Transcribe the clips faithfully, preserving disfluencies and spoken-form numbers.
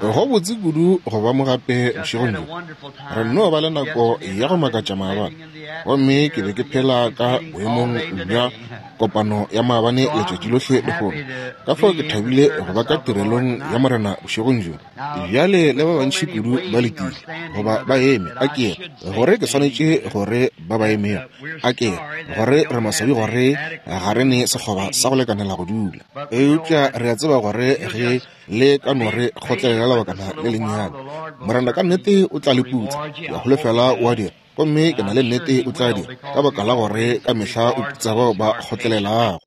Go botse kudu go ba mo gape bošegong bjo. Re nno ba le nako ya go makatša maabane, gomme ke be ke phela ka boemong bja kopano ya maabane letšatši lohle lehono. Ka fao ke thabile go ba ka tirelong ya Morena bošegong bjo. Bjale le ba bantši kudu ba letile goba ba eme, a ke gore ke swanetše gore ba ba emego, a ke gore re maswabi gore ga re ne sekgoba sa go lekanela go dula. Eupša re a tseba gore ge le ka no re kgotlelela lebakana le lennyane, Morena ka nnete o tla le putsa. Ke a holofela o a dira, gomme ke na le nnete o tla dira, ka baka la gore ka mehla o putsa bao ba kgotlelelago.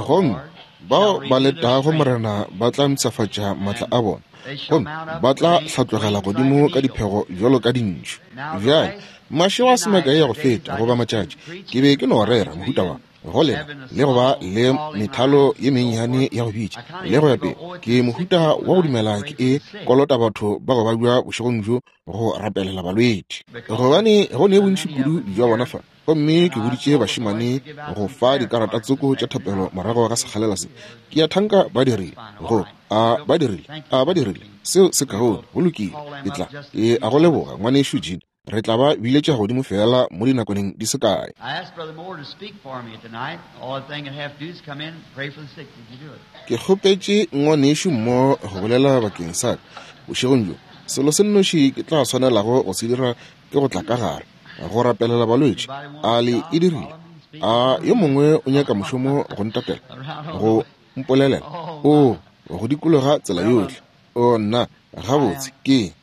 Gomme bao ba letago Morena ba tla mpshafatša maatla a bona, gomme ba tla hlatlogela godimo ka diphego bjalo ka dintšhu. Bjale, mašego a se makae ya go feta goba matšatši, ke be ke no rera mohuta wa go lena le go ba le methalo ye mennyane ya go bitša le go ya pele. Ke mohuta wa go dumela ke e kolota batho ba go babja bošegong bjo go rapelela balwetši, gobane go ne bontši kudu bja bona fa. Gomme ke boditše bašemane go fa dikarata tsoko tša thapelo morago ga sekgalela se. Ke a thanka ba dirile, go a ba dirile, a ba dirile. Seo se kaone, go lokile. Ke tla, ke a go leboga, ngwanešu Jean. Re tla ba biletša godimo fela mo dinakwaneng di se kae. Ke kgopetše ngwanešu Moore go bolela bakeng sa ka bošegong bjo. Selo se nnoši ke tla swanelago go se dira ke go tla ka gare go rapelela balwetši. A le e dirile? A yo mongwe o nyaka mošomo go ntatela, go mpolelela? O go dikologa tsela yohle. O nna, gabotse ke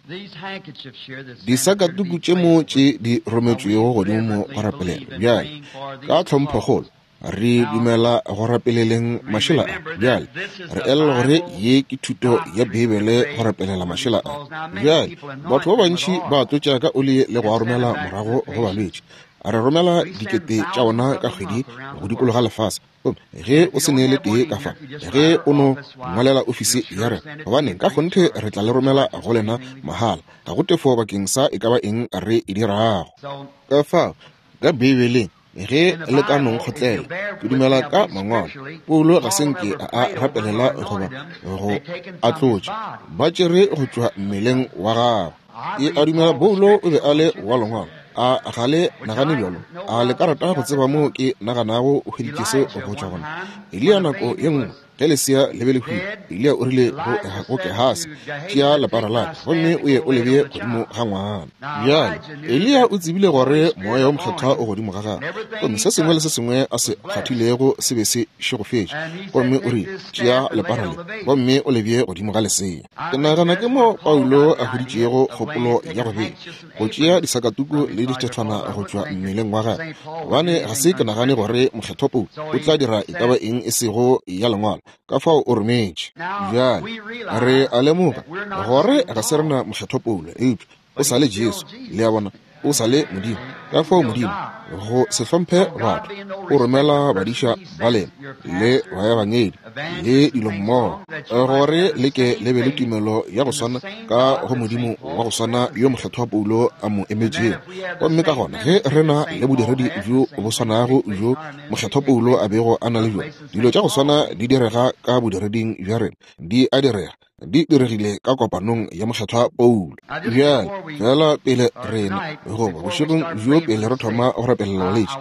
disakatuku tše mo tše di rometšwego godimo mo go rapelela. Bjale, ka tlhomphokgolo re dumela go rapeleleng mašela a. Bjale re elelwa gore ye ke thuto ya Beibele go rapelela mašela a. Bjale batho ba bantši ba tlotša ka oli le go a romela morago go balwetši. Re romela dikete tša ona ka kgwedi go dikologa lefase. Ge o se ne le tee ka fa, ge o no ngwalela ofisi ya rena, gobane ka kgonthe re tla le romela go lena mahala, ga go tefo bakeng sa e ka ba eng re e dirago. Ka fao ka Beibeleng, ge le ka no nkgotlela, ke dumela ka mangwalo, Paulo ga se nke a a rapelela goba go a tlotša, ba tšere go tšwa mmeleng wa gagwe. Ke a dumela Paulo o be a le wa lengwalo. A ga le nagane bjalo? A le ka rata go tseba moo ke naganago o hweditše se go tšwa gona? Eliya nako ye nngwe ge lesea le be le hwile, Eliya o rile go Gehasi, tšea lepara la ka gomme o ye o le bee godimo ga ngwana. Bjale Eliya o tsebile gore moya wo mokgethwa o godimo ga gagwe, gomme se sengwe le se sengwe a se kgwathilego se be se šegofetše. Gomme o rile, tšea lepara le gomme o le bee godimo ga lesea. Ke nagana ke mo Paulo a hweditšego kgopolo ya go bea, go tšea disakatuku le dithethwana go tšwa mmeleng wa gagwe, gobane ga se ke nagane gore mokgethwa Paulo o tla dira e ka ba eng e sego ya lengwalo. Ka fao o rometše. Bjale re a lemoga gore ga se rena mokgethwa Paulo, eupša o sa le Jesu, le a bona, o sa le Modimo. Ka fao Modimo, go se hlomphe batho, o romela badiša ba lena le baebangedi le dilo mmogo, gore le ke le be le tumelo ya go swana ka go Modimo wa go swana yo mokgethwa Paulo a mo emetšego. Gomme ka gona ge re na le bodiredi bjo bo swanago bjo mokgethwa Paulo a bego a na le bjona, dilo tša go swana di direga ka bodireding bja rena, di a direga, di diregile ka kopanong ya mokgethwa Paulo. Bjale fela pele rena goba bošegong bjo pele re thoma go rapelela balwetši,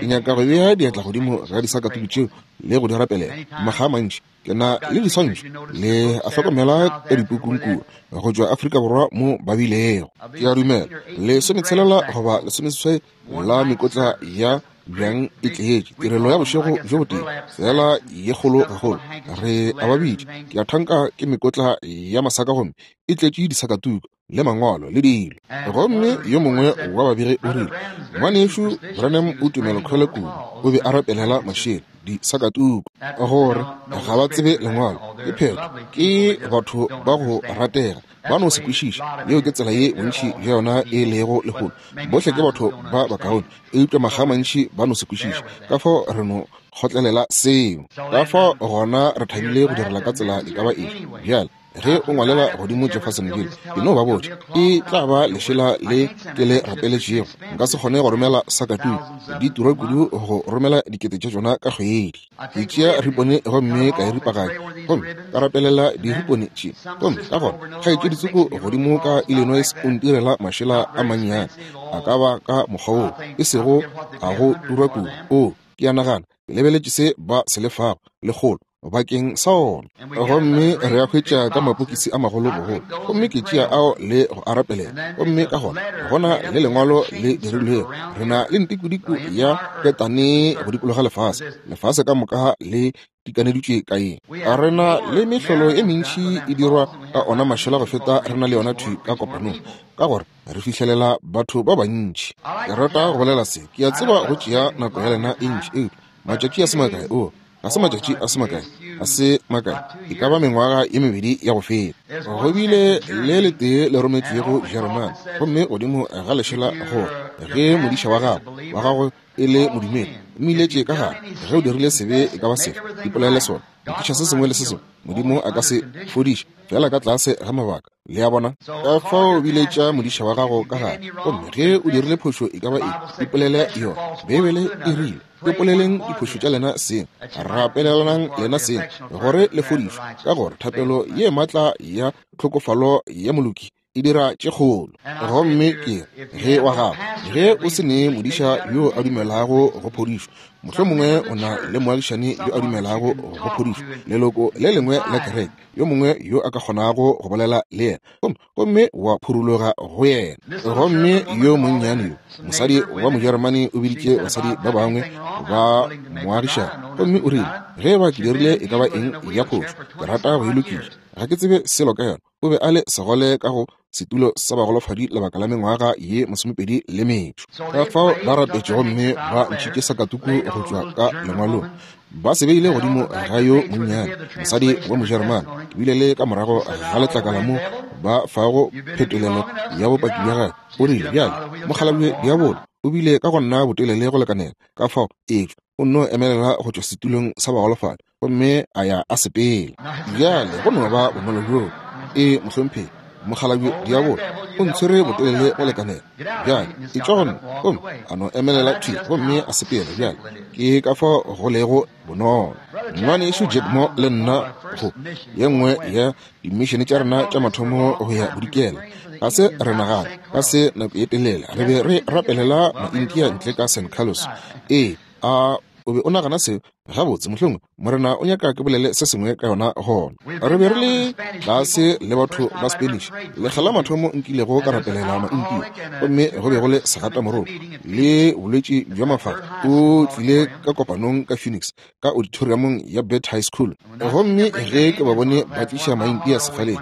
ke nyaka go bea diatla godimo ga disakatuku tšeo le go di rapelela. Makga a mantši ke na le diswantšho le a hlokomela ka dipukung kua go tšwa Afrika Borwa mo ba bilego. Ke a dumela lesometshelela goba lesomeseswai la mekotla ya bjang e tletše tirelo ya bošego bjo botee fela ye kgolo gagolo. Re a ba bitša, ke a thanka ke mekotla ya masaka gomme e tletše disakatuku le mangwalo le dilo. Gomme yo mongwe wa babegi o rile, ngwanešu Branham o tumelokhwele kudu, o be a rapelela mašela disakatuku, gore ga ba tsebe lengwalo. Ke phetho, ke batho ba go ratega, ba no se kwešiše. Yeo ke tsela ye bontši bja yona e lego lehono. Bohle ke batho ba bakaone, eupša makga a mantši ba no se kwešiše. Ka fao re no kgotlelela seo. Ka fao gona re thabile go direla ka tsela e ka ba efe. Bjale ge o ngwalela godimo Jeffersonville, ke no ba botša, e tla ba lešela le ke le rapeletšego. Nka se kgone go romela sakatuku, di tura kudu go romela dikete tša tšona ka kgwedi. Ke tšea ripone gomme ka e ripaganya, Gomme ka rapelela diripone tše. Gomme ka gona kgaetšedi tsoko godimo ka Illinois o ntirela mašela a mannyane, a ka ba ka mokgwa woo, e sego a go turwa kudu. O, ke a nagana ke lebeletše se ba se lefago lekgolo bakeng sa ona. Gomme re a hwetša ka mapokisi a magolo bogolo, gomme ke tšea ao le go a rapelela. Gomme ka gona gona le lengwalo le dirilwego, re na le ntikodiko ya ketane go dikologa lefase, lefase ka moka le dikaneditšwe ka eng. A re na le mehlolo e mentši e dirwa ka ona mašela go feta re na le yona thwi ka kopanong, ka gore re fihlelela batho ba bantši. Ke rata go bolela se, ke a tseba go tšea nako ya lena e ntši, eupša matšatši a se makae, o ga se matšatši a se makae, a se makae, e ka ba mengwaga ye mebedi ya go feta, go bile le letee le rometšwego Jeremane, gomme godimo ga lešela gore ge modiša wa gago wa gago e le modumedi, mmiletše ka gare, ge o dirile sebe e ka ba sefe, ipolele sona, lokiša se sengwe le se sengwe, Modimo a ka se fodiše fela ka tlase ga mabaka. Le a bona? Ka fao biletša modiša wa gago ka gare, gomme ge o dirile phošo e ka ba eng, ipolele yona. Beibele e rile, ipoleleng diphošo tša lena seng, rapelelanang lena seng, gore le fodišwe, ka gore thapelo ye matla ya tlhokofalo ya moloki e dira tše kgolo. Gomme ke ge wa gago, ge o se ne modiša yo a dumelago go phodišo, mohlomongwe o na le moagišani yo a dumelago go phodišo, leloko le lengwe la kereke, yo mongwe yo a ka kgonago go bolela le yena, gomme gomme wa phuruloga go yena. Gomme yo monnyane yo, mosadi wa Mojeremane, o biditše basadi ba bangwe ba moagišani, gomme o rile, ge ba ke dirile e ka ba eng ya phošo, ke rata go e lokiša, ga ke tsebe selo ka yona. O be a le segole ka go setulo sa bagolofadi lebaka la mengwaga ye masomepedi le metšo. Ka fao ba rapetše gomme ba ntšhitše sakatuku go tšwa ka lengwalong, ba se beile godimo ga yo monnyane mosadi wa Mojeremane. Ke bile le ka morago ga letlakala mo ba fago phetolelo ya bopaki bja gagwe. O rile, bjale mokgalabje diabolo o bile ka go nna botelele go lekanela, ka fao etšwa o nno emelela go tšwa setulong sa bagolofadi gomme a ya a sepela. Bjale go no ba bonolo bjoo. E mohlomphegi, mokgalabje diabolo o ntshwere botelele go lekanela, bjale etšwa go nna, gomme a no emelela thwi gomme a sepela. Bjale ke ka fao go lego bonolo. Ngwanešu Jack Moore le nna go ye nngwe ya dimišene tša rena tša mathomo go ya bodikela, ga se re nagana ka se nako ye telele, re be re rapelela Maindia ntle ka San Carlos. Ee, a o be o nagana seo gabotse? Mohlomongwe Morena o nyaka ke bolele se sengwe ka yona gona. Re be re le tlase le batho ba Spanish, lekga la mathomo nkilego ka rapelela Maindia, gomme go be go le segatamoroko le bolwetši bja mafafa. O tlile ka kopanong ka Phoenix, ka auditoriumong ya Burt High School, gomme ge ke ba bone ba tliša Maindia sefaleng,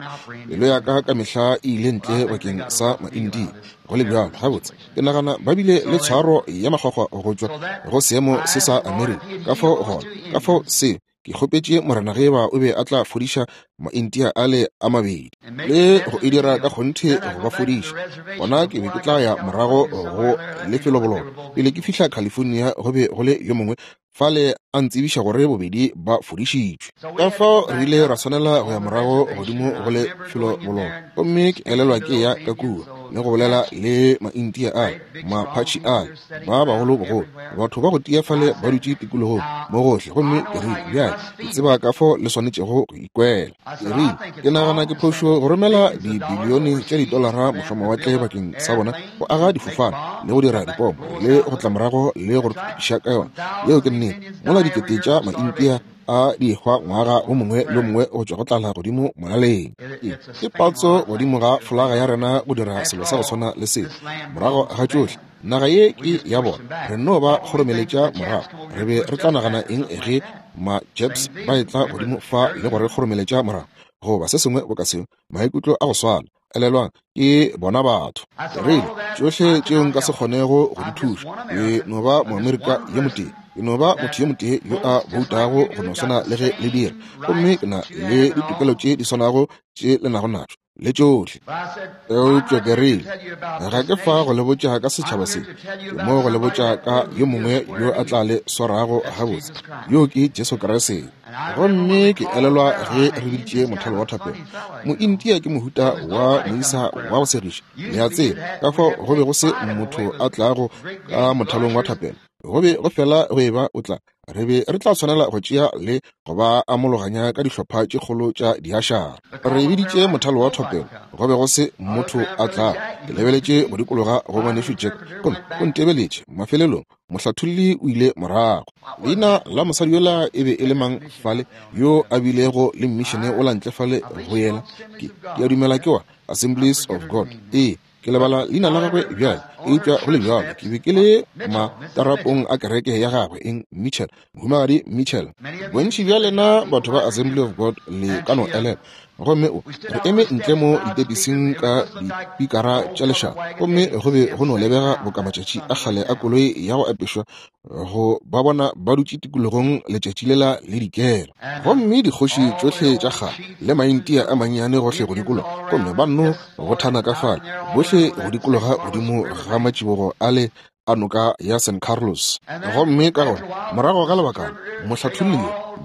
pelo ya ka ka mehla e ile ntle bakeng sa Maindia. Go le bjalo, gabotse ke nagana ba bile le tshwaro ya makgwakgwa go tšwa go seemo se sa Amerika. Ka fao gona, ka fao se ke kgopetše Morena ge ba o be a tla fodiša Maindia ale a mabedi le go e dira ka kgonthe go ba fodiša. Gona ke be ke tla ya morago go lefeloboloko. Pele ke fihla California, go be go le yo mongwe fale a ntsebiša gore bobedi ba fodišitšwe. Ka fao re ile ra swanela go ya morago godimo go lefeloboloko, gomme ke elelwa ke ya ka kua le go bolela le Maindia a Mapatši a ba bagolo bogolo, batho ba go tia fale ba dutše tikologong mo gohle. Gomme ke rile, bjale ke tseba ka fao le swanetšego go ikwela. Ke rile, ke nagana ke phošo go romela dibilione tša ditolara mošomawatle bakeng sa bona go aga difofane le go dira dipomo le go tla morago le go re tukiša ka yona. Yeo ke nnete. Mola dikete tša Maindia a di hwa ngwaga o mongwe le mongwe go tšwa go tlala godimo molaleng. Ke patso godimo ga folaga ya rena go dira selo sa go swana le se. Morago ga tšohle, naga ye ke ya bona, re no ba kgoromeletša morago. Re be re tla nagana eng ge ma-Japs ba etla godimo fa le go re kgoromeletša morago, goba se sengwe boka seo? Maikutlo a go swana. Elelwang, ke bona batho. Rile, tšohle tšeo nka se kgonego go di thuša, ke no ba Moamerika yo motee, ke no ba motho yo motee yo a boutago go no swana le ge le dira, gomme ke na le ditokelo tše di swanago tše le nago natšo le tšohle. Eupša ke rile, ga ke fa go le botša ka setšhaba se, ke mo go le botša ka yo mongwe yo a tla le swarago gabotse, yo ke Jesu Kriste. Gomme ke elelwa ge re biditše mothalo wa thapelo. Moindia ke mohuta wa moisa wa go segiša, le a tseba, ka fao go be go se motho a tlago ka mothalong wa thapelo. Go be go fela go eba o tla Re be re tla tshwanela go tšea le go ba amologanya ka dihlopha tše kgolo tša diašara. Re biditše mothalo wa thapelo, go be go se motho a tla. Ke lebeletše go dikologa go ngwanešu Jack, gomme o ntebeletše. Mafelelong mohlatholli o ile morago. Leina la mosadi yola e be e le mang fale, yo a bilego le mmišene o la ntle fale go yena? Ke, ke a dumela ke wa Assemblies of God. Ee, ke lebala leina la gagwe bjale, eupša go le bjalo ke be ke le matarapong a kereke ya gagwe, eng, Mitchell, mohumagadi Mitchell. Bontši bja lena batho ba Assembly of God le ka no elela. Gomme o re eme ntle mo ditepising ka dipikara tša lešaba, gomme go be go no lebega boka matšatši a kgale a koloi ya go apešwa, go ba bona ba dutše tikologong letšatši lela le dikela. Gomme dikgoši tšohle tša kgale le maintia a mannyane gohle go dikologa, gomme ba nno go thana ka fale bohle go dikologa godimo ga matšibogo a le a noka ya San Carlos. Gomme ka gona morago ga lebakana mohlatholli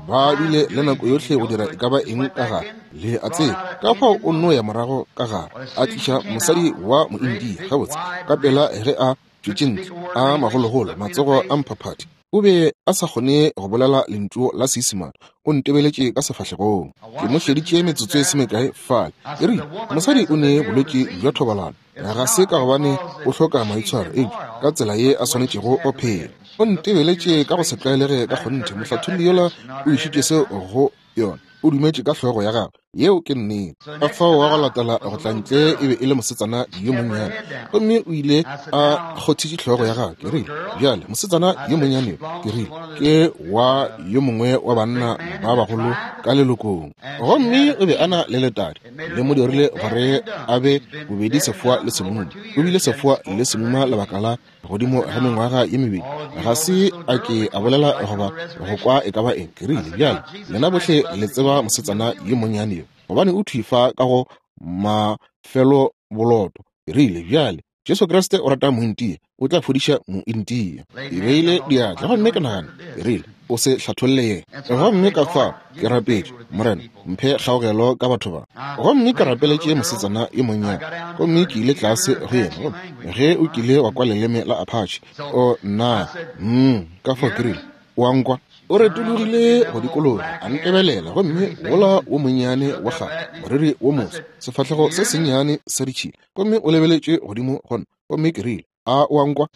ba bile le nako yohle go dira e ka ba eng ka gare, le a tseba. Ka fao o nno ya morago ka gare a tliša mosadi wa moindia gabotse ka pela ge a tšwetše ntle a magologolo matsogo a mphaphathi. O be a sa kgone go bolela lentšu la Seisemane. O ntebeletše ka sefahlegong. Ke mo šeditše metsotso e se mekae fale. Ke rile, mosadi o ne bolwetši bja thobalano, ga se ka gobane o hloka maitshwaro, eupša ka tsela ye a swanetšego go phela. O ntebeletše ka go se tlwaelege ka kgonthe. Mohlatholli yola o išitše seo go yona. O dumetše ka hlogo ya gagwe. Yeo ke nnete. Ka fao wa go latela go tla ntle e be e le mosetsana yo monnyane, gomme o ile a kgothitše hlogo ya gagwe. Ke rile, bjale mosetsana yo monnyane, ke rile, ke wa yo mongwe wa banna ba bagolo ka lelokong. Gomme o be a na le letadi, le mo dirile gore a be bobedi sefoa le semuma. O bile sefoa le semuma lebaka la godimo ga mengwaga ye mebedi. Ga se a ke a bolela goba go kwa e ka ba eng. Ke rile, bjale lena bohle le tseba mosetsana yo monnyane yo, gobane o thwi fa ka go mafelo boloto. Ke rile, bjale Jesu Kriste o rata mointia, o tla fodiša mointia. Ke beile diatla gomme ke nagana, ke rile, o se hlatholle yena. Gomme ka fao ke rapetše, Morena, mphe kgaogelo ka batho ba. Gomme ke rapeletše mosetsana yo monnyane, gomme ke ile tlase go yena. Gomme ge o kile wa kwa leleme la Apache, o nna, mm, ka fao ke rile, o a nkwa? O retologile go dikologa, a ntebelela, gomme wola wo monnyane wa kgale, moriri wo moso, sefahlego se sennyane sa ditšhila, gomme o lebeletše godimo go nna. Gomme ke rile, a o a nkwa?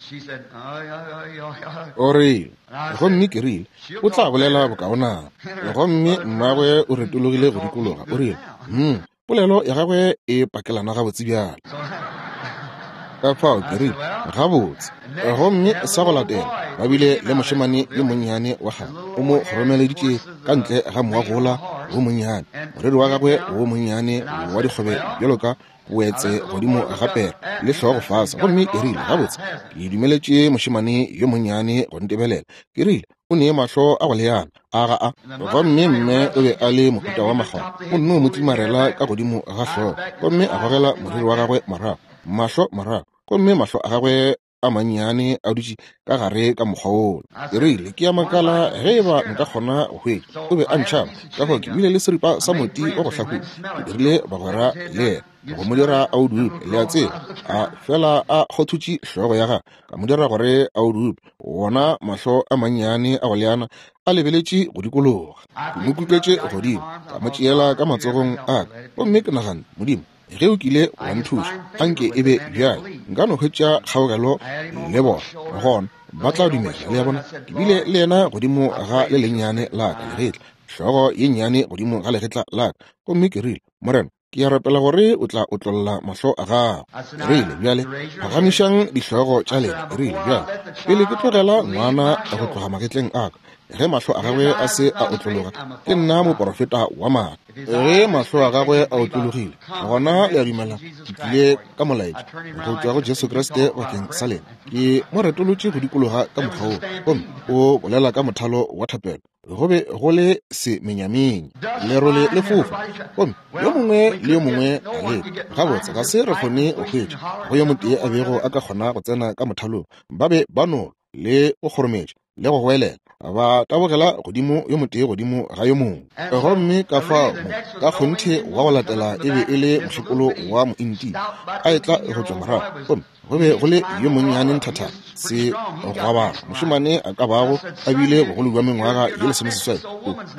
O rile, gomme ke rile, o tla bolela bokaonana. Gomme mmagwe o retologile go dikologa, o rile, mm, polelo ya gagwe e pakelana gabotse bjale. Ka fao ke rile, gabotse. Gomme sa go latela ba bile le mošemane yo monnyane wa kgale, o mo kgoromeleditše ka ntle ga moagola wo monnyane, moriri wa gagwe wo monnyane wa dikgobe bjalo ka boetse godimo ga pere le hlogo fase. Gomme ke rile, gabotse, ke dumeletše mošemane yo monnyane go ntebelela. Ke rile, o ne mahlo a go leana a ga a. Gomme mme o be a le mohuta wa makgwakgwa, o nno mo tlimarela ka godimo ga hlogo, gomme a gogela moriri wa gagwe morago, mahlo morago, gomme mahlo a gagwe a mannyane a dutše ka gare ka mokgwa wola. Ke rile, ke a makala ge e ba nka kgona go hwetša. O be a ntšhaba, ka fao ke bile le seripa sa moti wa go hlahula. Ke dirile bagwera le yena go mo dira a o dupe, le a tseba, a fela a kgothutše hlogo ya gagwe, ka mo dira gore a o dupe. Wona mahlo a mannyane a go leana a lebeletše go dikologa. Ke mo kuketše godimo, ka mo tšeela ka matsogong a ka, gomme ke nagana, Modimo, ge o kile wa nthuša, anke e be bjale nka no hwetša kgaogelo le bona, gona ba tla dumela. Le a bona, ke bile le yena godimo ga le lennyane la ka legetla, hlogo ye nnyane godimo ga legetla la ka, gomme ke rile, Morena, ke a rapela gore o tla otlolla mahlo a gago. Ke rile, bjale phagamišang dihlogo tša lena. Ke rile, bjale pele ke tlogela ngwana go tloga magetleng a ka, ge mahlo a gagwe a se a otlologa, ke nna moporofeta wa maaka. Ge mahlo a gagwe a otlologile, gona le a dumela ke tlile ka molaetša go tšwa go Jesu Kriste bakeng sa lena. Ke mo retolotše go dikologa ka mokgwa wo, gomme o bolela ka mothalo wa thapelo. Go be go le semenyamenye, lerole le fofa, gomme yo mongwe le yo mongwe a leka. Gabotse ga se re kgone go hwetša go yo motee a bego a ka kgona go tsena ka mothalong. Ba be ba no le go kgorometša le go goelela. Ba tabogela godimo yo motee godimo ga yo mongwe. Gomme ka fao mo ka kgonthe wa go latela e be e le mokgekolo wa mointia a etla go tšwa morago, gomme go be go le yo monnyane nthathana se gwabana mošemane a ka bago a bile bogolo bja mengwaga ye lesomeseswai.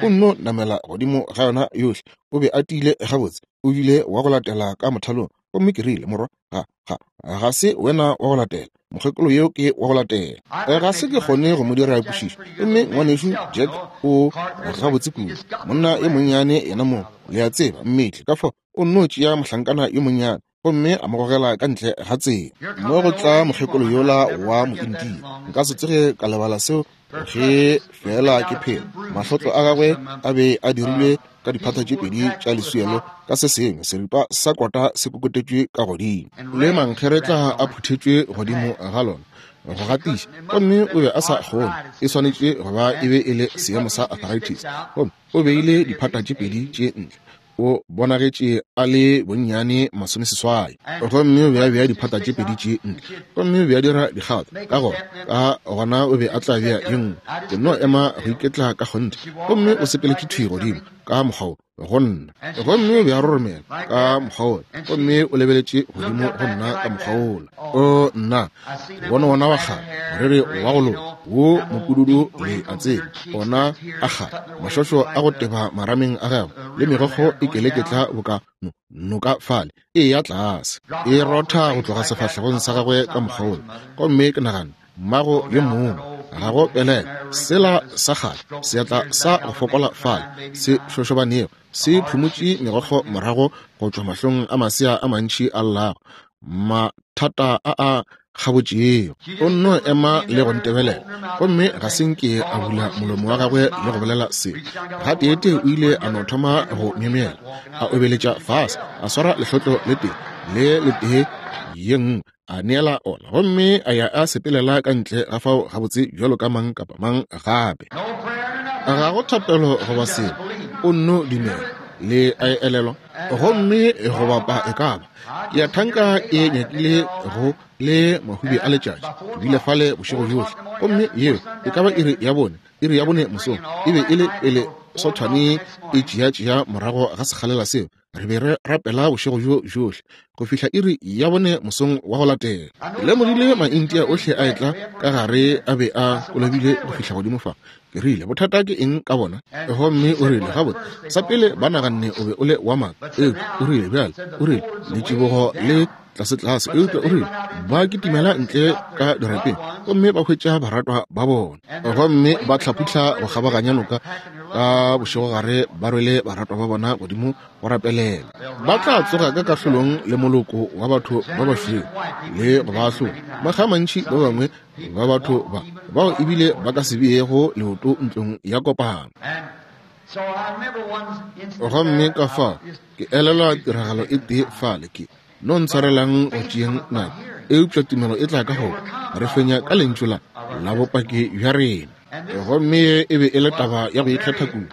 O nno namela godimo ga yona yohle. O be a tiile gabotse. O bile wa go latela ka mothalong. Gomme ke rile, morwa, ga ga ga se wena wa go latela, mokgekolo yo ke wa go latela. Ga se ke kgone go mo dira kwešišo. Gomme ngwanešu Jack o gabotse kudu, monna yo monnyane yena mong, le a tseba, mmetli. Ka fao o nno tšea mohlankana yo monnyane gomme a mo gogela ka ntle ga tsela. Mo go tla mokgekolo yola wa mointia. Nka se tsoge ka lebala seo ge fela ke phela. Mahlotlo a gagwe a be a dirilwe ka diphata tše pedi tša leswielo ka se sengwe seripa sa kota se kokotetšwe ka godimo, le mankgeretla a phuthetšwe godimo ga lona go gatiša. Gomme o be a sa kgone, e swanetše go ba e be e le seemo sa arthritis. Gomme o beile diphata tše pedi tše ntle. O bonagetše a le bonnyane masomeseswai. Gomme o be a bea diphata tše pedi tše ntle, gomme o be a dira dikgato ka gona, ka gona o be a tla bea ye nngwe. Ke no ema go iketla ka kgonthe. Gomme o sepeletše thwi godimo ka mokgwa wo go nna, gomme o be a roromela ka mokgwa wola, gomme o lebeletše godimo go nna ka mokgwa wola. O nna bona wona wa kgale, moriri wa go loka wo mopududu, le a tseba, ona a kgale, mašošo a go teba marameng a gagwe, le megokgo e keleketla boka noka fale e ya tlase, e rotha go tloga sefahlegong sa gagwe ka mokgwa wola. Gomme ke nagana, mmago yo mongwe, ga go pelela sela sa kgale, seatla sa go fokola fale se šošobanego se phumotše megokgo morago go tšwa mahlong a masea a mantši a llago, mathata a a kgabotšego. O nno ema le go ntebelela, gomme ga se nke a bula molomo wa gagwe le go bolela selo. Gateetee o ile a no thoma go myemyela, a obeletša fase, a swara lehlotlo le tee le letee ye nngwe, a neela ona, gomme a ya a sepelela ka ntle ga fao gabotse bjalo ka mang kapa mang gape. Ga go thapelo goba selo, o nno dumela, le a e elelwa. Gomme go bapa e ka ba ke ya thanka e nyakile go le mahubi a letšatši, ke bile fale bošego bjohle. Gomme yeo e ka ba iri ya bone, iri ya bone mosong, e be e le pele sothwane e tšea-tšea morago ga sekgalela seo. Re be re rapela bošego bjo bjohle go fihla iri ya bone mosong wa go latela. Ke lemogile maintia ohle a etla ka gare a be a kolobile go fihla godimo fa. Ke rile, bothata ke eng ka bona? Gomme o rile, gabotse, sa pele ba naganne o be o le wa maaka. Eupša o rile, bjale, o rile, letšibogo le tlase-tlase. Eupša o rile, ba kitimela ntle ka dirapeng gomme ba hwetša baratwa ba bona, gomme ba hlaphuhla go kgabaganya noka ka bošegogare ba rwele baratwa ba bona godimo go rapelela. Ba tla tsoga ka kahlolong le moloko wa batho ba bašweu le go ba ahlola. Makga a mantši ba bangwe ba batho ba bao ebile ba ka se beego leoto ntlong ya kopano. Gomme ka fao ke elelwa tiragalo e tee fale, ke no ntshwarelang go tšeeng nako, eupša tumelo e tla ka go re fenya ka lentšu la la bopaki bja rena. Gomme e be e le taba ya go ikgetha kudu.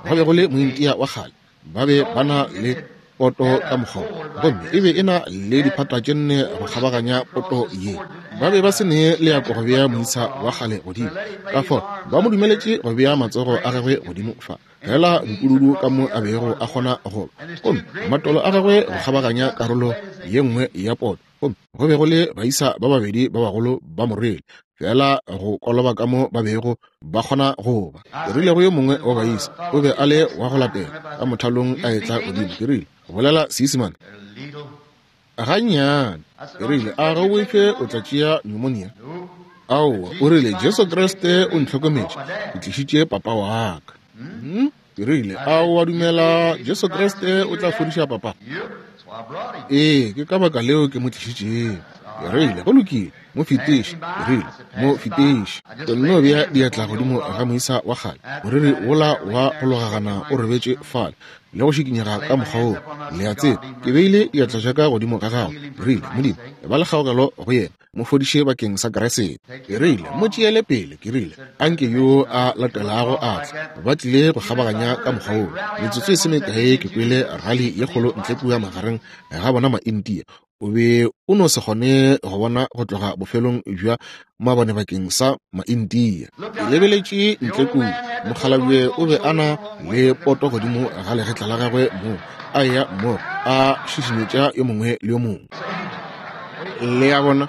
Go be go le mointia wa kgale, ba be ba na le poto ka mokgwa, gomme e be e na le diphata tše nne go kgabaganya poto ye. Ba be ba se ne leako go bea moisa wa kgale godimo, ka fao ba mo dumeletše go bea matsogo a gagwe godimo fa, fela bopududu ka mo a bego a kgona go ba, gomme matolo a gagwe go kgabaganya karolo ye nngwe ya poto. Gomme go be go le baisa ba babedi ba bagolo ba mo rwele, fela go koloba ka mo ba bego ba kgona go ba. Ke rile go yo mongwe wa baisa, o be a le wa go latela ka mothalong a etla godimo, ke rile, bolela Seisemane gannyane. Ke rile, a ga o boife o tla tšea pneumonia? Aowa, o rile, Jesu Kriste o ntlhokometše, ke tlišitše papa wa ka. Hmm? Ke rile, a o a dumela Jesu Kriste o tla fodiša papa? Ee, ke ka baka leo ke mo tlišitšego. Ke rile, go lokile, mo fetiše. Ke rile, mo fetiše. Ke nno bea diatla godimo ga moisa wa kgale, moriri wola wa go logagana o robetše fale le go šikinyega ka mokgwa woo, le a tseba. Ke beile diatla tša ka godimo ga gagwe. Ke rile, Modimo, ba le kgaogelo go yena, mo fodiše bakeng sa Kriste. Ke rile, mo tšeele pele. Ke rile, anke yo a latelago a tle. Ba tlile go kgabaganya ka mokgwa woo. Metsotso e se mekae ke kwele rali ye kgolo ntle kua magareng ga bona maintia. O be o no se kgone go bona go tloga bofelong bja mabone bakeng sa Maindia. Ke lebeletše ntle kua, mokgalabje o be a na le poto godimo ga legetla la gagwe moo a eya mmogo a šišinyetša yo mongwe le yo mongwe. Le a bona,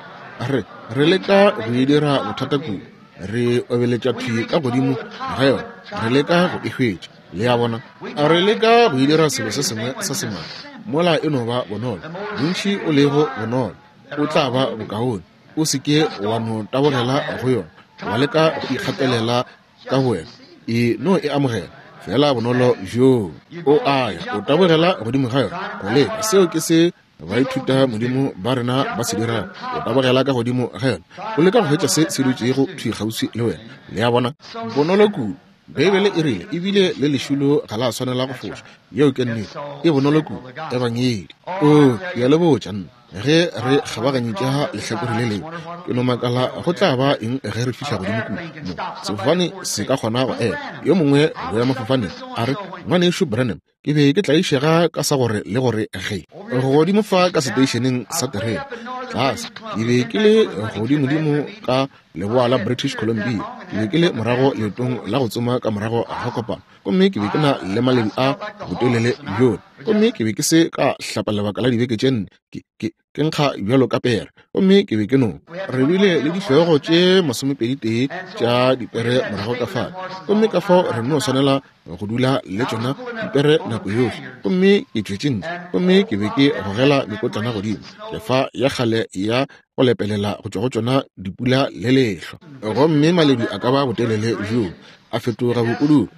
re re leka go e dira bothata kudu, re obeletša thwi ka godimo ga yona, re leka go e hwetša. Le a bona, re leka go e dira selo se sengwe sa semaka. Mola e no ba bonolo, bontši o lego bonolo, o tla ba bokaone. O se ke wa no tabogela go yona, wa leka go ikgatelela ka wena. E no e amogela fela bonolo bjoo. O a ya, o tabogela godimo ga yona go leka. Seo ke se baithuta modimo ba rena ba se dirago. O tabogela ka godimo ga yona, o leka go hwetša se se dutšego thwi kgauswi le wena. Le a bona, bonolo kudu. Beibele e rile ebile le lešulo ga la swanela go foša. Yeo ke nnete, e bonolo kudu. Ebangedi. O, ke a le botša nna, ge re kgabaganyetša lehlakore le lengwe, ke no makala go tla ba eng ge re fihla godimo kua. Mo sefofane se ka kgona go ema. Yo mongwe boemafofaneng a re, ngwanešu Branham, ke be ke tlaišega ka sa gore le gore ge godimo fa ka seteišeneng sa terene tlase, ke be ke le godimodimo ka leboa la British Columbia. Ke be ke le morago leetong la go tsoma ka morago ga kopano, gomme ke be ke na le maledu a botelele bjona, gomme ke be ke se ka hlapa lebaka la dibeke tše nne, ke ke ke nkga bjalo ka pere, gomme ke be ke no. Re bile le dihlogo tše masomepedi tee tša dipere morago ka fale, gomme ka fao re no swanela go dula le tšona dipere nako yohle. Gomme ke tšwetše ntle, gomme ke be ke gogela mekotlana godimo, kefa ya kgale ya go lepelela go tšwa go tšona dipula le lehlwa, gomme maledu a ka ba botelele bjoo a fetoga bokudu,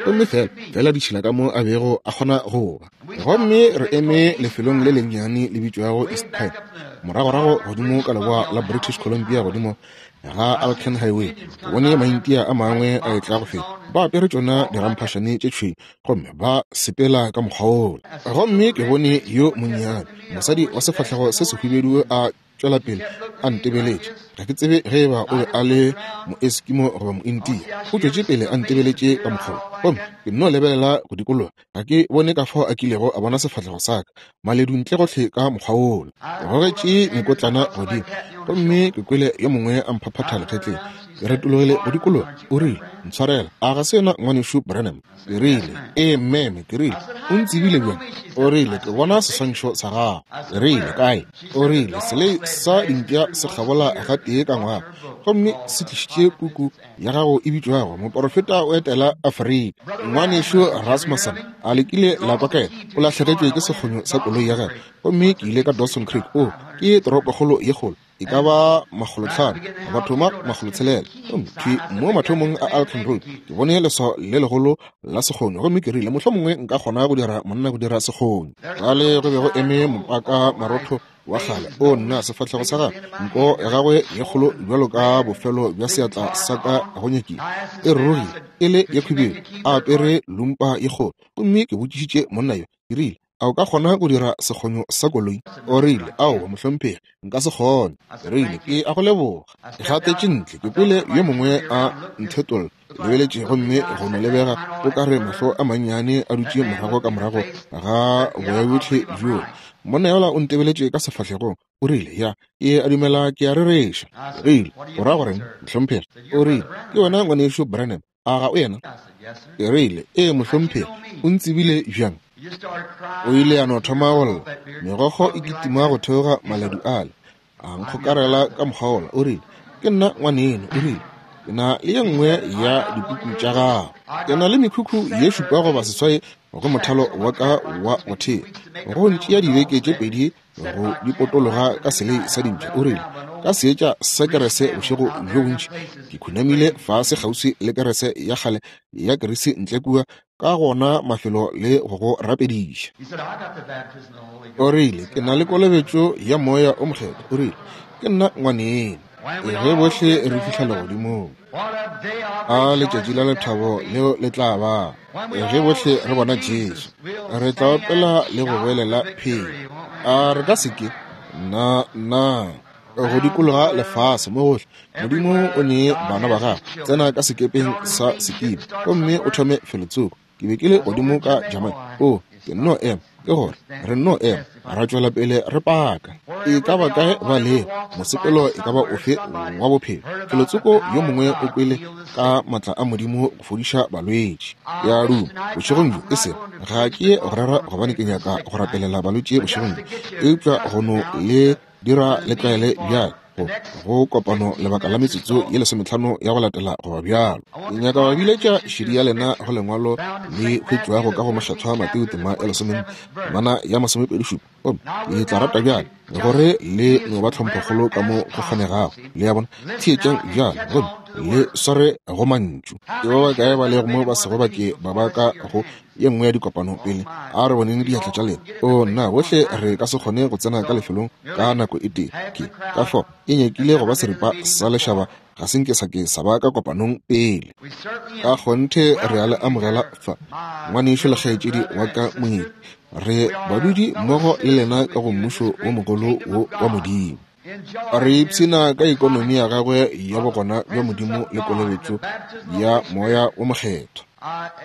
gomme fela fela ditšhila ka mo a bego a kgona go ba. Gomme re eme lefelong le lennyane le bitšwago East Pipe, moragorago godimo ka leboa la British Columbia godimo ga Alcan Highway. Ke bone Maindia a mangwe a etla go feta, ba apere tšona diramphašane tše tšhweu, gomme ba sepela ka mokgwa wola. Gomme ke bone yo monnyane mosadi wa sefahlego se sehubedu a tšwela pele a ntebeletše. Ga ke tsebe ge eba o be a le Moeskimo goba Moindia. O tšwetše pele a ntebeletše ka mokgwa wo, gomme ke nno lebelela go dikologa. Ga ke bone ka fao a kilego a bona sefahlego sa ka, maledu ntle gohle ka mokgwa wola. Ke gogetše mekotlana godimo, gomme ke kwele yo mongwe a mphaphatha legetleng. Ke retologile go dikologa. O rile, ntshwarela, a ga se yena ngwanešu Branham? Ke rile, ee mmeme. Ke rile, o ntsebile bjang? O rile, ke bona seswantšho sa gago. Ke rile, kae? O rile, selei sa dimpša se kgabola gatee ka ngwaga, gomme se tlišitše puku ya gago e bitšwago Moporofeta o etela Afrika. Ngwanešu Rasmussen a lekile la kwa ka yena, o lahlegetšwe ke sekgonyo sa koloi ya gagwe. Gomme ke ile ka Dawson Creek, o ke toropokgolo ye kgolo, e ka ba makgolotlhano batho ma makgolotshelela. Gomme thwi mo mathomong a Alcan Road ke bone leswao le legolo la sekgonyo, gomme ke rile mohlomongwe nka kgona go dira monna go dira sekgonyo. Fale go be go eme mopaka marotho wa kgale, o nna sefahlego sa gagwe, nko ya gagwe ye kgolo bjalo ka bofelo bja seatla sa ka go nyakile, e rurugile e le ye khwibidu, a apere lumpa ye kgolo. Gomme ke botšišitše monna yo, ke rile, a o ka kgona go dira sekgonyo sa koloi? O rile, aowa mohlomphegi, nka se kgone. Ke rile, ke a go leboga. Ke gatetše ntle, ke kwele yo mongwe a nthetolla. Ke lebeletše, gomme go no lebega o ka re mahlo a mannyane a dutše morago ka morago ga boya bjohle bjoo. Monna yola o ntebeletše ka sefahlegong. O rile, ya, ke a dumela ke a rereša. Ke rile, o ra goreng mohlomphegi? O rile, ke wena ngwanešu Branham, a ga o yena? Ke rile, ee mohlomphegi. O ntsebile bjang? O ile a no thoma go lla, megokgo e kitima go theoga maledu ale, a nkgokarela ka mokgwa wola. O rile, ke nna ngwaneno. O rile, ke na le ye nngwe ya dipuku tša gago. Ke na le mekhukhu ye šupa goba seswai go mothalo wa ka wa go thea, go ntšea dibeke tše pedi go di potologa ka selei sa dimpša. O rile, ka seetša sa kerese bošego bjo bontši ke khunamile fase kgauswi le kerese ya kgale ya kerisi ntle kua ka gona mafelo le go go rapediša. O rile, ke na le kolobetšo ya moya o mokgethwa. O rile, ke nna ngwaneno. Ge bohle re fihla legodimong, a letšatši la lethabo leo le tla ba. Ge bohle re bona Jesu, re tla opela le go boelela phelo. A re ka se ke? Nna, nna. Go dikologa lefase mo gohle, Modimo o nee bana ba gagwe. Tsena ka sekepeng sa sekibo gomme o thome felotsoko. Ke be ke le godimo ka Jamaica. O, ke nno ema Ke gore re nno ema ra tšwela pele re paka. E ka ba kae ba lego, mosepelo e ka ba ofe wa bophelo, felotsoko yo mongwe o kwele ka matla a Modimo go fodiša balwetši. Ke a duma bošegong bjo, e sego ga ke ye go rera gobane ke nyaka go rapelela balwetši bošegong bjo, eupša go no le dira le tlwaele bjale go go kopano lebaka la metsotso ye lesometlhano ya go latela goba bjalo. Ke nyaka go biletša šedi ya lena go lengwalo le hwetšwago ka go Mokgethwa Mateo tema ya lesomenne temana ya masomepedi šupa. Gomme ke tla rata bjale gore le no ba tlhomphokgolo ka mo go kgonegago. Le a bona? Theetšang bjale gomme le sware go mantšu. Ke ba bakae ba lego mo ba sego ba ke ba ba ka go ye nngwe ya dikopano pele? A re boneng diatla tša lena. O nna, bohle re ka se kgone go tsena ka lefelong ka nako e tee. Ke ka fao e nyakile go ba seripa sa lešaba ga se nke sa ke sa ba ka kopanong pele. Ka kgonthe re a le amogela fa, ngwanešu le kgaetšedi wa ka moeti. Re badudi mmogo le lena ka go mmušo wo mogolo wo wa Modimo. Re ipshina ka ekonomi ya gagwe ya bogona bja Modimo le kolobetšo ya Moya wo Mokgethwa.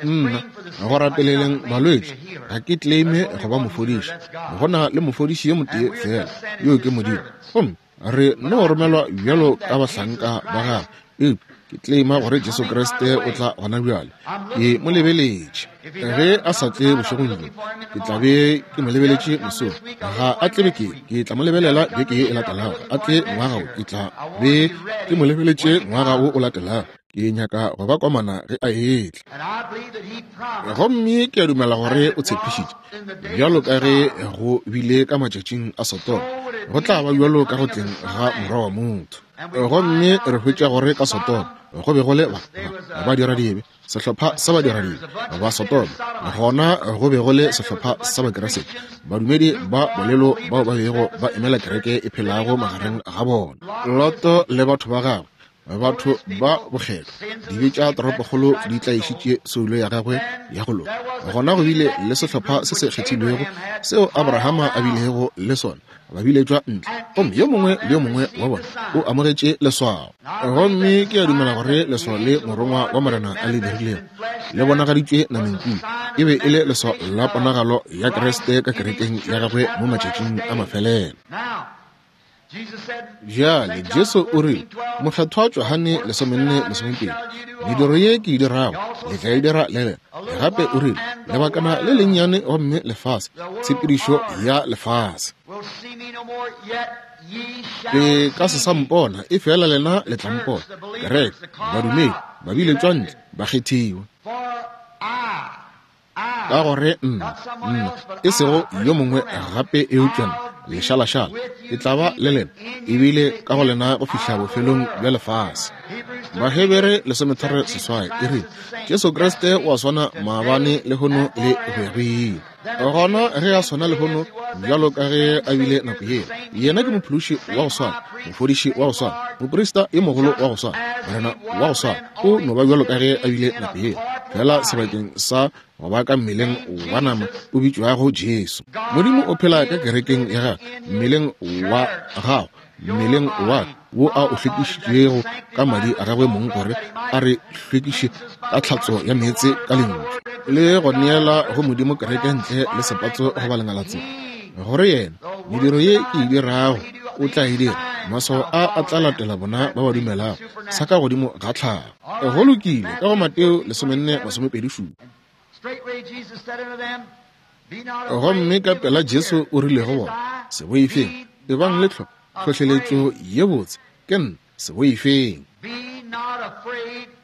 Nna, go rapeleleng balwetši, ga ke claime go ba mofodiši. Go na le mofodiši yo motee fela, yo ke Modimo. Gomme re no romelwa bjalo ka bahlanka ba gagwe, eupša ke claima gore Jesu Kriste o tla gona bjale. Ke mo lebeletše. Ge a sa tle bošegong bjo, ke tla be ke mo lebeletše mosong. Ga a tle beke, ke tla mo lebelela beke ye e latelago. A tle ngwaga wo, ke tla be ke mo lebeletše ngwaga wo o latelago. Ke nyaka go ba komana ge a etla. Gomme ke a dumela gore o tshepišitše, bjalo ka ge go bile ka matšatšing a Sodoma, go tla ba bjalo ka go tleng ga Morwa wa motho. Gomme re hwetša gore ka Sodoma go be go le ba ba badiradibe, sehlopha sa badiradibe ba Sodoma. Gona go be go le sehlopha sa Bakeresete, badumedi ba bolelo bao ba bego ba emela kereke e phelago magareng ga bona. Loto le batho ba gagwe, batho ba bokgethwa, dibe tša toropokgolo di tlaišitše soulo ya gagwe ya go loka. Gona go bile le sehlopha se se kgethilwego seo Abrahama a bilego le sona, ba biletšwa ntle, gomme yo mongwe le yo mongwe wa bona o amogetše leswao. Gomme ke a dumela gore leswao le morongwa wa Morena a le dirilego le bonagaditšwe nameng kudu, e be e le leswao la ponagalo ya Kriste ka kerekeng ya gagwe mo matšatšing a mafelelo. Bjale Jesu o rile, Mokgethwa Johane lesomenne lesomepedi, mediro ye ke e dirago le tla e dira le lena. Gape o rile, lebakana le lennyane gomme lefase, tshepedišo ya lefase, le ka se sa mpona, e fela lena le tla mpona. Kereke, badumedi, ba biletšwa ntle, ba kgethiwa. Ka gore nna, nna, e sego yo mongwe gape eupša nna, lešalašala, ke tla ba le lena, ebile ka go lena go fihla bofelong bja lefase. Bahebere lesometharo seswai e rile, Jesu Kriste o a swana maabane lehono le go ya go ile. Gona ge a swana lehono bjalo ka ge a bile nako yela, yena ke mophološi wa go swana, mofodiši wa go swana, moprista yo mogolo wa go swana, morena wa go swana. O no ba bjalo ka ge a bile nako yela, fela sebakeng sa go ba ka mmeleng wa nama o bitšwago Jesu. Modimo o phela ka kerekeng ya gagwe, mmeleng wa gago, mmeleng wa wo a o hlwekišitšego ka madi a gagwe mong gore a re hlwekiše ka tlhatso ya meetse ka lentšu, le go neela go Modimo kereke ntle le sepatso goba lengalatse, gore yena mediro ye ke e dirago o tla e dira. Maswao a a tla latela bona ba ba dumelago, sa ka godimo ga tlhago. Go lokile, ka go Mateo lesomenne masomepedi šupa. Gomme ka pela Jesu o rile go bona, se boifeng, ebang le tlhohleletšo ye botse, ke nna, se boifeng.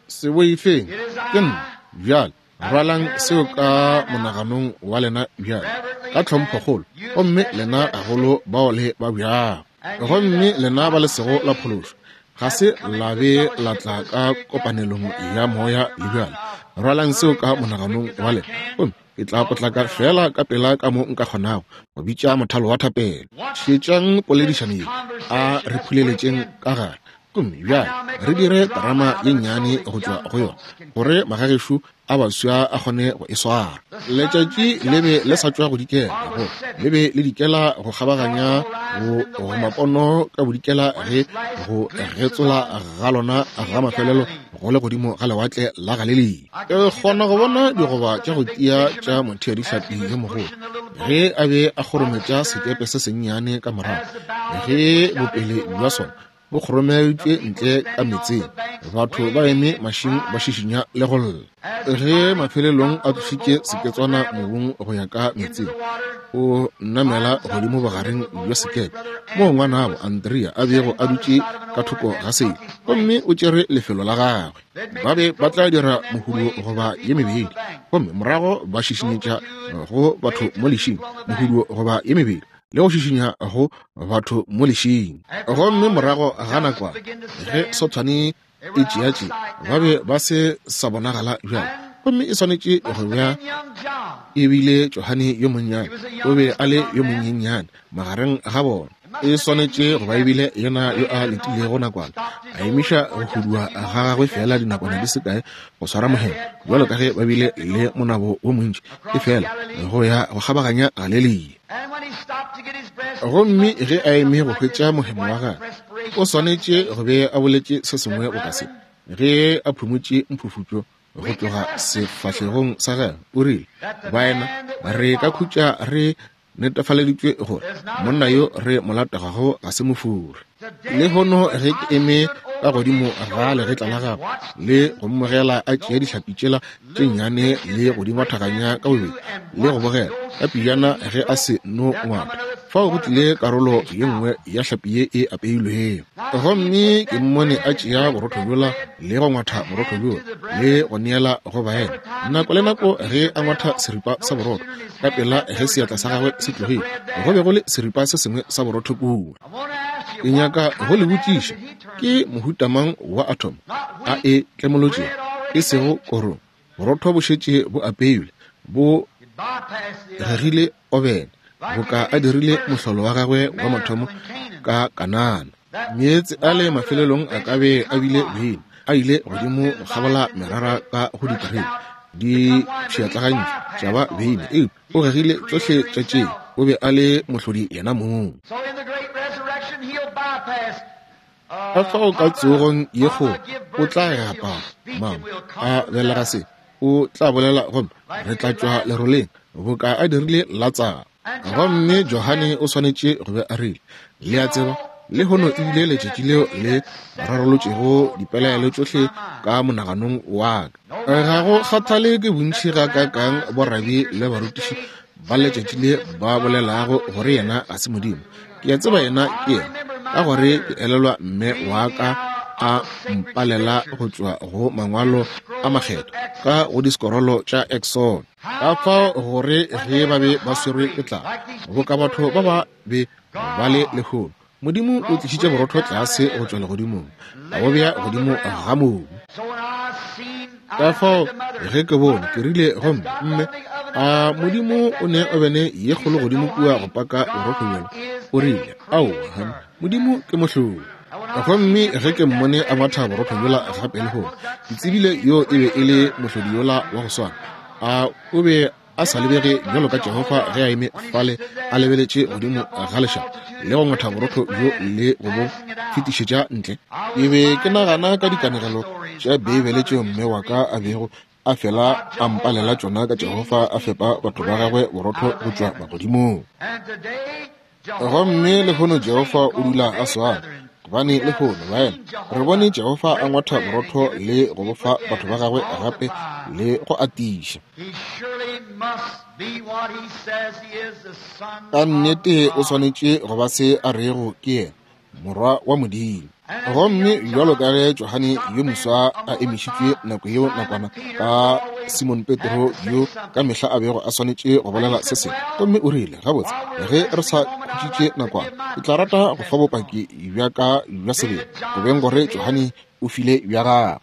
Se boifeng, ke nna. Bjale rwalang seo ka monaganong wa lena bjale, ka tlhomphokgolo, gomme lena gagolo bao le ba bjago, gomme lena ba le sego la phološo, ga se la be la tla ka kopanelong ya moya le bjale. Rwalang seo ka monaganong wa lena, gomme ke tla potlaka fela ka pela ka mo nka kgonago go bitša mothalo wa thapelo. Šetšang poledišano ye, a re phuleletšeng ka gare, gomme bjale re dire terama ye nnyane go tšwa go yona, gore magagešo a baswa a kgone go e swara. Letšatši le be le sa tšwa go dikela, go le be le dikela go kgabaganya go go mapono ka bodikela ge go getsola ga lona ga mafelelo go le godimo ga lewatle la Galilea. Ke kgona go bona digoba tša go tia tša motheadihlapi yo mogolo ge a be a kgorometša sekepe se sennyane ka morago, ge bopele bja sona bo kgoromeditšwe ntle ka meetseng, batho ba eme mašing ba šišinya le go lla. Ge mafelelong a tlošitše seketswana mobung go ya ka meetseng, o namela godimo bogareng bja sekepe moo ngwanabo Andrea a bego a dutše ka thoko ga sele, gomme o tšere lefelo la gagwe. Ba be ba tla dira mohuduo goba ye mebedi, gomme morago ba šišinyetša go batho mo lešing mohuduo goba ye mebedi, le go šišinya go batho mo lešing. Gomme morago ga nakwana ge sothwane e tšeatše, ba be ba se sa bonagala bjalo, gomme e swanetše go bja e bile Johane yo monnyane, o be a le yo monyenyane magareng ga bona. E swanetše go ba ebile yena yo a letilego nakwana, a emiša go hudua ga gagwe fela dinakwana di se kae go swara mohemo, bjalo ka ge ba bile le monabo wo montši, e fela go ya go kgabaganya Galilea. Gomme ge a eme go hwetša mohemo wa gagwe, o swanetše go be a boletše se sengwe boka se, ge a phumotše mphufutšo go tloga sefahlegong sa gagwe, o rile, baena, re ka khutša re netefaleditšwe gore monna yo re mo lategago ga se mofuri. Lehono ge ke eme ka godimo ga legetla la gagwe le go mmogela a tšea dihlapi tšela tše nnyane le go di ngwathaganya ka bobedi le go bogela ka pejana ge a se no ngwatha, fao go tlile karolo ye nngwe ya hlapi ye e apeilwego. Gomme ke mmone a tšea borotho bjola le go ngwatha borotho bjola le go neela go baena. Nako le nako ge a ngwatha seripa sa borotho, ka pela ge seatla sa gagwe se tlogile, go be go le seripa se sengwe sa borotho kua. Ke nyaka go le botšiša, ke mohuta mang wa atom a e tlemolotšego, e sego korong? Borotho bo šetše bo apeilwe, bo gegile obene, boka a dirile mohlolo wa gagwe wa mathomo ka Kanana. Meetse a le mafelelong a ka be a bile beine, a ile godimo go kgabola merara ka go diterebe, di pšhatlagantšwe tša ba beine, eupša o gegile tšohle tša tšeo, o be a le mohlodi yena mong. Ka fao ka tsogong ye kgolo o tla gapa mama a belega se, o tla bolela gomme re tla tšwa leroleng boka a dirile Latsaro. Gomme Johane o swanetše go be a rile, le a tseba, lehono e bile letšatši leo le rarolotšego dipelaelo tšohle ka monaganong wa ka. Ga go kgathale ke bontši ga kakang borabi le barutiši ba letšatši le ba bolelago gore yena ga se Modimo. Ke a tseba yena ke yena, ka gore ke elelwa mme wa ka a mpalela go tšwa go mangwalo a makgethwa ka go disekorolo tša Exxon. Ka fao gore ge ba be ba swerwe ke tlala boka batho ba ba be ba le lehono, Modimo o tlišitše borotho tlase go tšwa legodimong, a bo bea godimo ga mobu. Ka fao ge ke bone, ke rile gomme mme, a Modimo o ne obene ye kgolo godimo kua go paka borotho bjalo? O rile, aowa, Modimo ke mohlodi. Gomme ge ke mmone a ngwatha borotho bjola gape lehono, ke tsebile yo e be e le mohlodi yola wa go swana. A o be a sa lebege bjalo ka Jehofa ge a eme fale a lebeletše godimo ga lešaba le go ngwatha borotho bjo le go bo fetišetša ntle? Ke be ke nagana ka dikanegelo tša Beibele tšeo mme wa ka a bego a fela a mpalela tšona ka Jehofa a fepa batho ba gagwe borotho go tšwa magodimong. Gomme lehono Jehofa o dula a swana, gobane lehono baena re bone Jehofa a ngwatha borotho le go bofa batho ba gagwe gape le go atiša. Ka nnete o swanetše go ba se a rego ke yena, morwa wa Modimo. Gomme bjalo ka ge Johane yo moswa a emišitšwe nako yeo nakwana ka Simon Petro yo ka mehla a bego a swanetše go bolela se sengwe, gomme o rile, gabotse, ge re sa khutšitše nakwana, ke tla rata go fa bopaki bja ka bja sebele, go beng gore Johane o file bja gagwe.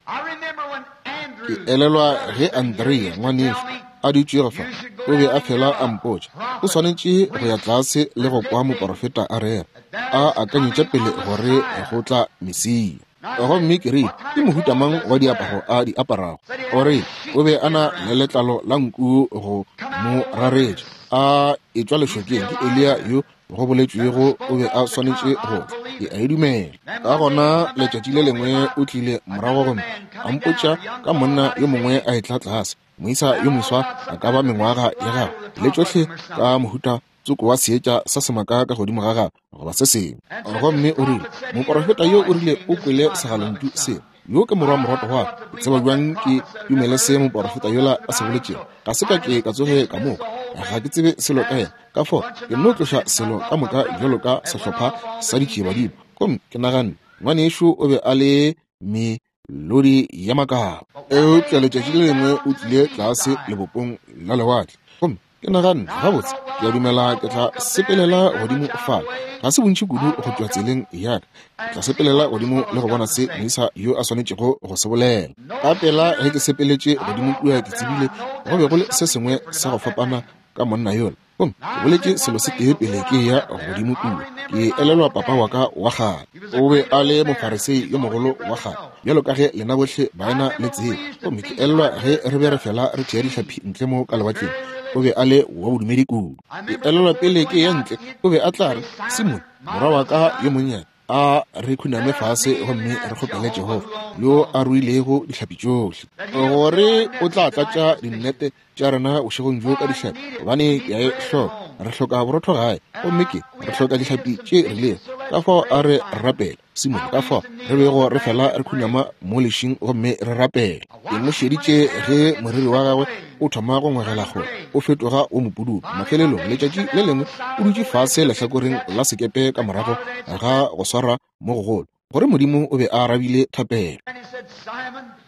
Ke elelwa ge Andrea ngwanešu a dutšego fa, o be a fela a mpotša, o swanetše go ya tlase le go kwa moporofeta a rera, a akanyetša pele gore go tla Mesia. Gomme ke rile, ke mohuta mang wa diaparo a di aparago? O re, o be a na le letlalo la nku go mo raretša, a etšwa lešokeng. Ke Eliya yo go boletšwego o be a swanetše go tla. Ke a e dumela. Ka gona letšatši le lengwe o tlile morago gomme a mpotša ka monna yo mongwe a etla tlase, moisa yo moswa a ka ba mengwaga ya gagwe, le tšohle ka mohuta tsoko wa seetša sa semaka ka godimo ga gagwe goba se sengwe. Gomme o rile, moporofeta yo o rile o kwele segalontšu seo. Yo ke morwa morwato wa ka. Ke tseba bjang ke dumele se moporofeta yola a se boletšego? Ga se ka ke ka tsoge ka moka. Ga ke tsebe selo ka yena. Ka fao ke nno tloša selo ka moka bjalo ka sehlopha sa ditšiebadimo. Gomme ke naganne, ngwanešu o be a le melodi ya makaba. Eupša letšatši le lengwe o tlile tlase lebopong la lewatle. Gomme ke naganne, gabotse, ke a dumela ke tla sepelela godimo fale. Ga se bontši kudu go tšwa tseleng ya ka. Ke tla sepelela godimo le go bona se moisa yo a swanetšego go se bolela. Ka pela ge ke sepeletše godimo kua, ke tsebile go be go le se sengwe sa go fapana ka monna yola. Gomme ke boletše selo se tee pele ke ya godimo kua. Ke elelwa papa wa ka wa kgale. O be a le mofarisei yo mogolo wa kgale, bjalo ka ge lena bohle baena le tseba. Gomme ke elelwa ge re be re fela re tšea dihlapi ntle mo ka lewatleng. O be a le wa bodumedi kudu. Ke elelwa pele ke ya ntle, o be a tla re, Simon, morwa wa ka yo monnyane, a re khuname fase gomme re kgopele Jehofa yo a ruilego dihlapi tšohle, gore o tla tlatša dinnete tša rena bošegong bjo ka dihlapi, gobane ke a e hloka. Re hloka borotho gae, gomme ke re hloka dihlapi tše rilego. Ka fao a re rapela, Simon, ka fao re bego re fela re khunama mo lešing gomme re rapela. Ke mo šeditše ge moriri wa gagwe o thoma go ngwegela kgole, o fetoga o mopududu. Mafelelong letšatši le lengwe o dutše fase lehlakoreng la sekepe ka morago ga go swara mo gogolo, gore Modimo o be a arabile thapelo.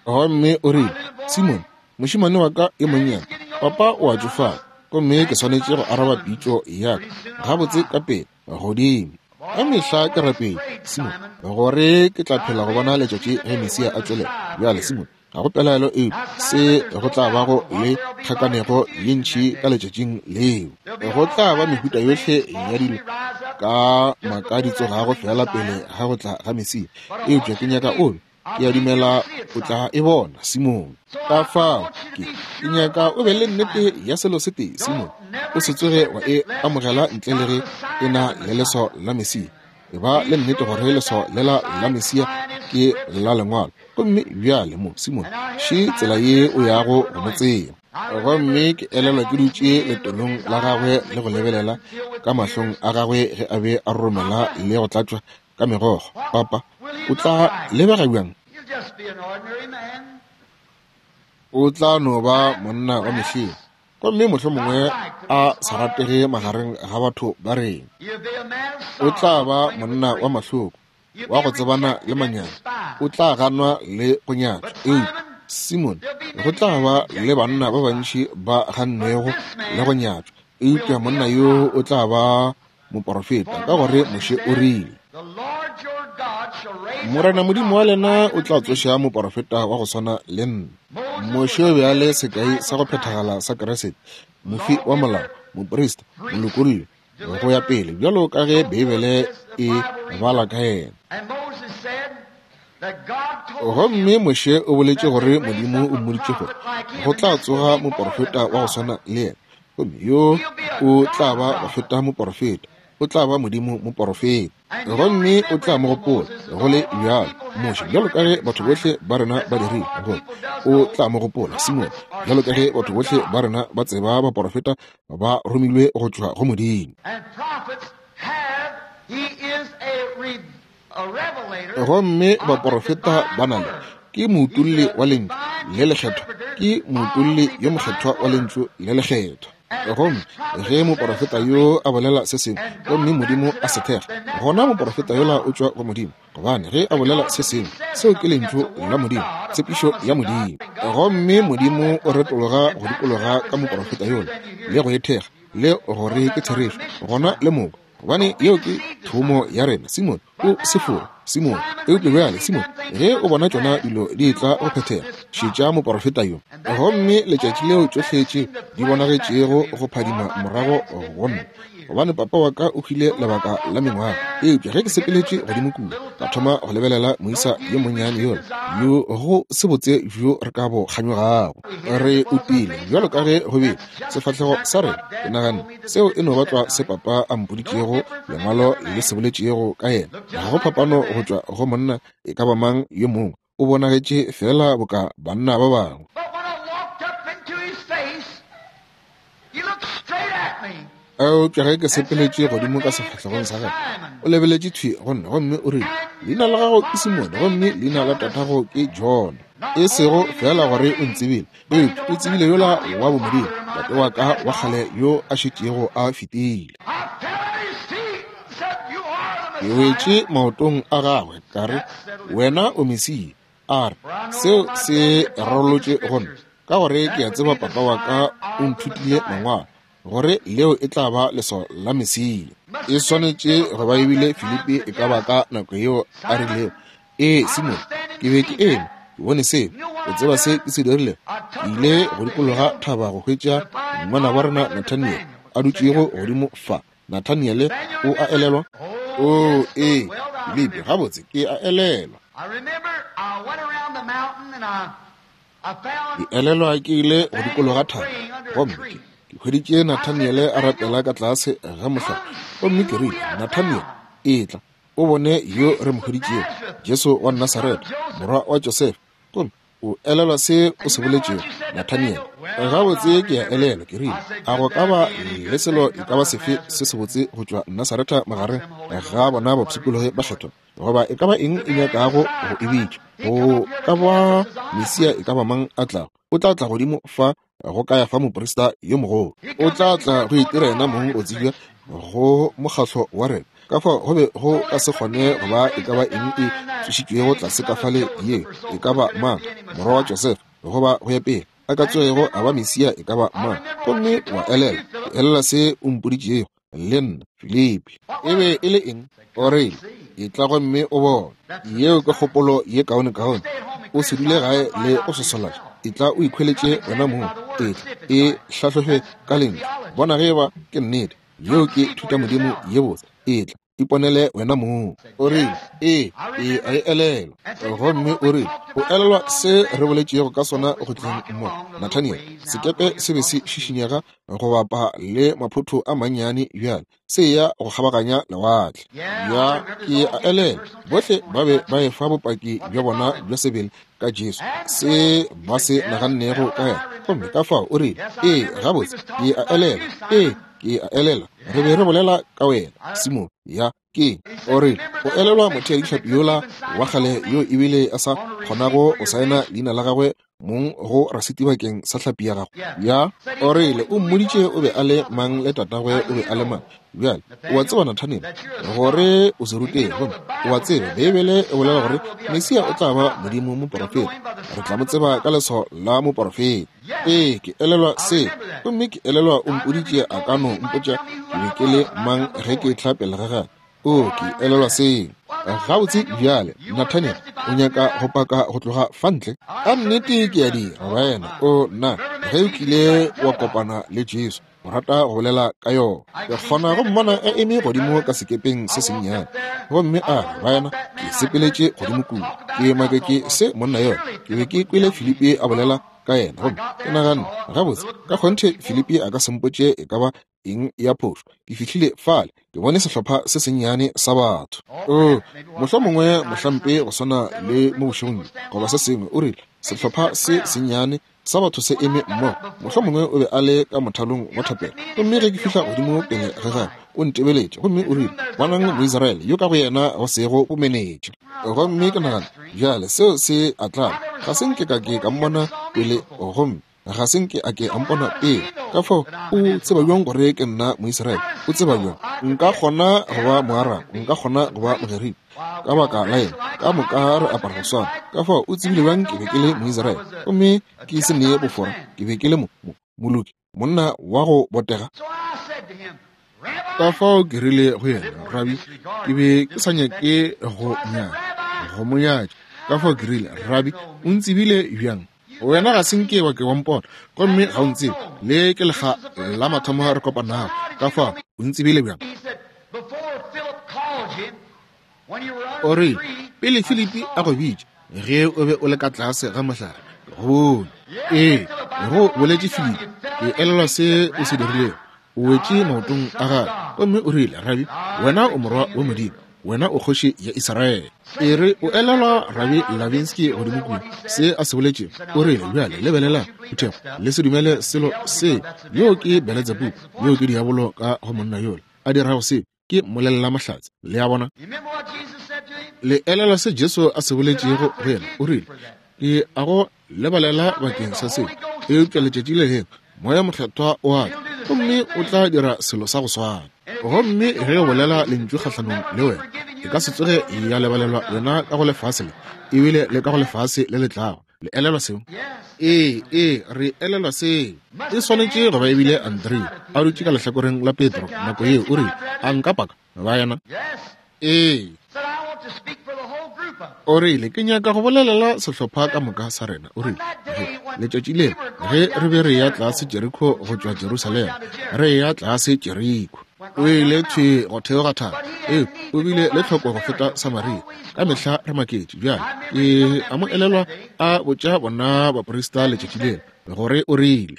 Gomme o rile, Simon, mošemane wa ka yo monnyane, papa o a tšofala, gomme ke swanetše go araba pitšo ya ka gabotse ka pele godimo. Ka mehla ke rapele, Simon, gore ke tla phela go bona letšatši ge Mesia a tšwelela. Bjale, Simon, ga go pelaelo eupša se go tla bago le kgakanego ye ntši ka letšatšing leo. Go tla ba mehuta yohle ya dilo ka maka di tsogago fela pele ga go tla ga Mesia. Eupša ke nyaka o be, ke a dumela o tla e bona, Simon. Ka fao ke ke nyaka o be le nnete ya selo se tee, Simon. O se tsoge wa e amogela ntle le ge e na le leswao la Mesia. E ba le nnete gore leswao lela la Mesia ke la lengwalo. Gomme bjale mo, Simon, še tsela ye o yago go mo tseba. Gomme ke elelwa ke dutše letolong la gagwe le go lebelela ka mahlong a gagwe ge a be a romela le go tlatšwa ka megokgo. Papa, o tla lebega bjang? O tla no ba monna wa mehleng, gomme mohlomongwe a sa ratege magareng ga batho ba rena. O tla ba monna wa mahloko, wa go tsebana le manyami. O tla ganwa le go nyatšwa. Eupša Simon, go tla ba le banna ba bantši ba gannwego le go nyatšwa, eupša monna yo o tla ba moporofeta, ka gore Moshe o rile, Morena Modimo wa lena o tla tsoša moporofeta wa go swana le nna. Moshe o be a le sekai sa go phethagala sa Kriste, mofi wa molao, moprista, molokolli, go ya pele, bjalo ka ge Beibele e bala ka yena. Gomme Moshe o boletše gore Modimo o mmoditše gore go tla tsoga moporofeta wa go swana le yena, gomme yo o tla ba go feta moporofeta, o tla ba Modimo moporofeta. Gomme o tla mo gopola go le bjalo Moshe, bjalo ka ge batho bohle ba rena ba dirile, gore o tla mo gopola Simon, bjalo ka ge batho bohle ba rena ba tseba baporofeta ba romilwe go tšwa go Modimo. Gomme baporofeta ba na le ke moutolli wa lentšu le lekgethwa, ke moutolli yo mokgethwa wa lentšu le lekgethwa. Gomme ge moporofeta yo a bolela se sengwe gomme Modimo a se thekga, gona moporofeta yola o tšwa go Modimo, gobane ge a bolela se sengwe, seo ke lentšu la Modimo, tshepišo ya Modimo. Gomme Modimo o retologa go dikologa ka moporofeta yola le go e thekga le gore ke therešo, gona le moko, gobane yeo ke thomo ya rena. Simon, o se fore. Simone, eupša bjale, Simone, ge o bona tšona dilo di etla go phethega, šetša moporofeta yo. Gomme letšatši leo tšohle tše di bonagetšego go phadima morago go nna, gobane papa wa ka o hwile lebaka la mengwaga. Eupša ge ke sepeletše godimo kua, ka thoma go lebelela moisa yo monnyane yola, yo go se botse bjo re ka bo kganyogago. Re utile bjalo ka ge go bile sefahlego sa rena. Ke naganne seo e no ba tlwa se papa a mpoditšego lengwalo le se boletšego ka yena. Ga go phapano go tšwa go monna e ka ba mang yo mongwe, o bonagetše fela boka banna ba bangwe. Eupša ge ke sepeletše godimo ka sefahlegong sa gagwe, o lebeletše thwi go nna gomme o rile, leina la gago ke Simone gomme leina la tatago ke John. E sego fela gore o ntsebile, eupša o tsebile yola wa bomodimo, tate wa ka wa kgale yo a šetšego a fetile. Ke wetše maotong a gagwe ka re, wena o Mesia. A re, seo se rarolotše go nna, ka gore ke a tseba papa wa ka o nthutile mangwalo gore leo e tla ba leswao la Mesia. E swanetše go ba ebile Filipi e ka ba ka nako yeo a rilego, ee Simone, ke be ke eme ke bone seo, o tseba se ke se dirilego? Ke ile go dikologa thaba go hwetša ngwana wa rena Nathaniel a dutšego godimo fa. Nathaniel o a elelwa? O ee, Filipi, gabotse ke a elelwa. Ke elelwa ke ile go dikologa thaba gomme ke hweditše Nathaniel a rapela ka tlase ga mohlare, gomme ke rile, Nathaniel, etla o bone yo re mo hweditšego, Jesu wa Nasaretha, morwa wa Josefa. Gomme o elelwa se o se boletšego, Nathaniel? Gabotse ke a elelwa. Ke rile, a go ka ba le selo e ka ba sefe se sebotse go tšwa Nasaretha magareng ga bona bapshikologi ba kgethwa, goba e ka ba eng e nyakago go e bitša? Go ka ba Mesia e ka ba mang a tlago, o tla tla godimo fa go ka ya fa moprista yo mogolo, o tla tla go itira yena mong go tsebja go mokgahlo wa rena. Ka fao go be go ka se kgone go ba e ka ba eng e tsošitšwego tlase ka fale ye e ka ba mang, morwa wa Josefa, goba go ya pele, a ka tsoego a ba Mesia e ka ba mang. Gomme wa elela, ke elela se o mpoditšego le nna, Filipi. E be e le eng? O rile, etla gomme o bone. Yeo ke kgopolo ye kaonekaone. O se dule gae le o sosolatša. Etla o ikhweletše wena mong. Etla e hlahlofe ka lentšu, bona ge eba ke nnete. Yeo ke thutamodimo ye botse. Etla iponele wena mong. O rile, ee, ee, a e elelwa. Gomme o rile, o elelwa se re boletšego ka sona go tleng mo, Nathaniel? Sekepe se be se šišinyega go bapa le maphotho a mannyane bjale, se ya go kgabaganya lewatle. Ya, ke a elelwa. Bohle ba be ba efa bopaki bja bona bja sebele ka Jesu, se ba se nagannego ka yena. Gomme ka fao o rile, ee, gabotse, ke a elelwa. Ee, ke a elelwa. Re be re bolela ka wena, Simone. Ya, ke o rile, o elelwa motheadihlapi yola wa kgale yo ebile a sa kgonago go saena leina la gagwe mong go rasiti bakeng sa hlapi ya gago? Ya, o rile, o mmoditše o be a le mang le tatagwe o be a le mang. Bjale o a tseba, Nathaniel, gore o se ruteng, gomme o a tseba Beibele e bolela gore Mesia o tla ba Modimo moporofeta. Re tla mo tseba ka leswao la moporofeta. Ee, ke elelwa se. Gomme ke elelwa o mpoditše a ka no mpotša ke be ke le mang ge ke tla pele ga gagwe. O, ke elelwa seo. Gabotse bjale, Nathaniel, o nyaka go paka go tloga fa ntle? Ka nnete ke a dira, wena. O nna, ge o kile wa kopana le Jesu, o rata go bolela ka yona. Ke kgona go mmona a eme godimo ka sekepeng se sennyane, gomme a re, wena, ke sepeletše godimo kua, ke maketše se monna yona. Ke be ke kwele Filipi a bolela ka yena, gomme ke naganne, gabotse, ka kgonthe Filipi a ka se mpotše e ka ba eng ya phošo. Ke fihlile fale, ke bone sehlopha se sennyane sa batho. O, mohlomongwe mohlampe go swana le mo bošegong goba se sengwe, o rile, sehlopha se sennyane sa batho se eme mmogo. Mohlomongwe o be a le ka mothalong wa thapelo. Gomme ge ke fihla godimo pele ga gagwe, o ntebeletše gomme o rile, bonang Moisraele yo ka go yena go sego bomenetša. Gomme ke nagana, bjale seo se a tlaba. Ga se nke ka ke ka mmona pele, gomme ga se nke a ke a mpona pele. Ka fao o tseba bjang gore ke nna Moisraele? O tseba bjang? Nka kgona go ba Moarabo, nka kgona go ba Mogerika, ka baka la eng ka moka re apara go swana. Ka fao o tsebile bjang ke be ke le Moisraele? Gomme ke se nee bofora, ke be ke le mo moloki, monna wa go botega. Ka fao ke rile go yena, Rabi, ke be ke sa nyake go nyaka go mo nyatša. Ka fao ke rile, Rabi, o ntsebile bjang? Wena ga se nke wa ke wa mpona, gomme ga o ntsebe. Le ke lekga la mathomo re kopanago. Ka fao o ntsebile bjang? O rile, pele Filipi a go bitša, ge o be o le ka tlase ga mohlare, ke go bone. Ee, go boletše Filipi, ke elelwa se o se dirilego. O wetše maotong a gagwe, gomme o rile, Rabi, wena o morwa wa Modimo, wena o kgoši ya Israele. E re, o elelwa Rabi Lavinsky godimo kua, se a se boletšego? O rile, bjale lebelela phuthego, le se dumele selo se. Yo ke Beletsebubu, yo ke diabolo ka go monna yola a dirago se, ke mmolelela mahlatse. Le a bona? Le elelwa se Jesu a se boletšego go yena? O rile, ke a go lebalela bakeng sa seo, eupša letšatši le lengwe Moya Mokgethwa o a tla, gomme o tla dira selo sa go swana. Gomme ge o bolela lentšu kgahlanong le wena, e ka se tsoge ya lebalelwa wena ka go lefase le, ebile le ka go lefase le le tlago. Le elelwa seo? Ee, ee, re elelwa seo. E swanetše go ba ebile Andrea a dutše ka lehlakoreng la Petro nako yeo, o rile, a nka paka ba yena? Ee. O rile, ke nyaka go bolelela sehlopha ka moka sa rena. O rile, letšatši leo ge re be re ya tlase Jeriko go tšwa Jerusalema, re ya tlase Jeriko, o ile thwi go theoga thaba. Ee, o bile le tlhoko go feta Samaria. Ka mehla re maketše. Bjale ke a mo elelwa a botša bona baprista letšatši leo gore o rile,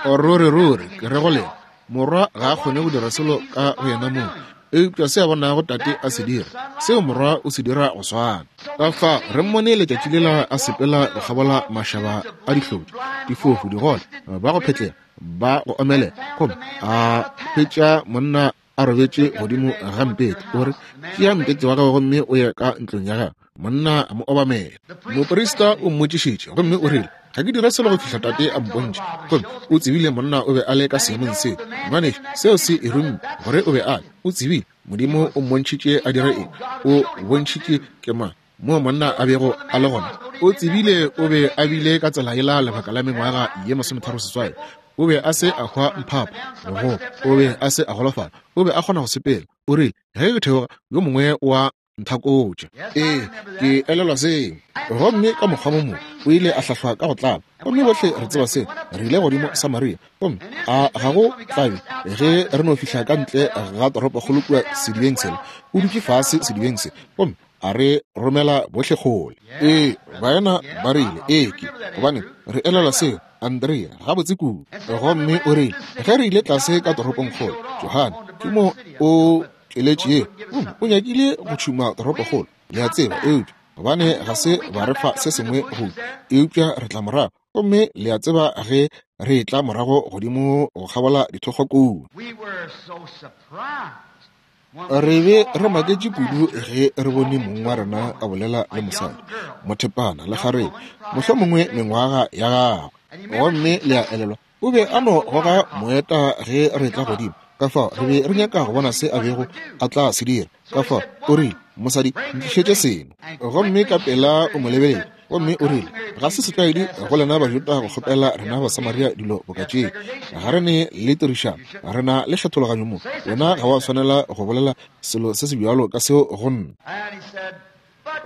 ruri ruri ke re go lena, morwa ga a kgone go dira selo ka go yena mong, eupša se a bonago tate a se dira, seo morwa o se dira go swana. Ka fa re mmone letšatši lela a sepela go kgabola mašaba a dihlodi, difofu, digole, ba go phetlela, ba go omelela, gomme a hwetša monna a robetše godimo ga mpete. O re, tšea mpete wa gago gomme o ye ka ntlong ya gago. Monna a mo obamela. Moprista o mmotšišitše gomme o rile, ga ke dira selo go fihla tate a mpontšhe. Gomme o tsebile monna o be a le ka seemong seo. Ngwanešu, seo se e rumme gore o be a le. O tsebile Modimo o mmontšhitše a dire eng. O bontšhitše ke mang moo monna a bego a le gona. O tsebile o be a bile ka tsela yela lebaka la mengwaga ye masometharo seswai. O be a se a hwa mphapa, go o be a se a golofala, o be a kgona go sepela. O rile, ge ke theoga, yo mongwe wa nthakotša. Ee, ke elelwa seo. Gomme ka mokgwa mo mongwe o ile a hlahlwa ka go tlaba, gomme bohle re tseba seo. Re ile godimo Samaria, gomme a ga go tlabe ge re no fihla ka ntle ga toropokgolo kua sedibeng sela. O dutše fase sedibeng se, gomme a re romela bohle kgole. Ee, baena ba rile, ee, ke gobane re elelwa seo. Andrea gabotse kudu. Gomme o rile, ge re ile tlase ka toropongkgolo, Johane ke mo o tšweletše, o nyakile go tšhuma toropokgolo, le a tseba, eupša gobane ga se ba re fa se sengwe go, eupša re tla morago. Gomme le a tseba ge re tla morago godimo go kgabola dithokgwa kua, re be re maketše kudu ge re bone mong wa rena a bolela le mosadi mothepana le kgarebe, mohlomongwe mengwaga ya gagwe. Gomme le a elelwa, o be a no goga moeta ge re tla godimo. Ka fao re be re nyaka go bona se a bego a tla se dira. Ka fao o rile, mosadi, ntlišetše seno. Gomme ka pela o mo lebeletše, gomme o rile, ga se setlwaedi go lena Bajuda go kgopela rena Basamaria dilo boka tše. Ga re ne le tirišano, re na le kgethologanyo mo. Wena ga wa swanela go bolela selo se se bjalo ka seo go nna.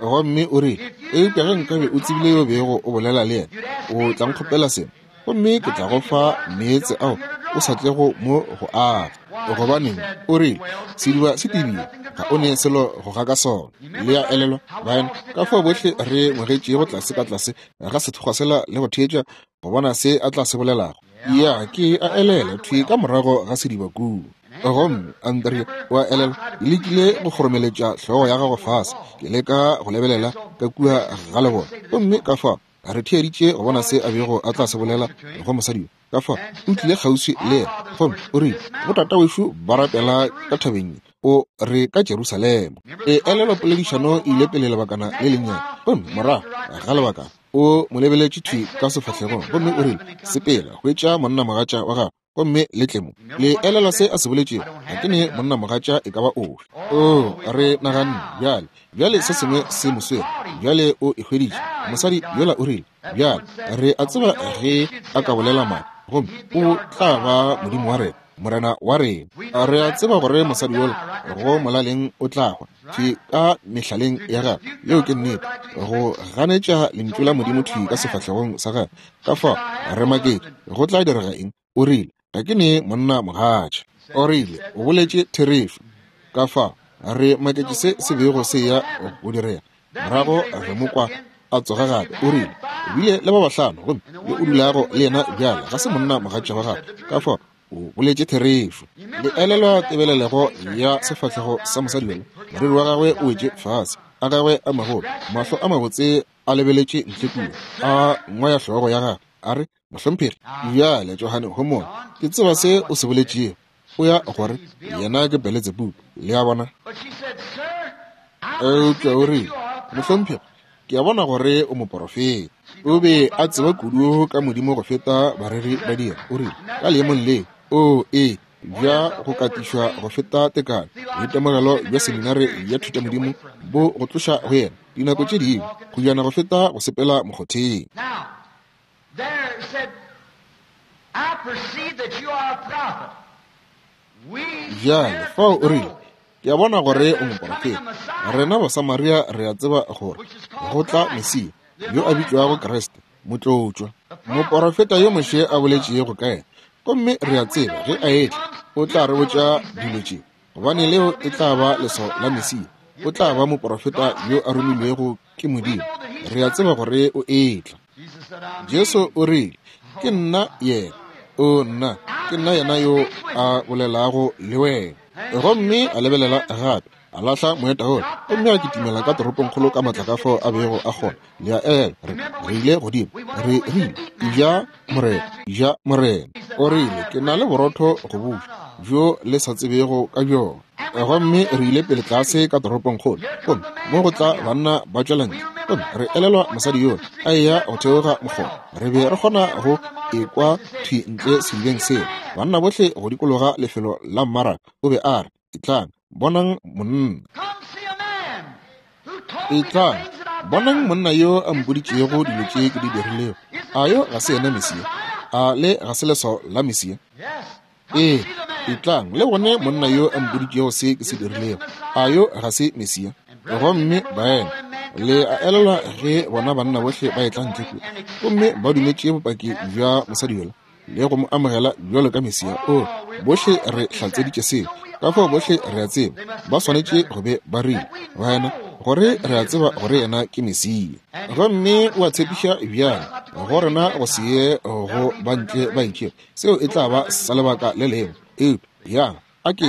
Gomme o rile, eupša ge nkabe o tsebile yo bego o bolela le yena, o tla nkgopela seno, gomme ke tla go fa meetse ao o sa tlego mo go aga. Gobaneng, o rile, sediba se tebile, ga o ne selo go ga ka sona. Le a elelwa, baena, ka fao bohle re ngwegetšego tlase ka tlase ga sethokgwa sela le go theetša go bona se a tla se bolelago. Ya, ke a elela thwi ka morago ga sediba kua. Gomme Andrea o a elelwa, ke lekile go kgoromeletša hlogo ya gago fase, ke leka go lebelela ka kua ga lebone. Gomme ka fao re theeditše go bona se a bego a tla se bolela go mosadi yo. Ka fao o tlile kgauswi le yena, gomme o rile, botata wešo ba rapela ka thabeng ye, o re ka Jerusalema. E elelwa poledišano e ile pele lebakana le lennyane, gomme morago ga lebakana o mo lebeletše thwi ka sefahlegong, gomme o rile, sepela hwetša monnamogatša wa gago gomme le tle mo. Le elelwa se a se boletšego, ga ke ne monnamogatša e ka ba ofe. O re naganne bjale, bjale se sengwe se mo swere, bjale o e hweditše. Mosadi yola o rile, bjale re a tseba ge a ka bolela maaka, gomme o tla ba Modimo wa rena, Morena wa rena. Re a tseba gore mosadi yola go molaleng o tla hwa thwi ka mehlaleng ya gagwe. Yeo ke nnete, go ganetša lentšu la Modimo thwi ka sefahlegong sa gagwe. Ka fao re maketše go tla direga eng. O rile, ga ke ne monna mogatša. O rile, o boletše therešo. Ka fao re maketše se se bego se ya go direga. Morago re mo kwa a tsoga gape. O rile, o bile le ba bahlano, gomme yo o dulago le yena bjale ga se monna mogatša wa gagwe. Ka fao o boletše therešo. Le elelwa tebelelego ya sefahlego sa mosadi yola. Moriri wa gagwe o wetše fase, a gagwe a magolo, mahlo a mabotse a lebeletše ntle kua, a ngwaya hlogo ya gagwe, a re, mohlomphegi, bjale Johane homola, ke tseba se o se boletšego. O ya gore yena ke Beletsebubu, le a bona. Eupša o rile, mohlomphegi, ke a bona gore o moporofeta. O be a tseba kudu ka Modimo go feta bareri ba dira. O rile, ka leemong leo, o e bja go katišwa go feta tekano, boitemogelo bja seminare ya thutamodimo bo go tloša go yena dinako tše dingwe go jana go feta go sepela mokgotheng. Bjale fao o rile, ke a bona gore o moporofeta. Rena Basamaria re a tseba gore go tla Mesia yo a bitšwago Kriste, motlotšwa, moporofeta yo Moshe a boletšego ka yena. Gomme re a tseba ge a etla o tla re botša dilo tše, gobane leo e tla ba leswao la Mesia. O tla ba moporofeta yo a romilwego ke Modimo. Re a tseba gore o etla. Jesu o rile, ke nna yena. O nna, ke nna yena yo a bolelago le wena. Gomme a lebelela gape, a lahla moeta wola, gomme a kitimela ka toropongkgolo ka matla ka fao a bego a kgona. Le a elelwa, re re ile godimo, re rile, ja Morena, ja Morena. O rile, ke na le borotho go buša bjo le sa tsebego ka bjona. Gomme re ile pele tlase ka toropongkgolo, gomme mo go tla banna ba tšwela ntle. Gomme re elelwa mosadi yola a eya go theoga mokgoba. Re be re kgona go ekwa thwi ntle sedibeng seo. Banna bohle go dikologa lefelo la mmaraka. O be a re, etlang, bonang monna. Etlang, bonang monna yo a mpoditšego dilo tše ke di dirilego. A yo ga se yena Mesia? A le ga se leswao la Mesia? Ee, etlang le bone monna yo a mpoditšego se ke se dirilego. A yo ga se Mesia? Gomme baena, le a elelwa ge bona banna bohle ba etla ntle kua, gomme ba dumetše bopaki bja mosadi yola le go mo amogela bjalo ka Mesia. O, bohle re hlatseditše seo. Ka fao bohle re a tseba ba swanetše go be ba rile, wena, gore re a tseba gore yena ke Mesia. Gomme o a tshepiša bjale go rena go se ye go ba ntle ba itšego. Seo e tla ba sa lebaka le lengwe. Eupša yang a ke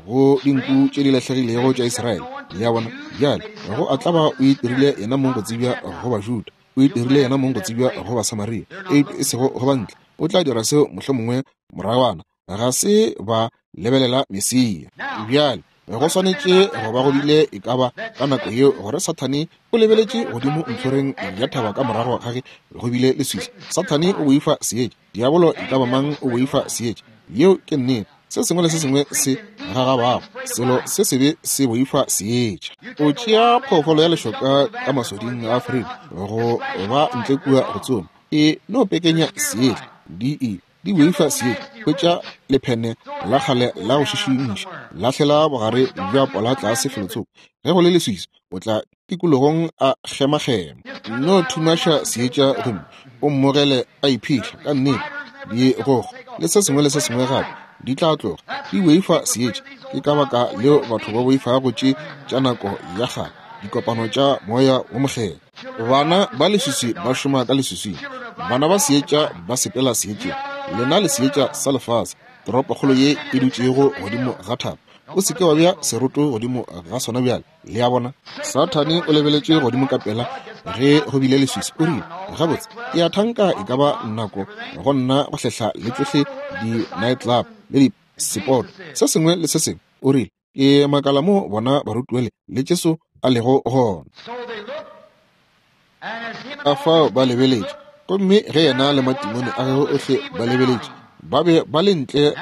go dinku tše di lahlegilego tša Israele. Le a bona? Bjale go a tla ba o itirile yena mong go tsebja go Bajuda, o itirile yena mong go tsebja go Basamaria, eupša e sego go bantle. O tla dira seo mohlomongwe moragwana. Ga se ba lebelela Mesia. Bjale go swanetše go ba go bile e ka ba ka nako yeo gore Sathane o lebeletše godimo ntlhoreng ya thaba ka morago ga ge go bile leswiswi. Sathane o boifa seetša. Diabolo e ka ba mang o boifa seetša. Yeo ke nnete. Se sengwe le se sengwe se gagabago, selo se sebe se boifa seetša. O tšea phoofolo ya lešoka ka masoding a Afrika go ba ntle kua go tsoma, e no pekenya seetša. Di e di boifa seetša. Hwetša lephene la kgale la go šišimiša, lahlela bogare bja pola tlase felotsoko. Ge go le leswiswi, o tla tikologong a kgemakgema. No thumaša seetša gomme o mmogele a iphihla. Ka nnete, digogo le se sengwe le se sengwe gape di tla tloga di boifa seetša. Ke ka baka leo batho ba boifago tše tša nako ya kgale, dikopano tša moya wo mokgethwa. Bana ba leswiswi ba šoma ka leswiswing, bana ba seetša ba sepela seetšeng. Lena le seetša sa lefase, toropokgolo ye e dutšego godimo ga thaba. O se ke wa bea seroto godimo ga sona bjale. Le a bona? Sathane o lebeletše godimo ka pela ge go bile leswiswi. O rile, gabotse, ke a thanka e ka ba nako go nna go hlehla le tšohle di-nightclub le di-sepoto, se sengwe le se sengwe. O rile, ke makala mo bona barutiwele le Jesu a lego gona. Ka fao ba lebeletše, gomme ge yena le matimone a gagwe ohle ba lebeletše, ba be ba le ntle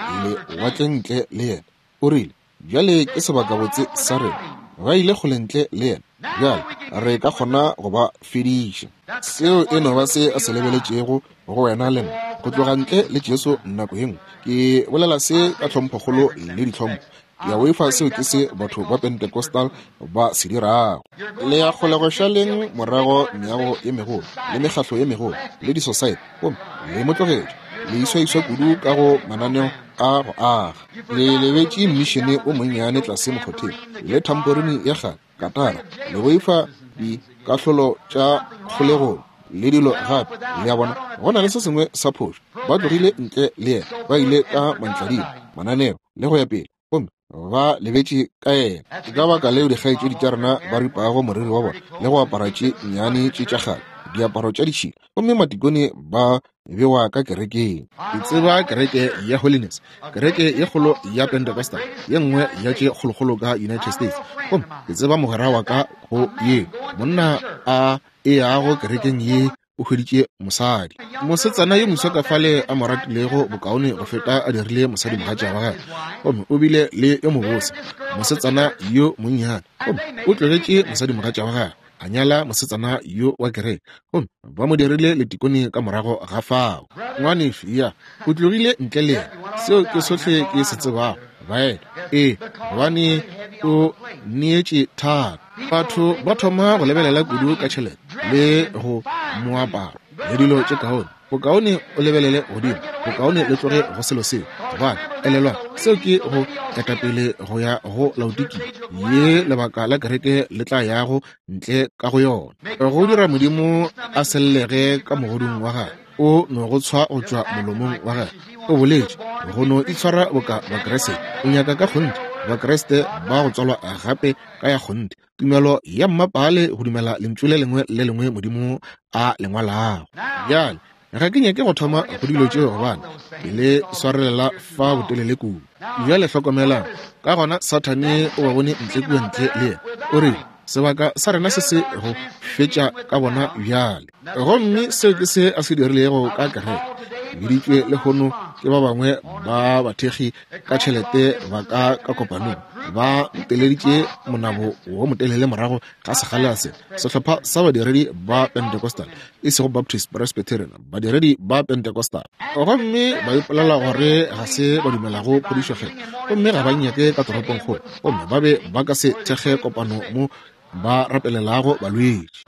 lewatleng ntle le yena. O rile, bjale ke sebakabotse sa rena. Ba ile kgole ntle le yena. Bjale Re ka kgona go ba fediša. Seo e no ba se a se lebeletšego go wena le nna, go tloga ntle le Jesu nako ye nngwe. Ke bolela se ka tlhomphokgolo le ditlhompho. Ke a boifa seo ke se batho ba Pentecostal ba se dirago. Le ya kgolegošaleng morago meago ye megolo le mekgahlo ye megolo le disosaete, gomme le mo tlogetše le iswaiswa kudu ka go mananeo a go aga. Le lebetše mmišene o monnyane tlase mokgotheng le thamporini ya kgale katara, le boifa dikahlolo tša kgolegong le dilo gape. Le a bona, go na le se sengwe sa phošo. Ba tlogile ntle le yena, ba ile ka mantladima, mananeo le go ya pele, gomme ba lebetše ka yena. Ke ka baka leo dikgaetšedi tša rena ba ripago moriri wa bona le go apara tše nnyane tše tša kgale, diaparo tša ditšhila, gomme matikone ba bewa ka kerekeng. Ke tseba kereke ya Holiness, kereke ye kgolo ya Pentecostal, ye nngwe ya tše kgolokgolo ka United States, gomme ke tseba mogwera wa ka go ye monna a e yago kerekeng ye o hweditše mosadi, mosetsana yo moswa ka fale a mo ratilego bokaone go feta a dirile mosadimogatša wa gagwe, gomme o bile le yo mobose mosetsana yo monnyane, gomme o tlogetše mosadimogatša wa gagwe a nyala mosetsana yo wa kereke, gomme ba mo dirile letikone ka morago ga fao. Ngwanešu ya o tlogile ntle le yena. Seo ke sohle ke se tsebago. Baena, ee, gobane o neetše thata. Batho ba thoma go lebelela kudu ka tšhelete le go moaparo le dilo tše kaone. Bokaone o lebelele godimo, bokaone le tloge go selo seo, gobane elelwa seo ke go ketapele go ya go Laodikia ye lebaka la kereke le tla yago ntle ka go yona. Go dira Modimo a sellege ka mogodung wa gagwe, o no go tshwa go tšwa molomong wa gagwe. O boletše go no itshwara boka Bakreste. O nyaka ka kgonthe Bakreste ba go tswalwa gape ka ya kgonthe, tumelo ya mmapale go dumela lentšu le lengwe le lengwe Modimo a le ngwalago. Bjale ga ke nyake go thoma go dilo tšeo gobane ke le swarelela fa botelele kudu. Bjale hlokomelang, ka gona Sathane o ba bone ntle kua ntle le yena, o rile sebaka sa rena se se go fetša ka bona bjale. Gomme seo ke se a se dirilego ka kereke. Biditšwe lehono ke ba bangwe ba bathekgi ka tšhelete ba ka ka kopanong, ba nteleditše monabo wo motelele morago ga sekgala se. Sehlopha sa badiredi ba Pentecostal, e sego Baptist, Presbyterian, badiredi ba Pentecostal, gomme ba ipolela gore ga se ba dumelago phodišo kgethwa, gomme ga ba nyake ka toropongkgolo, gomme ba be ba ka se thekge kopano mo ba rapelelago balwetši.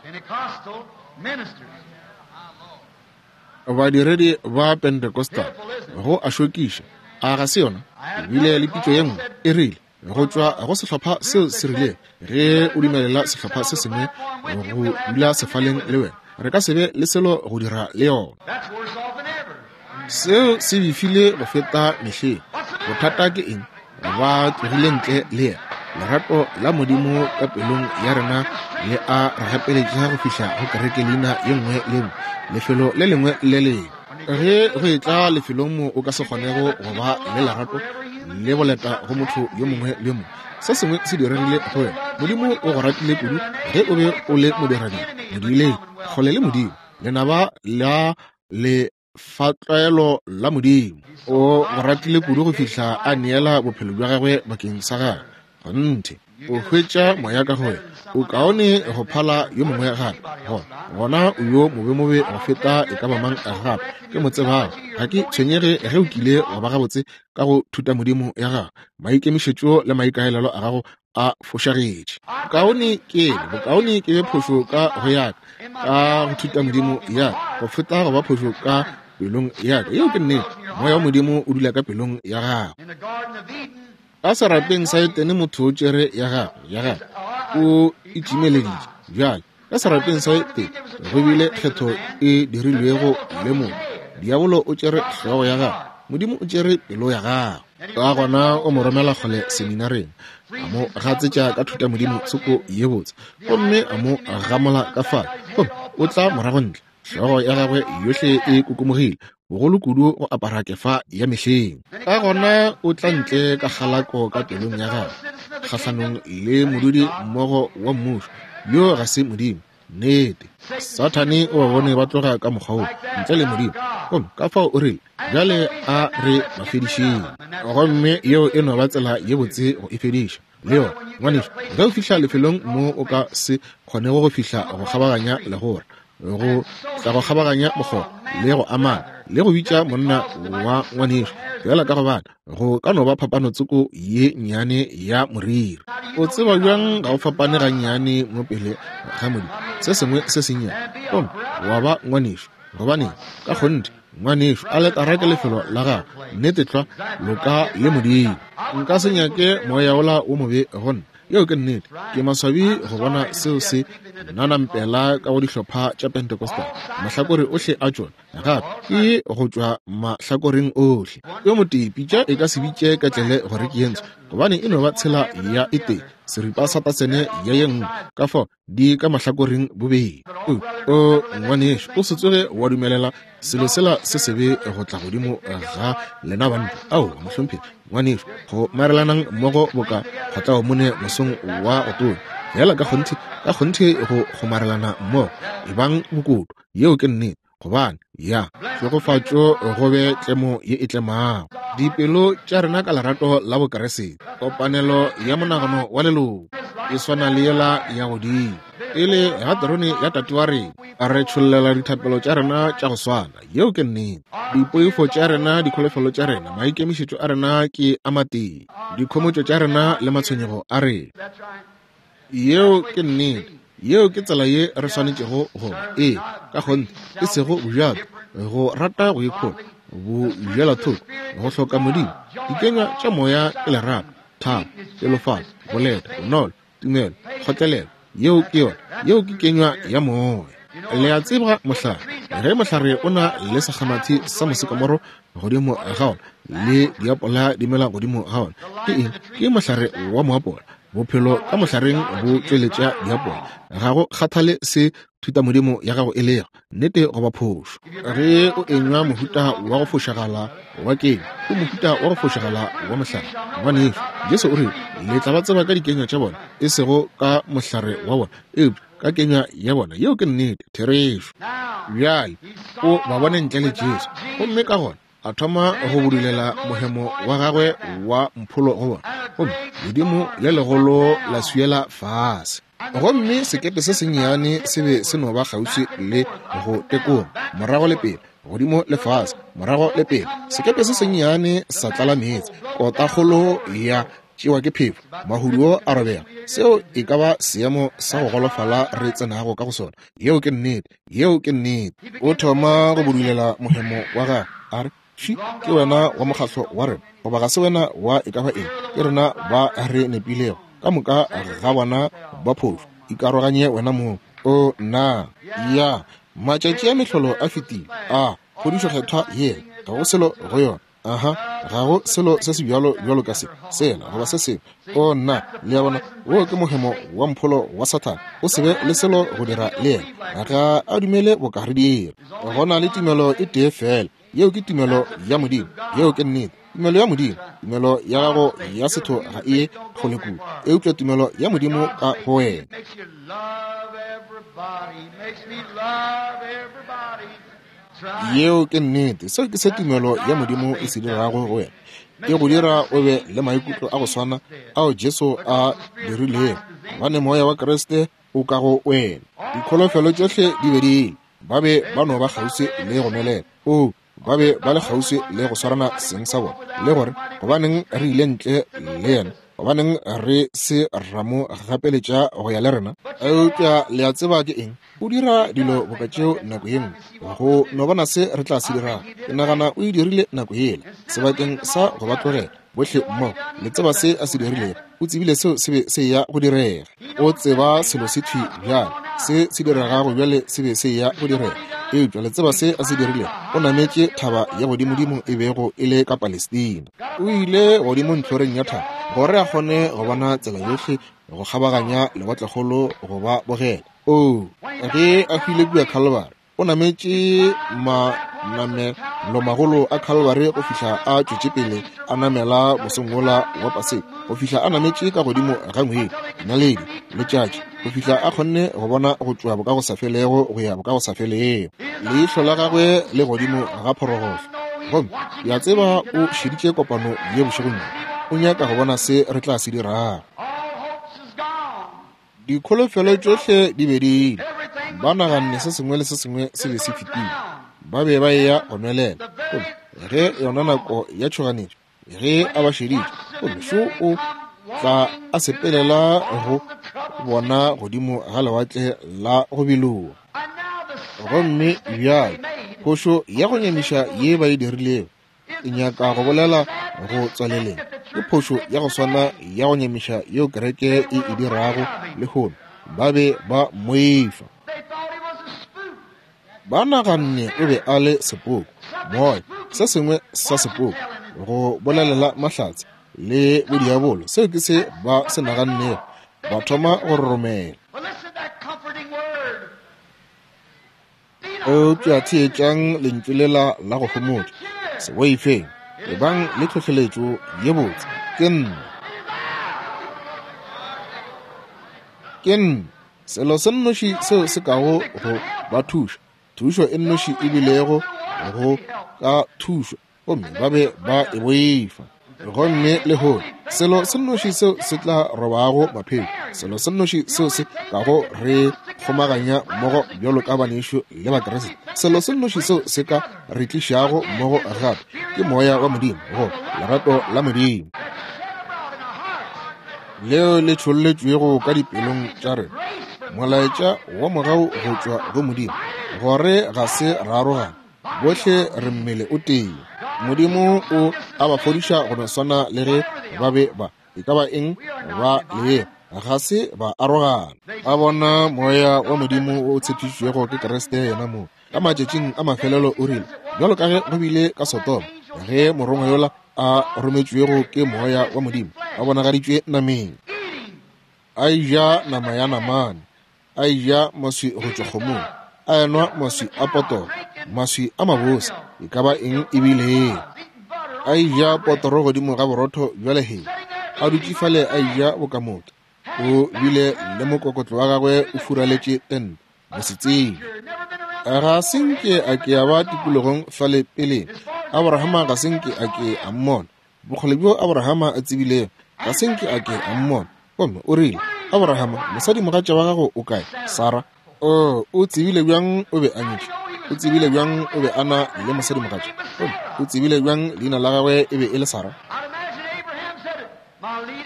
Badiredi ba Pentecostal, go a šokiša, a ga se yona? Ebile le pitšo ye nngwe e rile go tšwa go sehlopha seo se rile, ge o dumelela sehlopha se sengwe go dula sefaleng le wena, re ka se be le selo go dira le yona. Seo se befile go feta mehleng. Bothata ke eng? Ba tlogile ntle le yena. Lerato la Modimo ka pelong ya rena le a re gapeletša go fihla go kereke leina ye nngwe le nngwe, lefelo le lengwe le lengwe. Ge go etla lefelong mo o ka se kgonego go ba le lerato le boleta go motho yo mongwe le mongwe, se sengwe se diregile go wena. Modimo o go ratile kudu ge o be o le modiradibe, modileng kgole le Modimo, lenaba la le fatlwaelo la Modimo. O go ratile kudu go fihla a neela bophelo bja gagwe bakeng sa gagwe. Kgonthe, o hwetša moya ka go wena, o kaone go phala yo mongwe gape. Gona gona o yo mobemobe go feta e ka ba mang gape ke mo tsebago. Ga ke tshwenyege ge o kile wa ba gabotse ka go thuta Modimo ya gago, maikemišetšo le maikaelelo a gago a fošagetše. Bokaone ke ene, bokaone ke be phošo ka go yaka ka go thuta Modimo ya go feta go ba phošo ka pelong ya ka. Yeo ke nnete. Moya wa Modimo o dula ka pelong ya gago. Ka serapeng sa Etene motho o tšere ya gagwe, ya gagwe o itšimeleditše. Bjale ka serapeng sa Etene go bile kgetho e dirilwego le motho. Diabolo o tšere hlogo ya gagwe, Modimo o tšere pelo ya gagwe. Ka gona o mo romela kgole seminareng, a mo gatsetša ka thuta Modimo tsoko ye botse, gomme a mo gamola ka fale, gomme o tla morago ntle, hlogo ya gagwe yohle e kokomogile, bogolo kudu go apara kefa ya mehleng. Ka gona o tla ntle ka kgalako ka pelong ya gagwe kgahlanong le modudi mmogo wa mmušo, yo ga se Modimo. Nnete, Sathane o ba bone ba tloga ka mokgwa wo ntle le Modimo, gomme ka fao o rile, bjale a re ba fedišeng. Gomme yeo e no ba tsela ye botse go e fediša. Le yona, ngwanešu, ge o fihla lefelong mo o ka se kgonego go fihla go kgabaganya legora, go tla go kgabaganya mokgoba le go amana le go bitša monna wa ngwanešu, fela ka gobane go ka no ba phapano tsoko ye nnyane ya moriri. O tseba bjang ga o fapane gannyane mo pele ga Modimo, se sengwe se sennyane, gomme wa ba ngwanešu? Gobane ka kgonthe, ngwanešu, aletara ke lefelo la gago, nnete tlwa, loka le Modimo. Nka se nyake moya wola wo mobe go nna. Yeo ke nnete. Ke maswabi go bona seo se nanampela ka go dihlopha tša Pentecostal, mahlakore ohle a tšona, gape ke go tšwa mahlakoreng ohle. Yo motee pitša e ka se bitše ketlele gore ke ye ntsho, gobane e no ba tshela ya e tee, seripa sa tasene ya ye nngwe, ka fao di ka mahlakoreng bobedi. O, o ngwanešu, o se tsoge wa dumelela selo sela se sebe go tla godimo ga lena banna. Ao, mohlomphegi, ngwanešu, go marelanang mmogo boka kgotlao mone mosong wa go tonya, fela ka kgonthe, ka kgonthe go kgomarelana mmogo, ebang bokoto. Yeo ke nnete, gobane ya tšhegofatšo go be tlemo ye e tlemago dipelo tša rena ka lerato la Bokeresete. Kopanelo ya monagano wa leloko e swana le yela ya godimo pele ga terone ya Tate wa rena, re tšhollela dithapelo tša rena tša go swana. Yeo ke nnete. Dipoifo tša rena, dikholofelo tša rena, maikemišetšo a rena ke a matee, dikhomotšo tša rena le matshwenyego a rena. Yeo ke nnete. Yeo ke tsela ye re swanetšego go ba. Ee, ka kgonthe, e sego bojato, go rata go ikhola, bojelathoko, go hloka Modimo. Dikenywa tša moya ke lerato, thabo, pelofalo, boleta, bonolo, tumelo, kgotlelelo. Yeo ke yona. Yeo ke kenywa ya moya. Le a tseba mohlare, ge mohlare o na le sekgamathi sa mosekamoro godimo ga ona le diapola di mela godimo ga ona, ke eng? Ke mohlare wa moapola. Bophelo ka mohlareng bo tšweletša diapola. Ga go kgathale se thutamodimo ya gago e lego, nnete goba phošo. Ge o enywa mohuta wa go fošagala wa kenywa, o mohuta wa go fošagala wa mohlare. Ngwanešu, Jesu o rile, le tla ba tseba ka dikenywa tša bona, e sego ka mohlare wa bona, eupša ka kenywa ya bona. Yeo ke nnete, therešo. Bjale o ba bone ntle le Jesu, gomme ka gona a thoma go budulela mohemo wa gagwe wa mpholo go bona, gomme ledimo le legolo la swiela fase. Gomme sekepe se sennyane se be se no ba kgauswi le go tekoma, morago le pele, godimo le fase, morago le pele. Sekepe se sennyane sa tlala meetse, kotakgolo ya tšewa ke phefo, mahuduo a robega. Seo e ka ba seemo sa go golofala re tsenago ka go sona. Yeo ke nnete. Yeo ke nnete. O thoma go budulela mohemo wa gagwe, a re, Tšhi, ke wena wa mokgahlo wa rena, goba ga se wena wa e ka ba eng, ke rena ba re nepilego, ka moka ga bona ba phošo, ikaroganye wena mong. O nna, ya, matšatši a mehlolo a fetile, a phodišo kgethwa yela, ga go selo go yona. Aha, ga go selo se se bjalo bjalo ka se, sela goba se sengwe. O nna, le a bona, wo ke mohemo wa mpholo wa Sathane. O se be le selo go dira le yena, ga a dumele boka re dira. Go na le tumelo e tee fela, yeo ke tumelo ya Modimo. Yeo ke nnete. Tumelo ya Modimo, tumelo ya gago ya setho ga e kgole kudu, eupša tumelo ya Modimo ka go wena. Yeo ke nnete. Seo ke se tumelo ya Modimo e se dirago go wena. E go dira o be le maikutlo a go swana ao Jesu a dirilego, gobane moya wa Kriste o ka go wena. Dikholofelo tšohle di be di ile, ba be ba no ba kgauswi le go nwelela. O, ba be ba le kgauswi le go swarana seng sa bona, le gore gobaneng re ile ntle le yena, gobaneng re se ra mo gapeletša go ya le rena. Eupša le a tseba ke eng? O dira dilo boka tšeo nako ye nngwe, go no bona se re tla se dirago. Ke nagana o e dirile nako yela, sebakeng sa go ba tlogela bohle mmogo. Le tseba se a se dirilego, o tsebile seo se be se ya go direga. O tseba selo se thwi bjale, se se diregago bjale se be se ya go direga. Eupša le tseba se a se dirilego, o nametše thaba ya godimodimo e bego e le ka Palestina. O ile godimo ntlhoreng ya thaba gore a kgone go bona tsela yohle go kgabaganya lewatlekgolo go ba bogela. O, ge a hwile kua Calvary, o nametše manamelomagolo a Calvary go fihla a tšwetše pele a namela mosong wola wa Paseka, go fihla a nametše ka godimo ga ngwedi, naledi, letšatši, go fihla a kgonne go bona go tšwa bokagosafelego go ya bokagosafelego. Leihlo la gagwe le godimo ga phorogohlo. Gomme ke a tseba o šeditše kopano ye bošegong bjo, o nyaka go bona se re tla se dirago. Dikholofelo tšohle di be di ile. Ba naganne se sengwe le se sengwe se be se fetile. Ba be ba eya go nwelela. Gomme ge yona nako ya tšhoganetšo, ge a ba šeditše, gomme šo o tla a sepelela go bona godimo ga lewatle la go biloa. Gomme bjale phošo ya go nyamiša ye ba e dirilego, e nyaka go bolela go tswaleleng, ke phošo ya go swana ya go nyamiša yeo kereke e e dirago lehono. Ba be ba mmoifa. Ba naganne o be a le sepoko, moya, se sengwe sa sepoko, go bolelela mahlatse le bodiabolo. Seo ke se ba se nagannego. Ba thoma go roromela. Eupša theetšang lentšu lela la go homotša. Se boifeng, ebang le tlhohleletšo ye botse. Ke nna. Ke nna. Selo se nnoši seo se kago go ba thuša, thušo e nnoši e bilego go ka thušo, gomme ba be ba e boifa. Gomme lehono selo se nnoši seo se tla robago maphelo, selo se nnoši seo se kago re kgomaganya mmogo bjalo ka banešu le Bakriste, selo se nnoši seo se ka re tlišago mmogo gape ke moya wa Modimo, go lerato la Modimo leo le tšholletšwego ka dipelong tša rena, molaetša wa mogau go tšwa go Modimo, gore ga se ra arogana, bohle re mmele o tee. Modimo o a ba fodiša go no swana le ge ba be ba e ka ba eng ba le ga se ba arogana. Ba bona moya wa Modimo o tshepišitšwego ke Kriste yena mo ka matšatšing a mafelelo. O rile, bjalo ka ge go bile ka Sodoma, ge morongwa yola a rometšwego ke moya wa Modimo a bonagaditšwe nameng, a eja nama ya namane, a eja maswi go tšwa kgomong, a enwa maswi a potoro, maswi a mabose, e ka ba eng e bilego, a eja potoro godimo ga borotho bja lehea, a dutše fale a eja bokamotho. O bile le mokokotlo wa gagwe o furaletše tente, mosetsebje. Ga se nke a ke a ba tikologong fale peleng. Abrahama ga se nke a ke a mmona. Bokgole bjo Abrahama a tsebilego, ga se nke a ke a mmona. Gomme o rile, Abrahama, mosadimogatša wa gago o kae? Sara. O, o tsebile bjang o be a nyetše? O tsebile bjang o be a na le mosadimogatša? Gomme o tsebile bjang leina la gagwe e be e le Sara?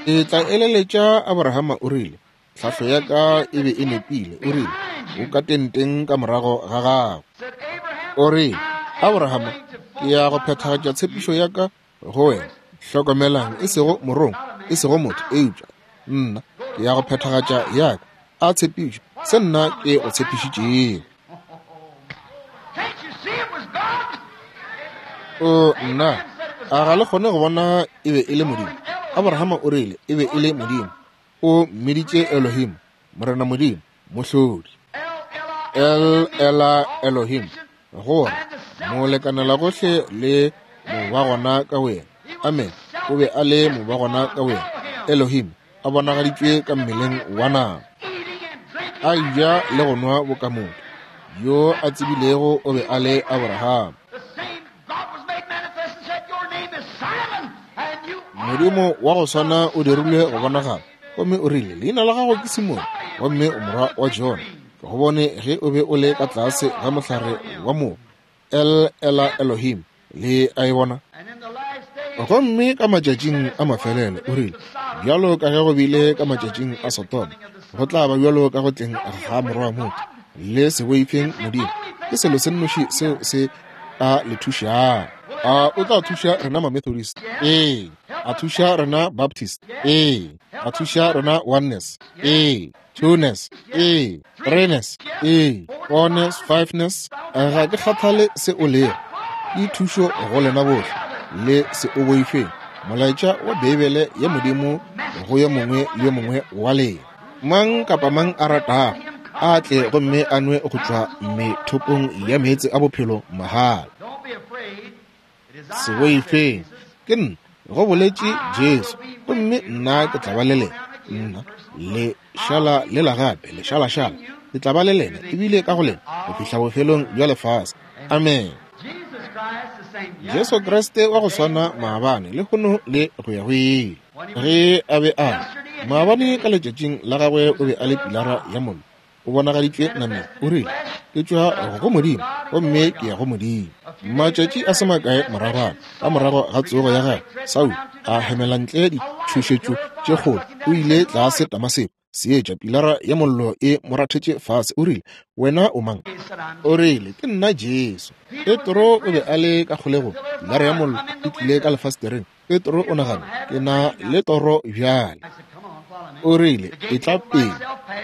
E tla eleletša Abrahama o rile, tlhahlo ya ka e be e nepile. O rile, o ka tenteng ka morago ga gago. O rile, Abrahama, ke ya go phethagatša tshepišo ya ka go wena. Hlokomelang, e sego morongwa, e sego motho, eupša nna ke ya go phethagatša ya ka a tshepišo, se nna ke go tshepišitšego. O nna, a ga le kgone go bona e be e le Modimo? Abrahama o rile e be e le Modimo. O mmiditše Elohim, Morena Modimo, Mohlodi. El Ela Elohim, gore molekanela gohle le mobagona ka wena. Amen. O be a le mobagona ka wena. Elohim a bonagaditšwe ka mmeleng wa nama, a ja le go nwa bokamotho. Yo a tsebilego o be a le Abraham. Modimo wa go swana o dirilwe go bonagala, gomme o rile, leina la gago ke Simone, gomme o morwa wa Jona. Ke go bone ge o be o le ka tlase ga mohlare wa mogo. El Ela Elohim, le a e bona? Gomme ka matšatšing a mafelelo o rile, bjalo ka ge go bile ka matšatšing a Sodoma, go tla ba bjalo ka go tleng ga morwa wa motho. Le se boifeng Modimo, ke selo se nnoši seo se ka le thušago. A o tla thuša rena ma-Methodist? Ee. A thuša rena Baptist? Ee. A thuša rena Oneness? Ee. Twoness? Ee. Threeness? Ee. Fourness, fiveness? Ga ke kgathale se o lego, ke thušo go lena bohle. Le se o boifeng molaetša wa Beibele ya Modimo go yo mongwe le yo mongwe wa lena. Mang kapa mang a ratago a tle gomme a nwe go tšwa methopong ya meetse a bophelo mahala. Se boifeng, ke nna, go boletše Jesu, gomme nna ke tla ba le lena. Nna le šala le la gape, le šalašala, ke tla ba le lena ebile ka go lena go fihla bofelong bja lefase. Amen. Jesu Kriste wa go swana maabane, lehono le go ya go ile. Ge a be a Maabane ka letšatšing la gagwe o be a le pilara ya mollo, o bonagaditšwe nameng. O rile, ke tšwa go Modimo gomme ke ya go Modimo. Matšatši a se makae moragwana, ka morago ga tsogo ya gagwe, Saul a hemela ntle ditšhošetšo tše kgolo. O ile tlase Damaseko, seetša pilara ya mollo e mo rathetše fase. O rile, wena o mang? O rile, ke nna Jesu. Petro o be a le ka kgolegong, pilara ya mollo e tlile ka lefastereng. Petro o nagana, ke na le toro bjale. O rile, etla pele,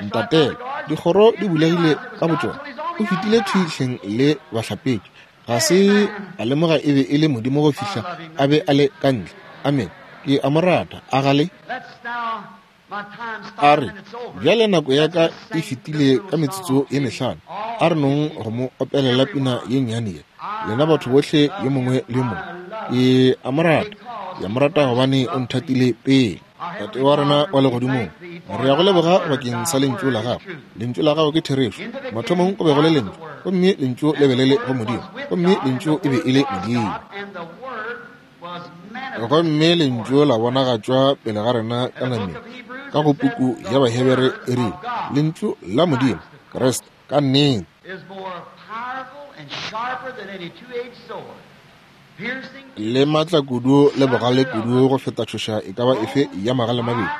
ntatele. Dikgoro di bulegile ka botšona. O fetile thwi le bahlapetši. Ga se a lemoga e be e le Modimo go fihla a be a le ka ntle. Amen. Ke a mo rata, a gale. A re, bjale nako ya ka e fetile ka metsotso ye mehlano. A re nong go mo opelela pina ye nnyane ye, lena batho bohle yo mongwe le yo mongwe. Ke a mo rata, ke a mo rata gobane o nthatile pele. Tate wa rena wa legodimong, re ya go leboga bakeng sa lentšu la gago. Lentšu la gago ke therešo. Mathomong go be go le lentšu, gomme lentšu le be le le go Modimo, gomme lentšu e be e le Modimo. Gomme lentšu la bonagatšwa pele ga rena ka nameng. Ka go puku ya Bahebere e rile, lentšu la Modimo, Kriste, ka nnete, le matla kudu le bogale kudu go feta tšhoša e ka ba efe ya magale mabedi,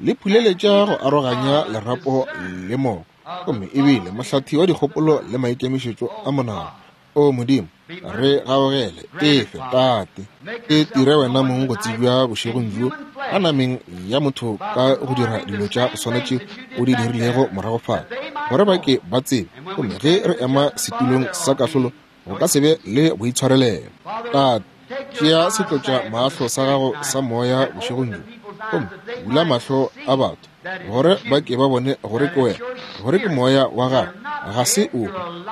le phuleletša go aroganya lerapo le moko, gomme ebile mohlathi wa dikgopolo le maikemišetšo a monagano. O Modimo, re gaogele, efe Tate, e tire wena mong go tsebja bošegong bjo ka nameng ya motho ka go dira dilo tša go swana tše o di dirilego morago fale, gore ba ke ba tsebe, gomme ge re ema setulong sa kahlolo go ka se be le boitshwarelelo. Tate, tšea setlotša mahlo sa gago sa moya bošegong bjo, gomme bula mahlo a batho gore ba ke ba bone gore ke wena, gore ke moya wa gago, ga se o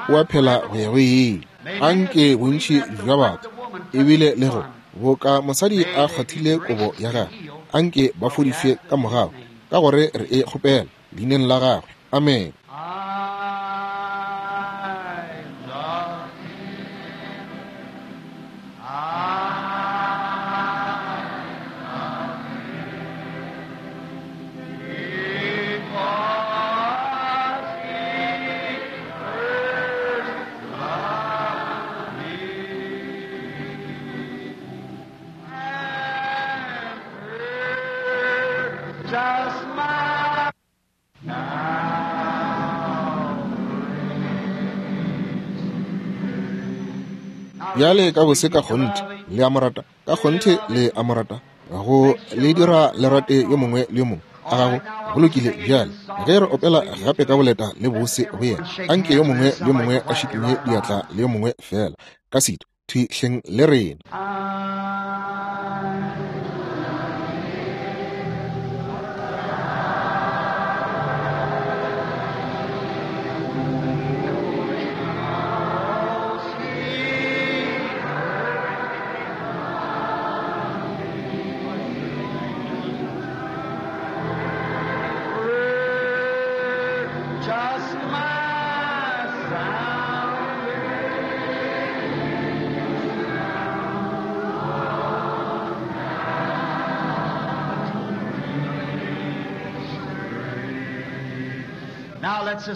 o a phela go ya go ile. Anke bontši bja batho ebile le go boka mosadi a kgwathile kobo ya gagwe, anke ba fodišwe ka mogau, ka gore re e kgopela leineng la gagwe. Amen. Bjale ka bose ka kgonthe le a mo rata, ka kgonthe le a mo rata, go le dira le rate yo mongwe le yo mongwe a gago. Go lokile. Bjale ge re opela gape ka boleta le bose go yena, anke yo mongwe le yo mongwe a šikinye diatla le yo mongwe fela ka setu thwi hleng le rena.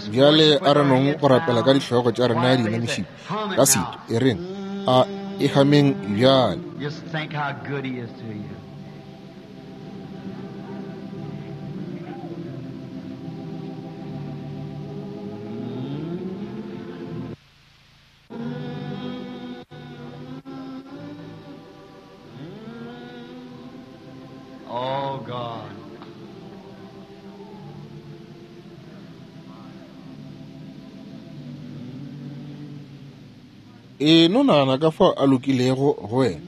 Bjale a re nong go rapela ka dihlogo tša rena di inamišitše ka setu. E reng a e hameng bjale. Just think how good he is to you. Oh God. E no nagana ka fao a lokilego go wena,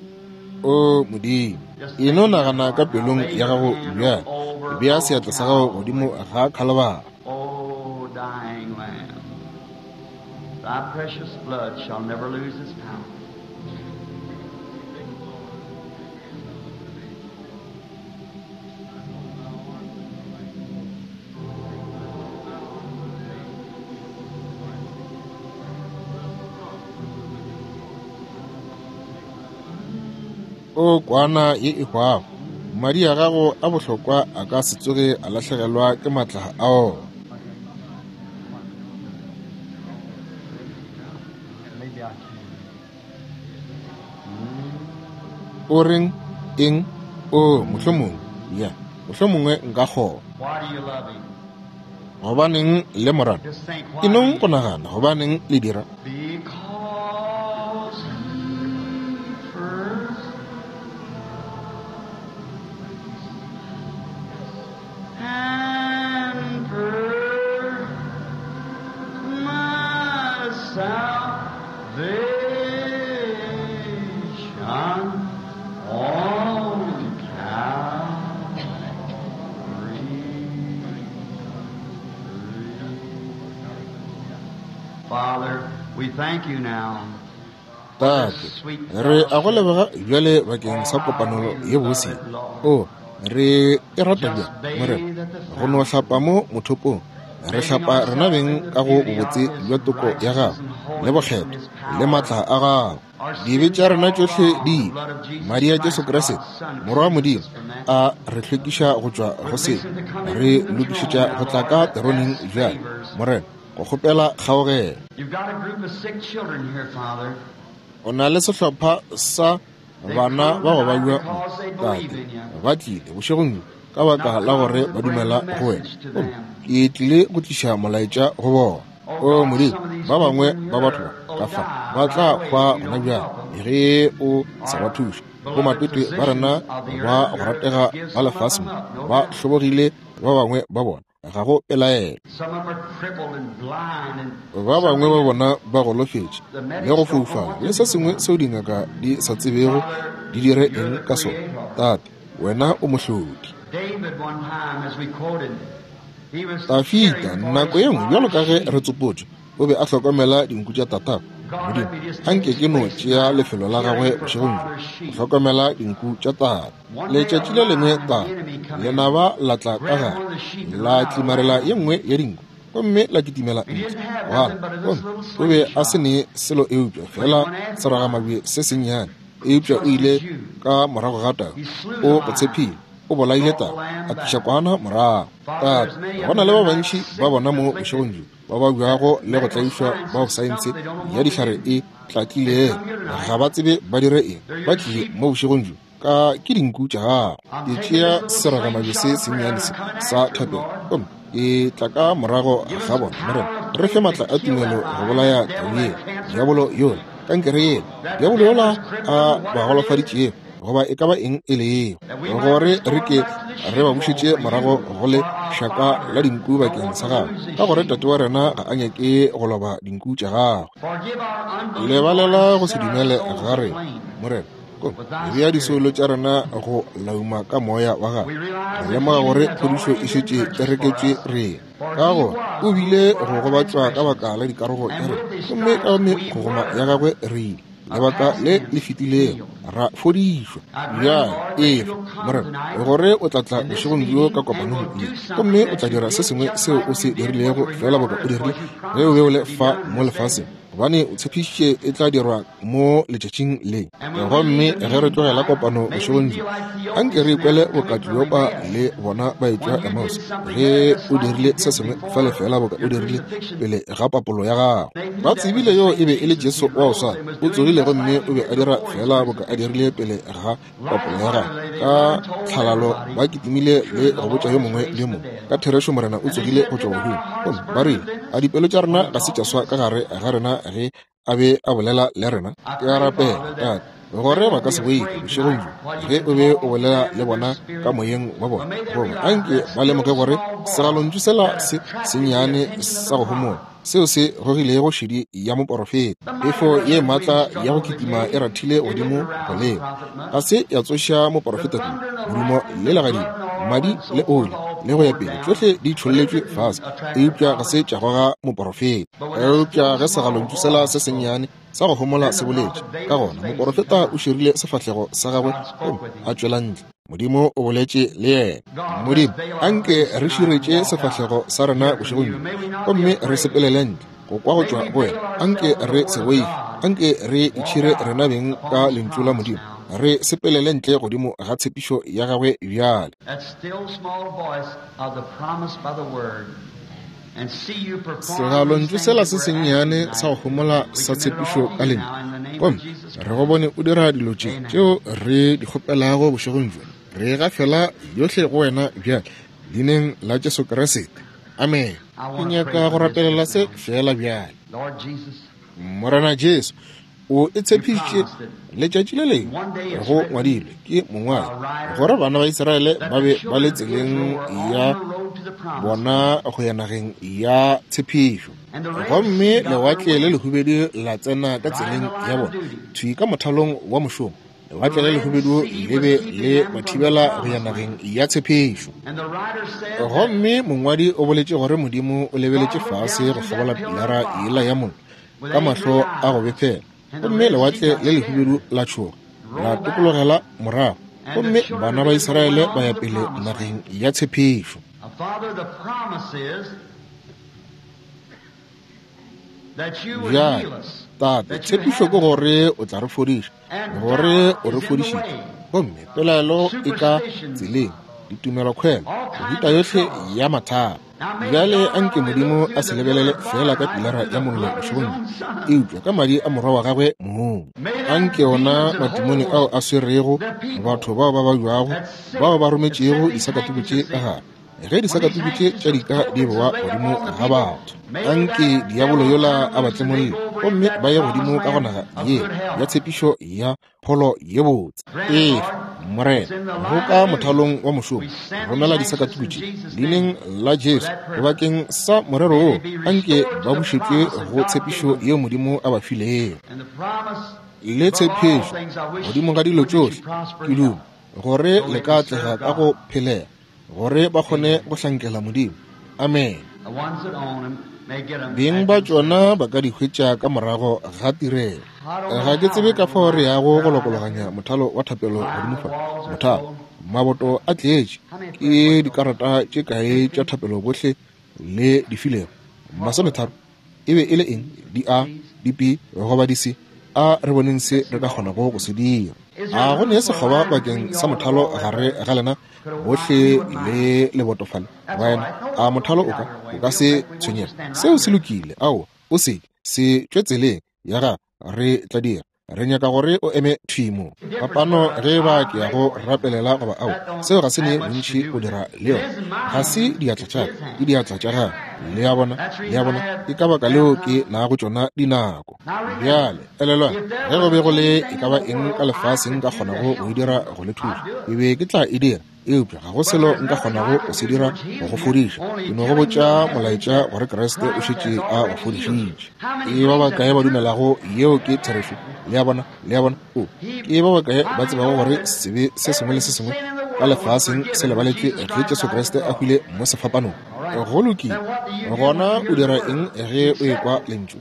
o Modimo. E no nagana ka pelong ya gago bjale. Bea seatla sa gago godimo ga Khalibari. Oh, dying Lamb, thy precious blood shall never lose its power. O kwana ye e hwago, Madi a gago a bohlokwa a ka se tsoge a lahlegelwa ke maatla a ona. O reng eng? O mohlomongwe, ya, mohlomongwe nka kgona. Gobaneng le mo rata? E nong go nagana gobaneng le dira? Because he first and purchased my salvation on Calvary. Father, we thank you now. Tate, re a go leboga bjale bakeng sa kopano ye bose. O re e rata bjang, Morena, go no hlapa mo mothopong. Re hlapa rena beng ka go bobotse bja toko ya gago le bokgethwa le maatla a gago. Dibe tša rena tšohle di ile. Madi a Jesu Kriste, Morwa wa Modimo, a re hlwekiša go tšwa go se. Re lokišetša go tla ka teroneng bjale, Morena, go kgopela kgaogelo. You've got a group of sick children here, Father. O na le sehlopha sa bana ba go babja mo, Tate. Ba tlile bošegong bjo ka baka la gore ba dumela go wena. Gomme ke tlile go tliša molaetša go bona. O Modimo, ba bangwe ba batho ba ka fa ba tla hwa gona bjale ge o sa ba thuše. Bomatwetwe ba rena ba go ratega ba lefase mo ba hlobogile, ba bangwe ba bona ga go pelaelo. Some of them are crippled and blind and Ba bangwe ba bona ba golofetše le go foufala le se sengwe seo dingaka di sa tsebego di dire eng ka sona. Tate, wena o mohlodi. David one time, as we quoted, he was Dafida caring for nako his ye nngwe bjalo ka ge father's re tsopotšwe, o be a hlokomela dinku tša tatagwe. Modimo, anke ke no tšea lefelo la gagwe bošegong bjo, go hlokomela dinku tša tate. Letšatši le lengwe tate, lenaba la tla ka gare, la tlimarela ye nngwe ya dinku, gomme la kitimela ntle. Gana, gomme o be a se ne selo eupša fela seragamabje se sennyane, eupša o ile ka morago ga tau. O go tshepile, o bolaile tau, a tliša kwana morago. Tate, go na le ba bantši ba bona mo bošegong bjo ba babjago le go tlaišwa bao saense ya dihlare e tlatlilego, ga ba tsebe ba dire eng. Ba tlile mo bošegong bjo ka ke dinku tša gago. Ke tšea seragamabje se sennyane se sa thapelo, gomme ke tla ka morago ga bona. Morena, re fe maatla a tumelo go bolaya tau yela, diabolo yola, kankere yela, diabolo yola a ba golofaditšego, goba e ka ba eng e lego, gore re ke re ba bušetše morago go le šaka la dinku bakeng sa gago, ka gore Tate wa rena ga a nyake go loba dinku tša gagwe. Forgive our unbelief, Lebalela go se set our dumele souls ga rena, aflame. Morena. Gomme re bea disoulo tša rena go lauma ka moya wa gago. We realize Re that lemoga healing gore has phodišo already e been šetše e purchased for reketšwe us. rena. For Ka he gore was o bile for go our gobatšwa ka transgressions, baka la dikarogo tša and rena, with his gomme ka stripes we megogoma were ya gagwe re ile a lebaka past le le tense fetilego healed. ra fodišwa. I grant, Bjale Lord, that efa, you'll come Morena, tonight gore o tla tla in this bošegong bjo ka meeting and kopanong will ye, do gomme something o that tla you dira se did sengwe just seo like o se you did when dirilego you were here fela on boka o earth, dirile because you ge o be promised o it le would be fa done mo this day. lefaseng, gobane o tshepišitše e tla dirwa mo letšatšing le. And when we Gomme leave the ge re meeting tlogela tonight, kopano may we bošegong be bjo, like anke Theophilus re and ikwele them coming boka from Kleopa Emmaus. le bona ba etšwa When you did Emmaus, something ge there just o like you dirile se did sengwe before fale fela boka o your dirile crucifixion, pele ga papolo ya gago. they knew Ba that was tsebile the yo same e be e le Jesus. Jesu He wa go rose swana, and was o doing tsogile just gomme like he o be did a dira before his fela boka a crucifixion. dirile pele ga papolo ya gagwe. Lightheartedly, they Ka run and told tlhalalo everybody, ba kitimile le Surely the go botša Lord yo has mongwe le raised yo the mongwe, dead. ka therešo Morena o And they tsogile said, go Did tšwa not bahung. our hearts Gomme ba burn rile, within a us dipelo tša rena when he ga se talked tša to swa us? ka gare ga rena ge a be a bolela le rena? I Ke a pray, rapela, Father, that Tate, they gore ba won't ka be se boife afraid bošegong tonight bjo while you ge can o be o talk to bolela them le in their bona ka spirit. moyeng wa But bona. may they Goba realize anke that ba lemoge still gore small voice segalontšu sela that se attracted the sennyane attention of sa the go homola prophet. seo se gogilego šedi ya moporofeta. The mighty Phefo ye rushing wind maatla ya struck go over the kitima e cave. rathile It godimo didn't go arouse the leba, prophet ga much. se ya tsoša The moporofeta kudu. thunder and the Modumo lightning le and the legadima, blood and oil madi and so le forth oli all le go ya poured pele, down, tšohle di but it tšholletšwe didn't fase, attract the eupša ga prophet. se tša goga moporofeta. But when that Eupša still ge small segalontšu sela voice se spoke, sennyane sa go homola then se the boletše, prophet ka veiled his gona face and moporofeta come o out. širile sefahlego sa gagwe God spoke gomme with a him. tšwela ntle. Modimo o boletše le yena. God, let's Modimo, veil our anke faces re tonight and širetše walk out sefahlego sa to rena hear from bošegong you. bjo, May we not be gomme re afraid. sepelele ntle go kwa go May tšwa we go veil wena. Anke ourselves with re the se Word of boife, God anke re and walk itšhire out rena beng upon ka this lentšu la promise Modimo now. Re sepelele ntle godimo ga tshepišo ya gagwe bjale. Segalontšu sela se sennyane sa go homola sa tshepišo ka lentšu, gomme re go bone o dira dilo tše tšeo re di kgopelago bošegong bjo. Re gafela yohle go wena bjale, leineng la Jesu Kriste. Amen. Ke nyaka go rapelela se fela bjale. Morena Jesu, o e tshepišitše letšatši le lengwe, go ngwadilwe ke mongwadi, gore bana ba Israele ba be ba le tseleng ya bona go ya nageng ya tshepišo, gomme lewatle le lehubedu la tsena ka tseleng ya bona thwi ka mothalong wa mošomo. Lewatle le lehubedu le be le ba thibela go ya nageng ya tshepišo. Gomme mongwadi o boletše gore Modimo o lebeletše fase go kgabola pilara yela ya mollo ka mahlo a go befela, gomme lewatle le lehubedu la tšhoga la tokologela morago, gomme bana ba Israele ba ya pele nageng ya tshepišo. Bjale, Tate, tshepišo ke gore o tla re fodiša, gore o re fodišitše, gomme pelaelo e ka tseleng, ditumelokgwelo, mehuta yohle ya mathata. Bjale anke Modimo a se lebelele fela ka pilara ya mollo bošegong bjo, eupša ka madi a morwa wa gagwe mong. Anke ona matimone ao a swerego batho bao ba babjago, bao ba rometšego disakatuku tše ka gare, ge disakatuku tše tša dika di boa godimo ga batho, anke diabolo yola a ba tlemolle gomme ba ye godimo ka go naga ye ya tshepišo ya pholo ye botse. Efa, Morena, go ka mothalong wa mošomo, romela disakatuku tše leineng la Jesu bakeng sa morero wo, anke ba bušetšwe go tshepišo yeo Modimo a ba filego. Le tshepišo godimo ga dilo tšohle, ke duma gore le ka atlega ka go phelega, gore ba kgone go hlankela Modimo. Amen. Beng ba tšona ba ka di hwetša ka morago ga tirelo. Ga ke tsebe ka fao re yago go lokologanya mothalo wa thapelo godimo fa. Mothalo, maboto a tletše ke dikarata tše kae tša thapelo bohle le di filego? Masometharo. E be e le eng? Di A, di B goba di C? A re boneng se re ka kgonago go se dira. A go ne sekgoba bakeng sa mothalo gare ga lena bohle le lebotofale? Baena, a mothalo o ka o ka se tshwenyege? Seo se lokile. Ao, o se se tšwe tseleng ya ga re tla dira. Re nyaka gore o eme thwi mo. Phapano ge ba ke ya go rapelela goba ao, seo ga se ne bontši go dira le yona. Ga se diatla tša ka, ke diatla tša gago. Le a bona, le a bona, ke ka baka leo ke nago tšona dinako. Bjale, elelwang, ge go be go le e ka ba eng ka lefaseng nka kgonago go e dira go le thuša, ke be ke tla e dira, eupša ga go selo nka kgonago go se dira go go fodiša. Ke no go botša molaetša gore Kriste o šetše a go fodišitše. Ke ba bakae ba dumelago yeo ke therešo? Le a bona, le a bona, o ke ba bakae ba tsebago gore sebe se sengwe le se sengwe ka lefaseng se lebaletšwe ge Jesu Kriste a hwile mo sefapanong? Go lokile. Gona o dira eng ge o ekwa lentšu?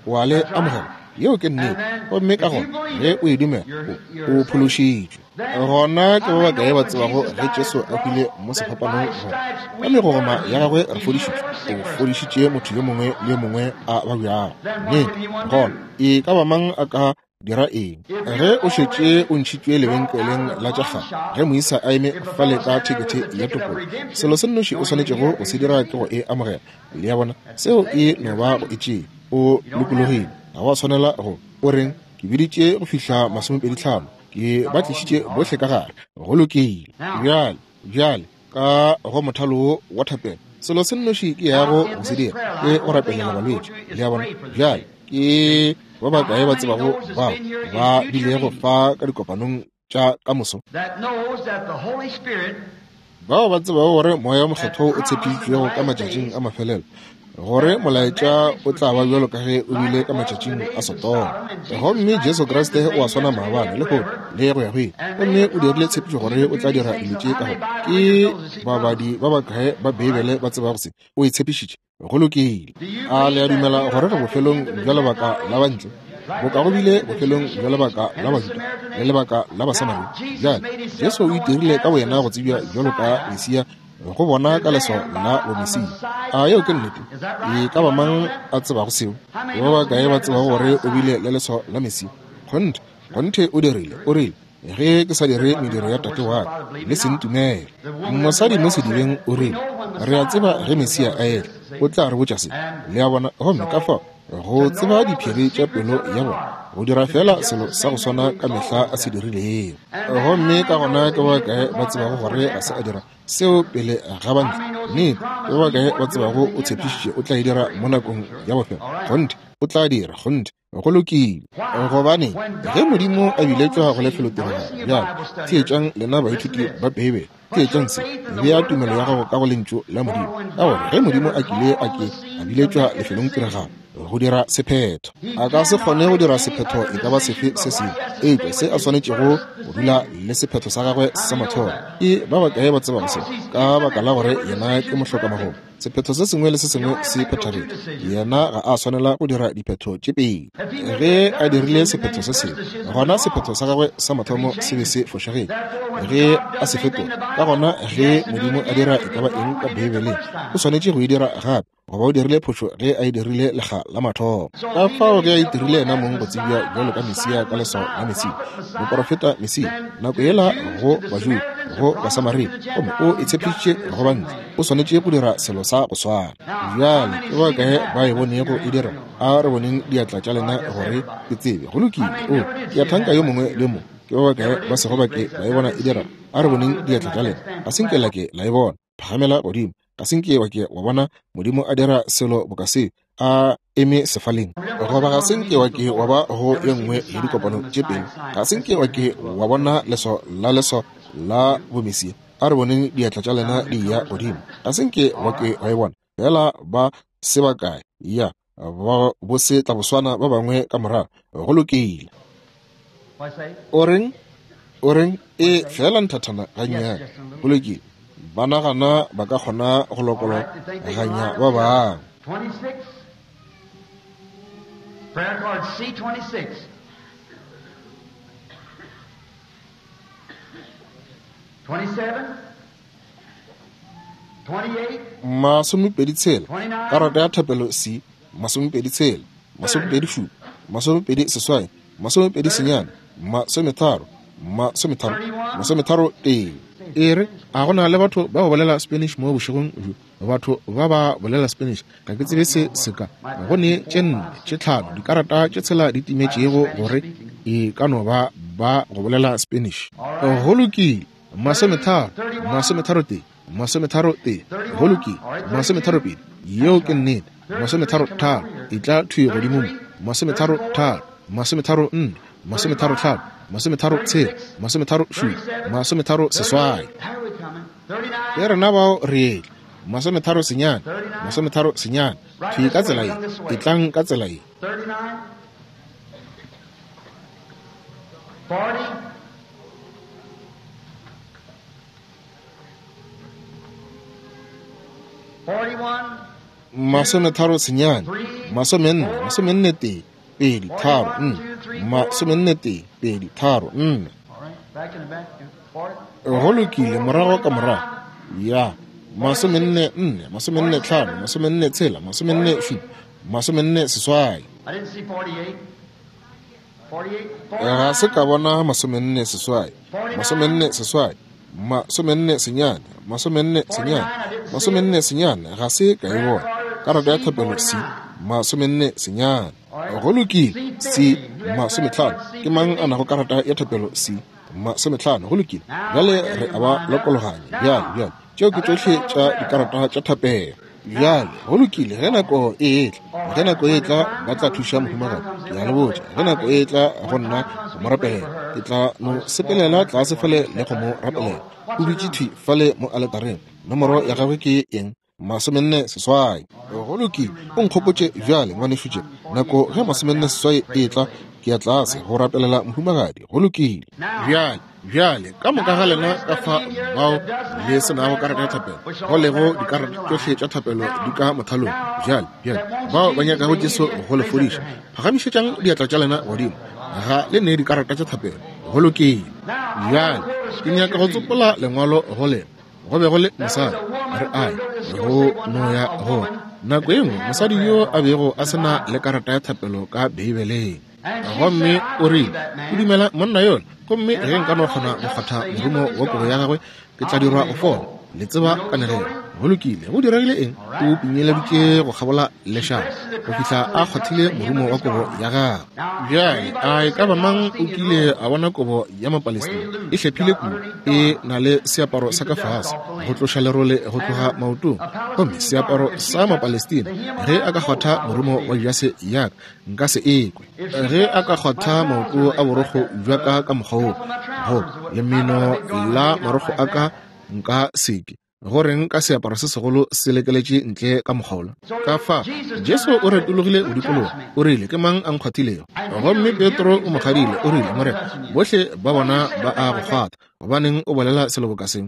O a le amogela. Yeo ke nnete. Gomme ka gona ge o e dumela, o o phološitšwe. Gona ke ba bakae ba tsebago ge Jesu a hwile mo sefapanong gore ka megogoma ya gagwe re fodišitšwe? O fodišitše motho yo mongwe le yo mongwe a babjago. Nnete. Gona e ka ba mang a ka dira eng ge o šetše o ntšhitšwe lebenkeleng la tša kgale, ge moisa a eme fale ka thekethe ya tokolo, selo se nnoši o swanetšego go se dira ke go e amogela. Le a bona, seo e no ba go e tšea. O lokologile, ga wa swanela go o reng ke biditše go fihla masomepedi tlhano, ke ba tlišitše bohle ka gare. Go lokile. Bjale, bjale ka go mothalo wo wa thapelo, selo se nnoši ke yago go se dira ke go rapelela balwetši. Le a bona? Bjale ke ba bakae ba tsebago bao ba bilego fa ka dikopanong tša ka moso, bao ba tsebago gore Moya o Mokgethwa o tshepišitšwego ka matšatšing a mafelelo, gore molaetša o tla ba bjalo ka ge o bile ka matšatšing a Sodoma, gomme Jesu Kriste o a swana maabane le lehono le go ya go ile, gomme o dirile tshepišo gore o tla dira dilo tše ka gore ke babadi ba bakae ba Beibele ba tsebago se o e tshepišitše? Go lokile. A le a dumela gore re bofelong bja lebaka la bantle, boka go bile bofelong bja lebaka la Bajuda le lebaka la Basamaria? Bjale Jesu o itirile ka boyena go tsebja bjalo ka Mesia go bona ka leswao la bomesia. A yeo ke nnete? E ka ba mang a tsebago seo? Ba bakae ba tsebago gore o bile le leswao la Mesia? Kgonthe, kgonthe o dirile. O rile, Ge ke sa dire mediro ya Tate wa ka, le se ntumele. Mosadi mo sedibeng o rile, re a tseba ge Mesia a etla, o tla re botša se. Le a bona, gomme ka fao go tseba diphiri tša pelo ya bona, go dira fela selo sa go swana ka mehla a se dirilego. Gomme ka gona ke ba kae ba tsebago gore ga se a dira seo pele ga bantle? Nnete, ke ba kae ba tsebago o tshepišitše o tla e dira mo nakong ya bofelo? Kgonthe, o tla dira, kgonthe. Go lokile. Gobane ge Modimo a biletšwa go lefelotiragalo, bjale theetšang lena baithuti ba Beibele, theetšang se, bea tumelo ya gago ka go lentšu la Modimo, ka gore ge Modimo a kile a ke a biletšwa lefelongtiragalo go dira sephetho, a ka se kgone go dira sephetho e ka ba sefe se sengwe eupša se a swanetšego go dula le sephetho sa gagwe sa mathomo. Ke ba bakae ba tsebago se? Ka baka la gore yena ke mohlokamagolo, sephetho se sengwe le se sengwe se phethagetše. Yena ga a swanela go dira diphetho tše pedi. Ge a dirile sephetho se sengwe, gona sephetho sa gagwe sa mathomo se be se fošagetše. Ge a se fetola, ka gona ge Modimo a dira e ka ba eng ka Beibeleng, o swanetše go e dira gape, goba o dirile phošo ge a e dirile lekga la mathomo. Ka fao ge a itirile yena mong go tsebja bjalo ka Mesia ka leswao la Mesia, moporofeta Mesia, nako yela go Bajuda, go Basamaria, gomme o e tshepišitše go bantle, o swanetše go dira selo sa go swana. Bjale ke ba kae ba e bonego e dira? A re boneng diatla tša lena gore ke tsebe. Go lokile. O, ke a thanka yo mongwe le mongwe. Ke ba bakae ba sego ba ke ba e bona e dira? A re boneng diatla tša lena. Ga se nke la ke la e bona. Phagamela godimo. Ga se nke wa ke wa bona Modimo a dira selo boka se a eme sefaleng, goba ga se nke wa ke wa ba go ye nngwe ya dikopano tše pele. Ga se nke wa ke wa bona leswao la leswao la bomesia. A re boneng diatla tša lena di ya godimo. Ga se nke wa ke wa e bona. Fela ba se bakae ya ba bo se tla boswana ba bangwe ka morago. Go lokile. O reng? O reng? E fela nthathana gannyane. Go lokile. Ba nagana ba ka kgona go lokologanya ba bangwe. Prayer card C twenty-six. twenty-seven. twenty-eight. Masomepedi tshela. Karata ya thapelo C, masomepedi tshela, masomepedi šupa, masomepedi seswai, masomepedi senyane, masometharo, masometharo, masometharo tee. E re, a go na le batho ba go bolela Spanish mo bošegong bjo? Batho ba ba bolela Spanish, ga ke tsebe se se ka. Go ne tše nne, tše tlhano, dikarata tše tshela di timetšego gore e ka no ba ba go bolela Spanish. Go lokile, masometharo, masometharo tee, masometharo tee, go lokile, masometharo pedi, yeo ke nnete, masometharo tharo, e tla thwi godimo mo, masometharo tharo, masometharo nne, masometharo tlhano, masometharo tshela, masometharo šupa, masometharo seswai. Ke rena bao re etla, masometharo senyane, masometharo senyane, thwi ka tsela ye, e tlang ka tsela ye. Masometharo senyane, masomenne, masomenne tee, pedi, tharo, nne, masomenne tee, pedi, tharo, nne. Go lokile, morago ka morago. Ya, masomenne nne, masomenne tlhano, masomenne tshela, masomenne šupa, masomenne seswai. Ga se ka bona masomenne seswai, masomenne seswai, masomenne senyane, masomenne senyane, masomenne senyane, ga se ka e bona. Karata ya thapelo C, masomenne senyane. Go lokile, C, masometlhano. Ke mang a nago karata ya thapelo C, masometlhano? Go lokile. Bjale re a ba lokologanya. Bjale, bjale, tšeo ke tšohle tša dikarata tša thapelo. Bjale, go lokile, ge nako e etla, ge nako e etla ba tla thuša mohumagadi. Ke a le botša, ge nako e etla go nna go mo rapelela, ke tla no sepelela tlase fale le go mo rapelela. O dutše thwi fale mo aletareng. Nomoro ya gagwe ke eng? Masomenne seswai. Go lokile, o nkgopotše bjale, ngwanešu Jim. Nako ge masomenne seswai e etla, ke ya tlase go rapelela mohumagadi. Go lokile. Bjale, bjale, ka moka ga lena ka fa bao le se nago karata ya thapelo, go lego dikarata tšohle tša thapelo di ka mothalong. Bjale, bjale, bao ba nyakago Jesu go le fodiša, phagamišetšang diatla tša lena godimo. Ga le ne dikarata tša thapelo. Go lokile. Bjale, ke nyaka go tsopola lengwalo go lena. Go be go le mosadi, re ae go no ya go nako e nngwe, mosadi yo a bego a se na le karata ya thapelo ka Beibeleng. Gomme o rile, o dumela monna yola, gomme ge nka no kgona go kgwatha morumo wa kobo ya gagwe, ke tla dirwa go fola. Le tseba kanegelo. Go lokile, go diregile eng? O pinyeleditše go kgabola lešaba go fihla a kgwathile morumo wa kobo ya gagwe. Bjale a e ka ba mang o kile a bona kobo ya Mapalestina e hlephile kudu, e na le seaparo sa ka fase go tloša lerole go tloga maotong? Gomme seaparo sa Mapalestina, ge a ka kgwatha morumo wa jase ya ka, nka se ekwe. Ge a ka kgwatha maoto a borokgo bja ka ka mokgwa wo, go lemeno la marokgo a ka, nka seke. Goreng ka seaparo se segolo se lekeletše ntle ka mokgwa? Ka fa Jesu o retologile go dikologa, o rile, ke mang a nkgwathilego? Gomme Petro o mo kgadile, o rile, Morena, bohle ba bona ba a go kgwatha, gobaneng o bolela selo boka se?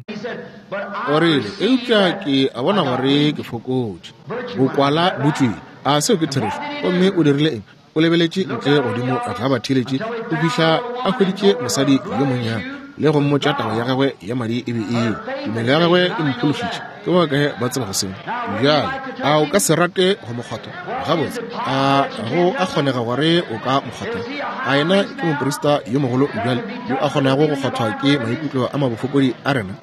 O rile, eupša ke a bona gore ke fokotše, bokwala bo tšwile. A seo ke therešo? Gomme o dirile eng? O lebeletše ntle godimo ga batheeletši go fihla a hweditše mosadi yo monnyane le go mmotša taba ya gagwe ya madi e be eo. Tumelo ya gagwe e mphološitše. Ke ba kae ba tseba go seo? Bjale a o ka se rate go mo kgwatha? Gabotse, a go a kgonega gore o ka mo kgwatha? A yena ke moprista yo mogolo bjale yo a kgonago go kgwathwa ke maikutlo a mabofokodi a rena?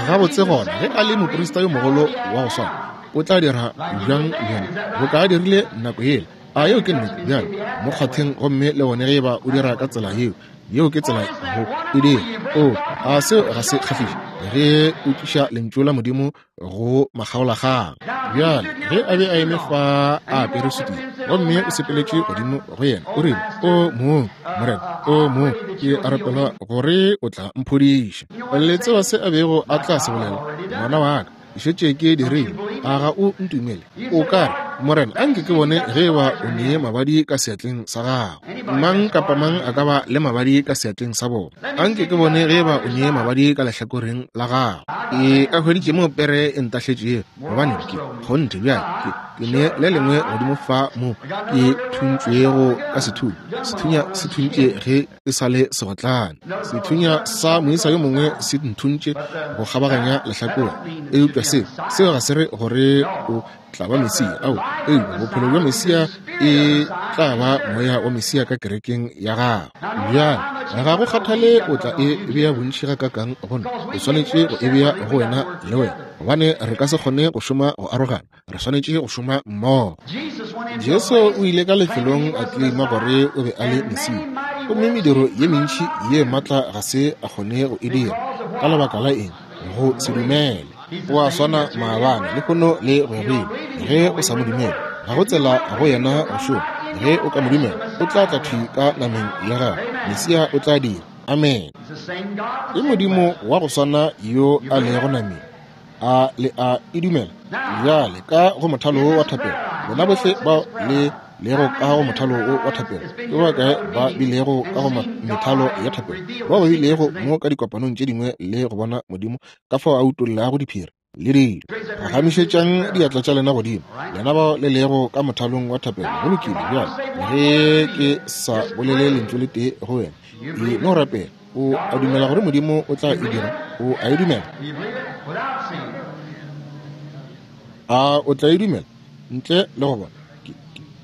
Gabotse gona, ge a le moprista yo mogolo wa go swana, o tla dira bjang bjale boka a dirile nako yela? A yeo ke nnete? Bjale mo kgwatheng, gomme le bone ge eba o dira ka tsela yeo. Yeo ke tsela go e dira. O a seo ga se kgahliše ge o tliša lentšu la Modimo go makgaolakgang. Bjale ge a be a eme fa a apere sutu, gomme o sepeletše godimo go yena, o rile, o mong Morena, o mong, ke a rapela gore o tla mphodiša. Le tseba se a bego a tla se bolela? Ngwana wa ka, šetše ke dirile, a ga o ntumele? O ka re, Morena, a nke ke bone ge eba o nee mabadi ka seatleng sa gago. Mang kapa mang a ka ba le mabadi ka seatleng sa bona. A nke ke bone ge eba o nee mabadi ka lehlakoreng la gago. Ke a hweditše mo pere e ntahletšego, gobane ke kgonthe bjale ke ke ne le lengwe godimo fa mo ke thuntšwego ka sethunya. Sethunya se thuntše ge ke sa le segotlane. Sethunya sa moisa yo mongwe se nthuntše go kgabaganya lehlakore. Eupša seo, seo ga se re gore o tla ba Mesia. Ao, eupša bophelo bja Mesia e tla ba moya wa Mesia ka kerekeng ya gago. Bjale ga go kgathale o tla e bea bontši ga kakang gona, o swanetše go e bea go wena le wena, gobane re ka se kgone go šoma go arogana, re swanetše go šoma mmogo. Jesu o ile ka lefelong a tlima gore o be a le Mesia, gomme mediro ye mentši ye maatla ga se a kgone go e dira. Ka lebaka la eng? Go se dumele. O a swana maabane, lehono le go ya go ile. Ge o sa mo dumele, ga go tsela go yena go šoma. Ge o ka mo dumela, o tla tla thwi ka nameng ya gagwe. Mesia o tla dira. Amen. Ke Modimo wa go swana yo a lego nameng. A le a e dumela? Bjale ka go mothalo wa thapelo, lena bohle bao le lego ka go mothalo wa thapelo, ke ba kae ba bilego ka go methalo ya thapelo, bao ba bilego mo ka dikopanong tše dingwe le go bona Modimo ka fao a utollago diphiri le dilo? Phagamišetšang diatla tša lena godimo, lena bao le lego ka mothalong wa thapelo. Go lokile. Bjale ge ke sa bolele lentšu le tee go wena, e no rapela. O a dumela gore Modimo o tla e dira? O a e dumela? A o tla e dumela ntle le go bona?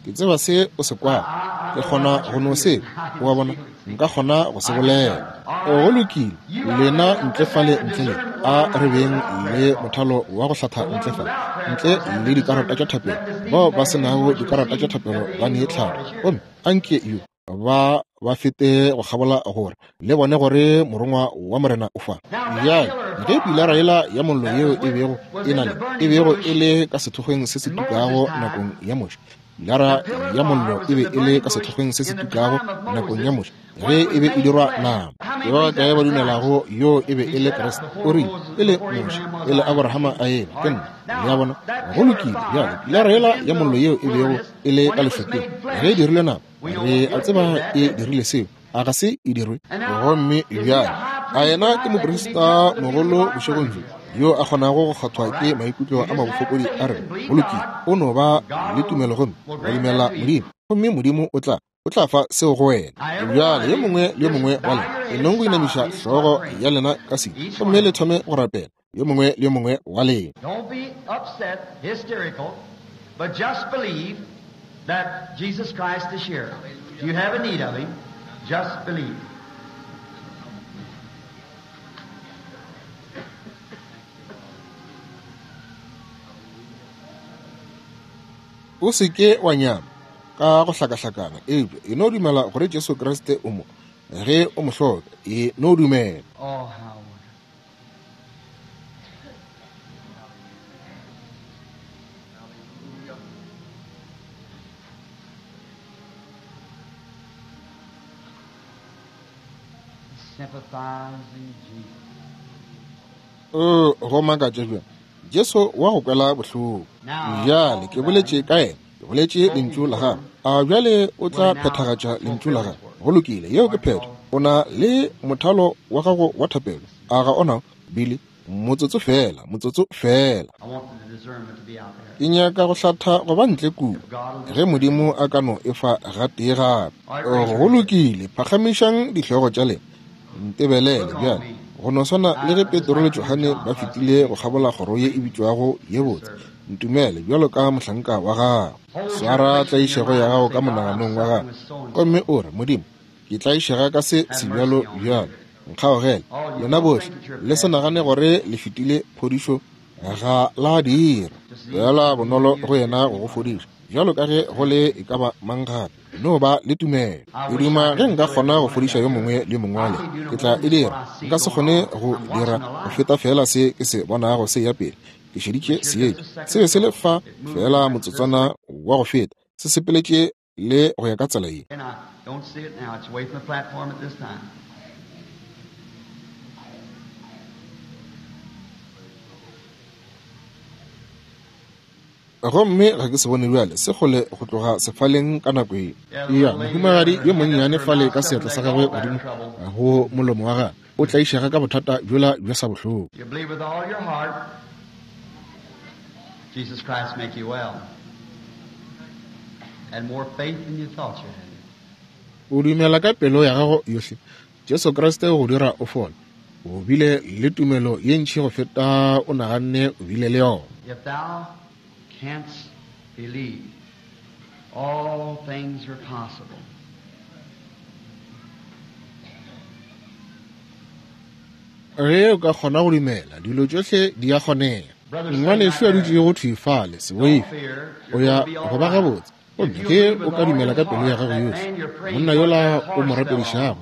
Ke tseba se o se kwago, ke kgona go no se, o a bona, nka kgona go se bolela. Go lokile, lena ntle fale ntle le, a re beng le mothalo wa go hlatha ntle fale, ntle le dikarata tša thapelo. Bao ba se nago dikarata tša thapelo ba nee tlhalo, gomme anke yo ba ba fete go kgabola gore le bone gore morongwa wa Morena o fa. Bjale ge pilara yela ya mollo yeo e bego e na le e bego e le ka sethokgweng se se tukago nakong ya Moshe, pilara ya mollo e be e le ka sethokgweng se se tukago nakong ya Moshe ge e be e dirwa nama. Ke ba kae ba dumelago yo e be e le Kriste? O rile, pele Moshe, pele Abrahama a eba, ke nna. Le a bona? Go lokile. Bjale pilara yela ya mollo yeo e bego e le ka lešokeng ge e dirilwe nama, re a tseba e dirile seo, a ga se e dirwe? Gomme bjale a yena ke moprista mogolo bošegong bjo yo a kgonago go kgathwa ke maikutlo a mabofokodi a rena? Go lokile, o no ba le tumelo gomme wa dumela Modimo, gomme Modimo o tla o tla fa seo go wena. Bjale yo mongwe le yo mongwe wa lena e nong go inamiša hlogo ya lena ka se, gomme le thome go rapela, yo mongwe le yo mongwe wa lena. Don't be upset, hysterical, but just believe that Jesus Christ is here. If you have a need of Him, just believe. O se ke wa nyama ka go hlakahlakana, eupša e no dumela gore Jesu Kriste o mo. Ge o mo hloka, e no dumela. Oh, how wonderful. Sympathizing Jesus. O go makatša bjang Jesu wa go kwela bohloko. Bjale ke boletše ka yena, ke boletše lentšu la gagwe. A bjale o tla phethagatša lentšu la gagwe. Go lokile, yeo ke phetho. O na le mothalo wa gago wa thapelo. A ga ona, Billy? Motsotso fela, motsotso fela. I want the discernment to be out there. Ke nyaka go hlatha go ba ntle kudu, ge Modimo a ka no e fa gatee gape. Go lokile, phagamišang dihlogo tša lena. Ntebelele bjale. Go no swana le ge Petro le Johane ba fetile go kgabola kgoro ye e bitšwago ye botse. Ntumele bjalo ka mohlanka wa gago. Swara tlaišego ya gago ka monaganong wa gago, gomme o re, Modimo, ke tlaišega ka se sebjalo bjalo, nkgaogele. Lena bohle le se nagane gore le fetile phodišo, ga la dira. Fela bonolo go yena go go fodiša, bjalo ka ge go le e ka ba mang gape. No ba le tumelo. Ke duma ge nka kgona go fodiša yo mongwe le yo mongwe wa lena, ke tla e dira. Nka se kgone go dira go feta fela se ke se bonago se ya pele. Ke šeditše seetša, se be se le fa fela motsotswana wa go feta, se sepeletše le go ya ka tsela ye. And I don't see it now. It's away from the platform at this time. Gomme ga ke se bone bjale, se kgole go tloga sefaleng ka nako ye. Ya mohumagadi yo monnyane fale ka seatla sa gagwe godimo go molomo wa gagwe, o tlaišega ka bothata bjola bja sa bohloko. You believe with all your heart, Jesus Christ make you well. And more faith than you thought you had. O dumela ka pelo ya gago yohle, Jesu Kriste o go dira o fole. O bile le tumelo ye ntši go feta o naganne o bile le yona. If thou canst believe, all things are possible. Ge o ka kgona go dumela, dilo tšohle di a kgonega. Ngwanešu a dutšego thwi fale, se boife, o ya go ba gabotse. Gomme ge o ka dumela ka pelo ya gago yohle, monna yola o mo rapedišago,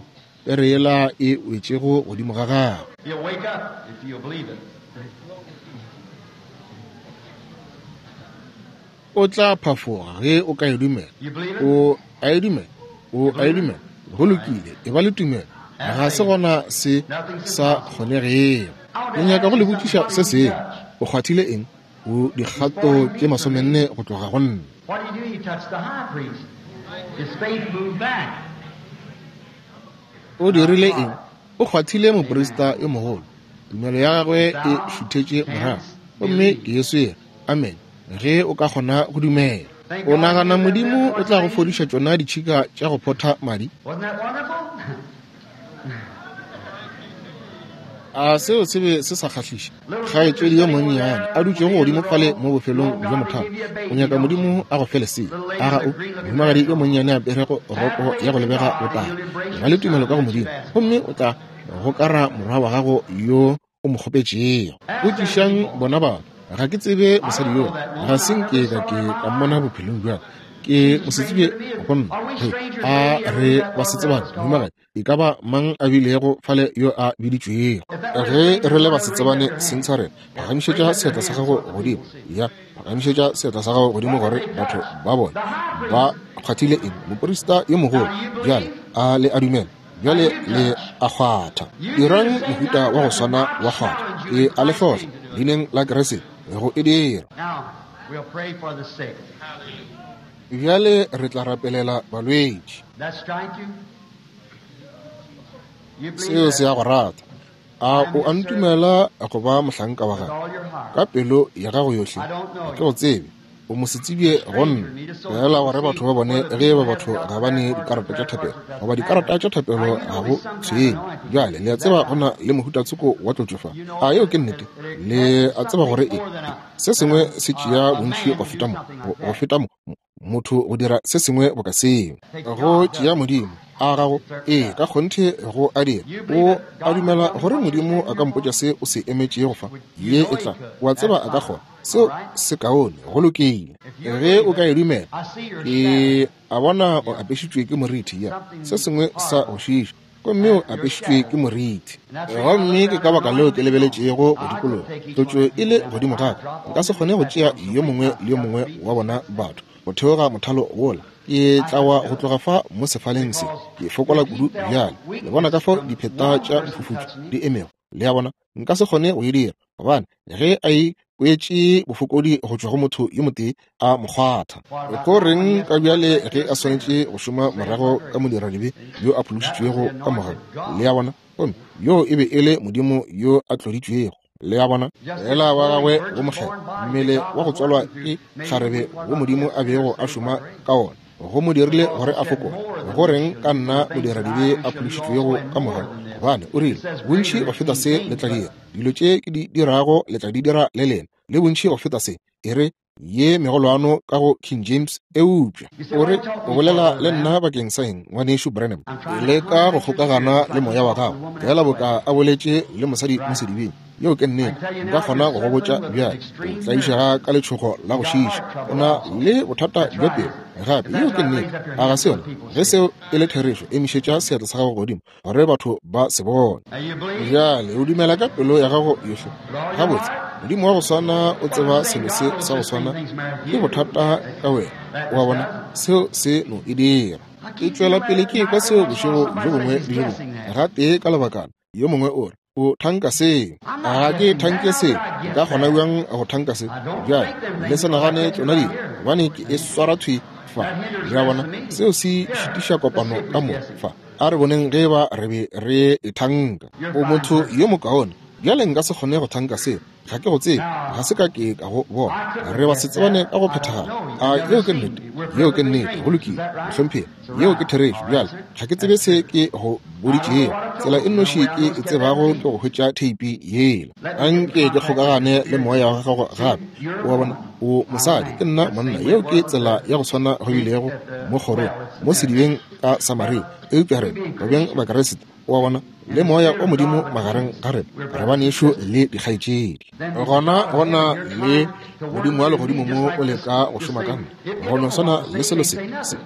pere yela e wetšego godimo ga gagwe. You'll wake up if you'll believe it. O tla phafoga ge o ka e dumela. You believe it? O a e dumela, o a e dumela. Go lokile, e ba le tumelo. Ga se gona se sa kgonegego. Ke nyaka go le botšiša se sengwe. O kgwathile eng? O dikgato tše masomenne go tloga go nna. What did he do? He touched the high priest. His faith moved back. O dirile eng? O kgwathile moprista yo mogolo. Tumelo ya gagwe e šuthetše morago. Gomme ke Jesu yena. Amen. Ge o ka kgona go dumela. O nagana Modimo o tla go fodiša tšona ditšhika tša go photha madi? Wasn't that wonderful? A seo se be se sa kgahliše? Kgaetšedi yo monnyane a dutšego godimo fale mo bofelong bja mothalo, o nyaka Modimo a go fe lesea. A ga o? Mohumagadi yo monnyane a aperego roko ya go lebega botala, ba le tumelo ka go Modimo, gomme o tla gokara morwa wa gago yo o mo kgopetšego. Botšišang bona batho. Ga ke tsebe mosadi yola, ga se nke ka ke ka mmona bophelong bja ka. Ke mosetsebje go nna. He, a re basetsebane, mohumagadi, e ka ba mang a bilego fale yo a biditšwego? Ge re le basetsebane seng sa rena, phagamišetša seatla sa gago godimo. Ya, phagamišetša seatla sa gago godimo gore batho ba bone ba kgwathile eng. Moprista yo mogolo bjale a le a dumela, bjale le a kgwatha. Dirang mohuta wa go swana wa kgwatha, e a le hlohla leineng la Kriste go e dira. Now, we'll pray for the sick. Bjale re tla rapelela balwetši. That strike you? You believe Seo se that a go rata. A o a ntumela go ba mohlanka wa with gago all your heart. ka pelo ya gago yohle? Ga ke go tsebe, o mosetsebje go nna. Fela gore batho ba bone ge ba batho ga ba ne dikarata tša thapelo, goba dikarata tša thapelo ga go tshwenye. Bjale le a tseba go na le mohutatsoko wa tlotšo fa. A yeo ke nnete? Le a tseba gore e se sengwe se tšea bontši go feta mo, go feta mo, motho go dira se sengwe boka seo. Go tšea Modimo a gago, ee, ka kgonthe go a dira. O a dumela gore Modimo a ka mpotša se o se emetšego fa? Ye e tla, wa tseba a ka kgona. Seo se kaone, go lokile. Ge o ka e dumela, ke a bona o apešitšwe ke moriti, ya se sengwe sa go šiša, gomme o apešitšwe ke moriti. Gomme ke ka baka leo ke lebeletšego go dikologa, tlotšo e le godimo ga ka. Nka se kgone go tšea yo mongwe le yo mongwe wa bona batho go theoga mothalo wola. Ke tla wa go tloga fa mo sefaleng se, ke fokola kudu bjale. Le bona ka fao dipheta tša mofufutšo di emego, le a bona? Nka se kgone go e dira, gobane ge a ikwetše bofokodi go tšwa go motho yo motee a mo kgwatha. Go reng ka bjale ge a swanetše go šoma morago ka modiradibe yo a phološitšwego ka mogau? Le a bona? Gomme yo e be e le Modimo yo a tloditšwego. Le a bona? Fela wa gagwe wo mokgethwa, mmele wa go tswalwa ke kgarebe wo Modimo a bego a šoma ka wona, go mo dirile gore a fokole. Go reng ka nna modiradibe a phološitšwego ka mogau? Gobane o rile, bontši go feta se le tla dira, dilo tše ke di dirago le tla di dira le lena, le bontši go feta se. E re ye megolwano ka go King James, eupša o re o bolela le nna bakeng sa eng, ngwanešu Branham? Leka go kgokagana le moya wa gago, fela boka a boletše le mosadi mo sedibeng. Yeo ke nnete. Nka kgona go go botša bjale, o tlaišega ka letšhogo la go šiša, o na le bothata bja pelo gape. Yeo ke nnete, a ga se yona? Ge seo e le therešo, emišetša seatla sa gago godimo gore batho ba se bone. Bjale o dumela ka pelo ya gago yohle? Gabotse, Modimo wa go swana o tseba selo se sa go swana ke bothata ka wena. O a bona? Seo se no e dira. Ke tšwela pele ke ekwa seo bošego bjo bongwe le bjo bongwe. Gatee ka lebakana, yo mongwe o re, o thanka seo. Ga ke thanke seo. Nka kgona bjang go thanka se? Bjale le se nagane tšona dilo, gobane ke e swara thwi fa. Le a bona? Seo se šitiša kopano ka mo fa. A re boneng ge ba re be re e thanka. O motho yo mokaone. Bjale nka se kgone go thanka seo. Ga ke go tsebe, ga se ka ke ka go bona. Re ba se tsebane ka go phethagala. A yeo ke nnete? Yeo ke nnete. Go lokile, mohlomphegi. Yeo ke therešo. Bjale ga ke tsebe se ke go boditšego. Tsela e nnoši ke e tsebago ke go hwetša theipi yela. Anke ke kgokagane le moya wa gago gape. O a bona? O mosadi, ke nna monna. Yeo ke tsela ya go swana go bilego mo kgorong, mo sedibeng ka Samaria. Eupša rena re bjang Bakriste, o a bona, le moya o Modimo magareng ga rena, re banešu le dikgaetšedi. Gona gona le Modimo wa legodimo mo o leka go šoma ka nna. Go no swana le selo se, se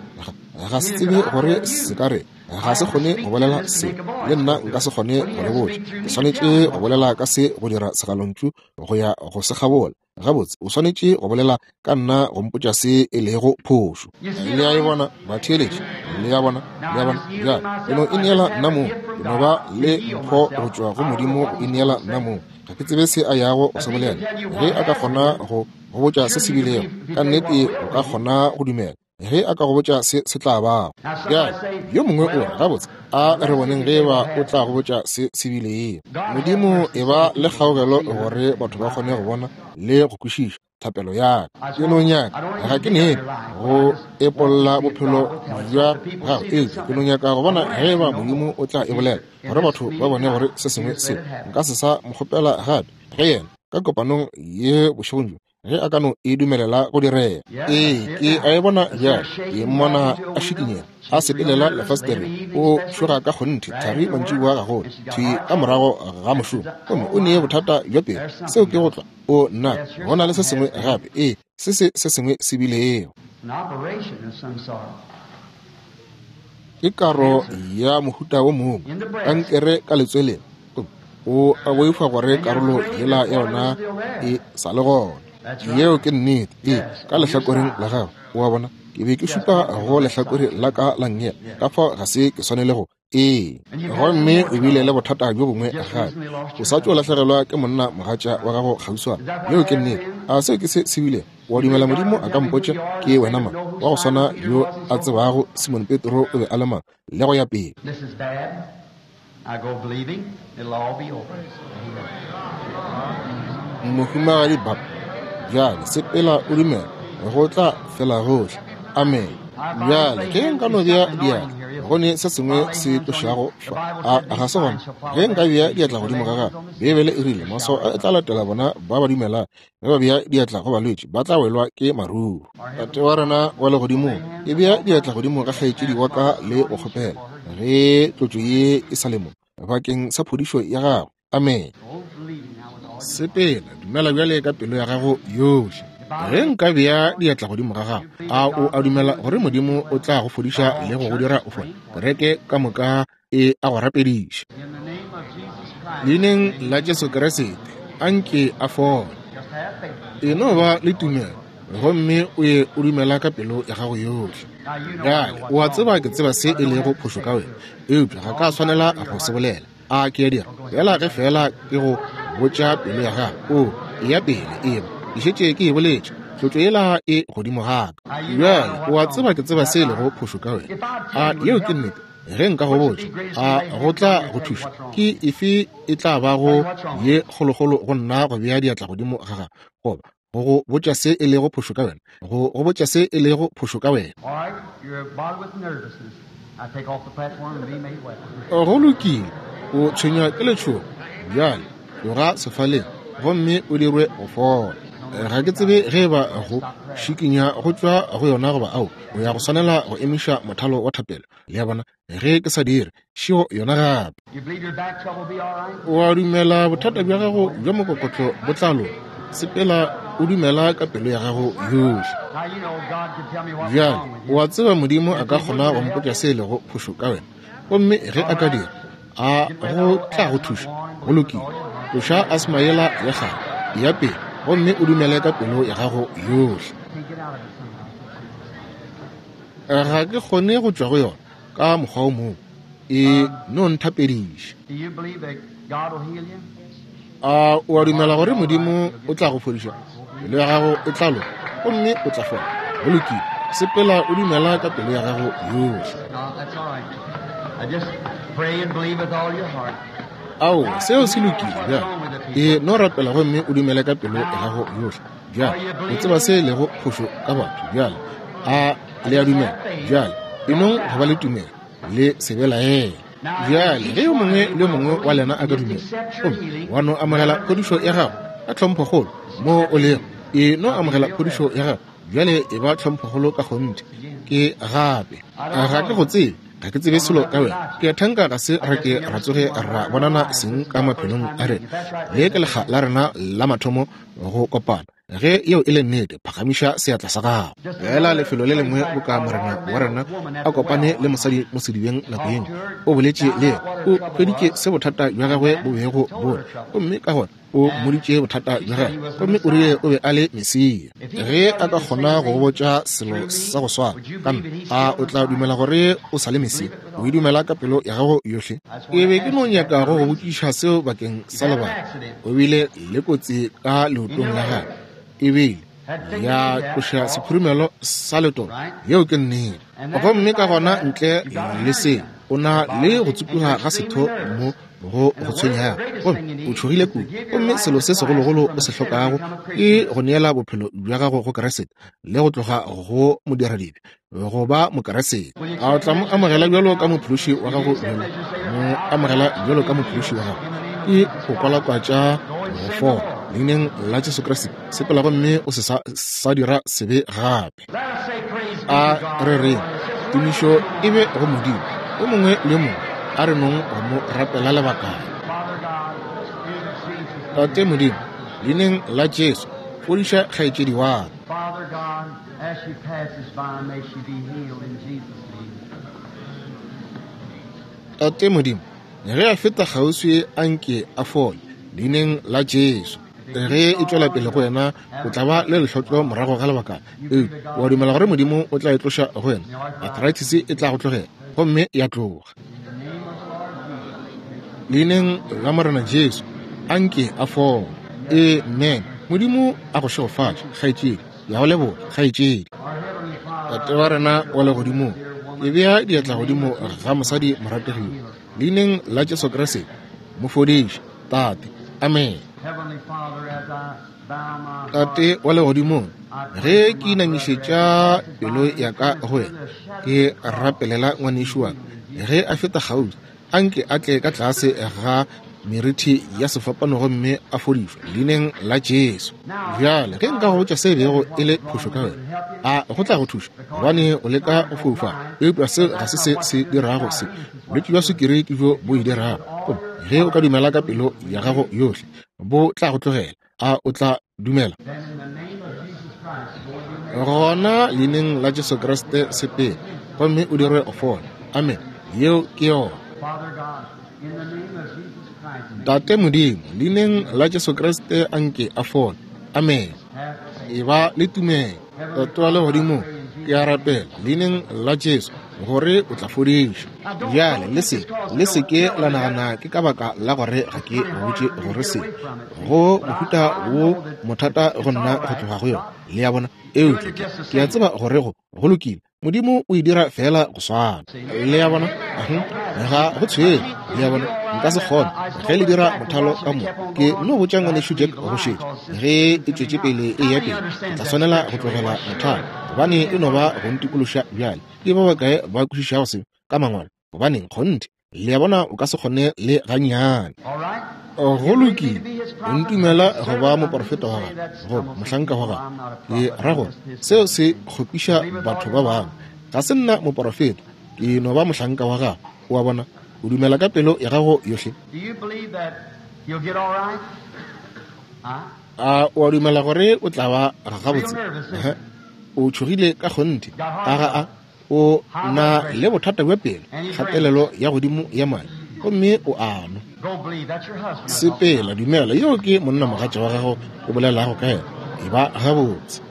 ga se tsebe gore se ka re, ga se kgone go bolela se, le nna nka se kgone go le botša. Ke swanetše go bolela ka se go dira segalontšu go ya go se kgabola. Gabotse, o swanetše go bolela ka nna go mpotša se e lego phošo. Le a e bona, batheeletši? Le a bona? Le a bona? Bjale ke no ineela nna mong. Ke no ba le mpho go tšwa go Modimo go ineela nna mong. Ga ke tsebe se a yago go se bolela. Ge a ka kgona go go botša se se bilego, ka nnete o ka kgona go dumela. Ge a ka go botša se se tla bago. Bjale yo mongwe o re, gabotse, a re boneng ge ba o tla go botša se se bilego. Modimo e ba le kgaogelo gore batho ba kgone go bona le go kwešiša thapelo ya ka. Ke no nyaka, ga ke nepe go epolla bophelo bja gago, eupša ke no nyaka go bona ge ba Modimo o tla e bolela gore batho ba bone gore se sengwe se nka se sa mo kgopela gape. Ge yena ka kopanong ye bošegong bjo, ge a ka no e dumelela go direga. Ee, ke a e bona bjale. Ke mmona a šikinyega, a sepelela lefasetereng, o tšhoga ka kgonthe, thari mantšiboa gagolo, thwi ka morago ga mošomo, gomme o nee bothata bja pelo. Seo ke go tlwa. O nna, go na le se sengwe gape. Ee, se se se sengwe se bilego. Ke karo ya mohuta wo mongwe, kankere ka letsweleng. O a boifa gore karolo yela ya yona e sa le gona. Yeo ke nnete. Ee, ka lehlakoreng la gago. O a bona? Ke be ke šupa go lehlakore la ka la nngele, ka fao ga se ke swanele go. Ee, gomme o bile le bothata bjo bongwe gape. O sa tšo lahlegelwa ke monna mogatša wa gago kgauswana. Yeo ke nnete. A seo ke se se bilego? Wa dumela Modimo a ka mpotša ke wena mang? Wa go swana yo a tsebago Simon Petro o be a le mang, le go ya pele. Mohumagadi Bab, bjale sepela o dumela, go tla fela gohle. Amen. Bjale ke nka no bea diatla Go ne se sengwe se tlošago fa. A ga se gona? Ge nka bea diatla godimo ga gago, Beibele e rile maswao a e tla latela bona ba ba dumelang. Ge ba bea diatla go balwetši, ba tla welwa ke maruru. Tate wa rena wa legodimong, ke bea diatla godimo ga kgaetšedi wa ka le go kgopela ge tlotšo ye e sa le mo bakeng sa phodišo ya gago. Amen. Sepela, dumela bjale ka pelo ya gago yohle. Ge nka bea diatla godimo ga gago, a o a dumela gore Modimo o tla go fodiša le go go dira o fole? Kereke ka moka e a go rapediša. Leineng la Jesu Kriste, anke a fole. E no ba le tumelo, gomme o ye o dumela ka pelo ya gago yohle. Bjale, o a tseba ke tseba se e lego phošo ka wena, eupša ga ka swanela go se bolela. A ke a dira? Fela ge fela ke go botša pelo ya gago, o ya pele eba ke šetše ke e boletše, tlotšo yela e godimo ga ka. Bjale, o a tseba ke tseba se e lego phošo ka wena. A yeo ke nnete? Ge nka go botša, a go tla go thuša? Ke efe e tla bago ye kgolokgolo go nna go bea diatla godimo ga gago, goba go go botša se e lego phošo ka wena? Go go botša se e lego phošo ka wena. Go lokile, o tshwenywa ke letšhogo. Bjale tloga sefaleng gomme o dirwe go fola. Ga ke tsebe ge ba go šikinya go tšwa go yona goba ao, o ya go swanela go emiša mothalo wa thapelo. Le a bona, ge ke sa dire šeo yona gape. O a dumela bothata bja gago bja mokokotlo bo tla loka? Sepela o dumela ka pelo ya gago yohle. Bjale o a tseba Modimo a ka kgona go mpotša se e lego phošo ka wena, gomme ge a ka dira, a go tla go thuša? Go lokile, tloša asma yela ya kgale, ya pele, gomme o dumele ka pelo ya gago yohle. Ga ke kgone go tšwa go yona ka mokgwa o mongwe, e no nthapediša. A o a dumela gore Modimo o tla go fodiša? Pelo ya gago e tla loka gomme o tla fola. Go lokile, sepela o dumela ka pelo ya gago yohle. Ao, seo se lokile. Bjale e no rapela gomme o dumele ka pelo ya gago yohle. Bjale o tseba se lego phošo ka batho. Bjale a le a dumela? Bjale e nong go ba le tumelo, le se belaele. Bjale ge yo mongwe le yo mongwe wa lena a ka dumela gomme wa no amogela phodišo ya gago ka tlhomphokgolo mo o lego, e no amogela phodišo ya gago bjale, e ba tlhomphokgolo ka kgonthe. Ke gape ga ke go tsebe, ga ke tsebe selo ka wena. Ke a thanka ga se re ke ra tsoge ra bonana seng ka maphelong a rena. Le ke lekga la rena la mathomo go kopana. Ge yeo e le nnete, phagamiša seatla sa gago. Fela lefelo le lengwe boka morena wa rena a kopane le mosadi mo sedibeng nako yengwe, o boletše le yena, o hweditše se bothata bja gagwe bo bego bo le, gomme ka gona o mmoditše bothata bja gagwe, gomme o rile o be a le Mesia. Ge a ka kgona go go botša selo sa go swana ka nna, a o tla dumela gore o sa le Mesia? O e dumela ka pelo ya gago yohle? Ke be ke no nyaka go go botšiša seo bakeng sa lebaka. O bile le kotsi ka leotong la gagwe, e bile ya tloša sekhurumelo sa letolo. Yeo ke nnete. Gomme ka gona ntle le seo, o na le go tsupuga ga setho mo go go tshwenyago, gomme o tšhogile kudu. Gomme selo se segologolo o se hlokago ke go neela bophelo bja gago go Kriste le go tloga go modiradibe go ba Mokriste. A o tla mo amogela bjalo ka mophološi wa gago? Bjalo mo amogela bjalo ka mophološi wa gago ke go kwalakwatša go fola leineng la Jesu Kriste. Sepela gomme o se sa, sa dira sebe gape. A re reng tumišo e be go Modimo. O mongwe le mongwe a re nong go mo rapela lebakana. Tate Modimo, leineng la Jesu, fodiša kgaetšedi wa ka. Tate Modimo, ge a feta kgauswi a nke a fole leineng la Jesu. Ge e tšwela pele go wena, o tla ba le lehlotlo morago ga lebakana. Eupša wa dumela gore Modimo o tla e tloša go wena? Arthritis e tla go tlogela gomme ya tloga. Leineng la Morena Jesu, a nke a fole. Amen. Modimo a go šegofatše, kgaetšedi. Ya go leboga, kgaetšedi. Tate wa rena wa legodimong, ke bea diatla godimo ga mosadi morategiwa leineng la Jesu Kriste, mo fodiše, Tate. Amen. Tate wa legodimong, ge ke inamišetša pelo ya ka go wena, ke rapelela ngwanešu wa ka ge a feta kgauswi, anke a tle ka tlase ga merithi ya sefapano gomme a fodišwe leineng la Jesu. Bjale ge nka go botša se bego e le phošo ka wena, a go tla go thuša? Gobane o leka go foufala, eupša seo ga se se se dirago se. Bolwetši bja sukiri ke bjo bo e dirago. Gomme ge o ka dumela ka pelo ya gago yohle, bo tla go tlogela. A o tla dumela? Gona leineng la Jesu Kriste sepele gomme o dire go fola. Amen. Yeo ke yona. Tate Modimo, leineng la Jesu Kriste anke a fole. Amen. E ba le tumelo. Tate wa legodimong, ke a rapela leineng la Jesu gore o tla fodišwa. Bjale le se le se ke la nagana ke ka baka la gore ga ke botše gore se go mohuta wo mothata go nna go tloga go yona. Le a bona? Eupša ke a tseba gore go go lokile. Modimo o e dira fela go swana. Le a bona? Ga go tshwele. Le a bona? Nka se kgone ge le dira mothalo ka mo. Ke no botša ngwanešu Jack go šetša ge e tšwetše pele e ya pele, ke tla swanela go tlogela mothalo gobane e no ba go ntikološa bjale. Ke ba bakae ba kwešišago se ka mangwalo? Gobaneng kgonthe, le a bona, o ka se kgone le gannyane. Go lokile, o ntumela go ba moporofeta wa gago goba mohlanka wa gago. Ke ra gore seo se kgopiša batho ba bangwe. Ga se nna moporofeta, ke no ba mohlanka wa gago. O a bona? O dumela ka pelo ya gago yohle. A o a dumela gore o tla ba gabotse? O tšhogile ka kgonthe. A ga a? O na le bothata bja pelo, kgatelelo ya godimo ya madi, gomme o a nwa. Sepela, dumela. Yeo ke monnamogatša wa gago o bolelago ka yena. E ba gabotse.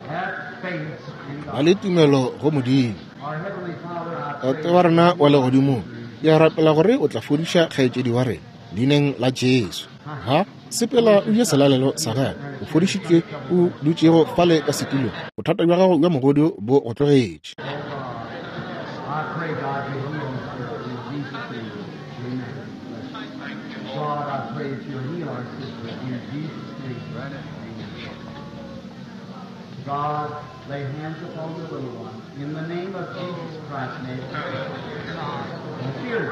Ba le tumelo go Modimo. Tate wa rena wa legodimong, ke a rapela gore o tla fodiša kgaetšedi wa rena leineng la Jesu. Ha sepela o je selalelo sa gago, o fodišitšwe, o dutšego fale ka setulong. Bothata bja gago bja mogodu bo go tlogetše. I pray, God, you heal her in Jesus' name. Amen. God, I pray that you'll heal our sister in Jesus' name. Amen. God, lay hands upon the little one. In the name of Jesus Christ, may it be. Fear.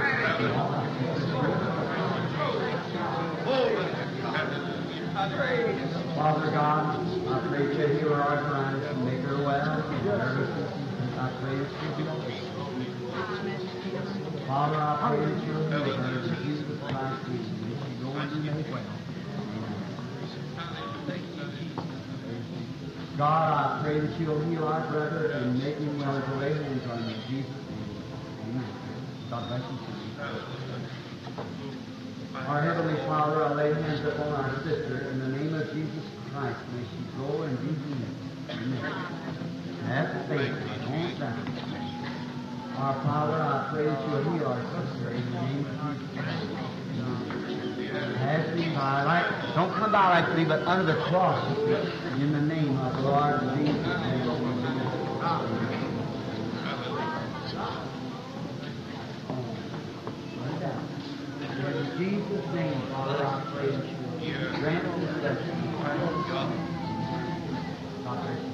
Father God, I pray that you heal her arthritis and make her well. I pray that she'll be well. Father, I pray that you'll heal her in Jesus Christ's name. May she go and be made well. Amen. God, I pray that you'll heal our brother and make him well as I lay hands on him in Jesus' name. Amen. God bless you, sister. Our Heavenly Father, I lay hands upon our sister in the name of Jesus Christ. May she go and be healed. Amen. Have faith. Don't doubt. Our Father, I pray that you'll heal our sister in the name of Jesus Christ. Pass me by like, don't come by like me, but under the cross in the name of the Lord Jesus. In Jesus' name, Father, I pray that you'll grant this blessing. God bless you.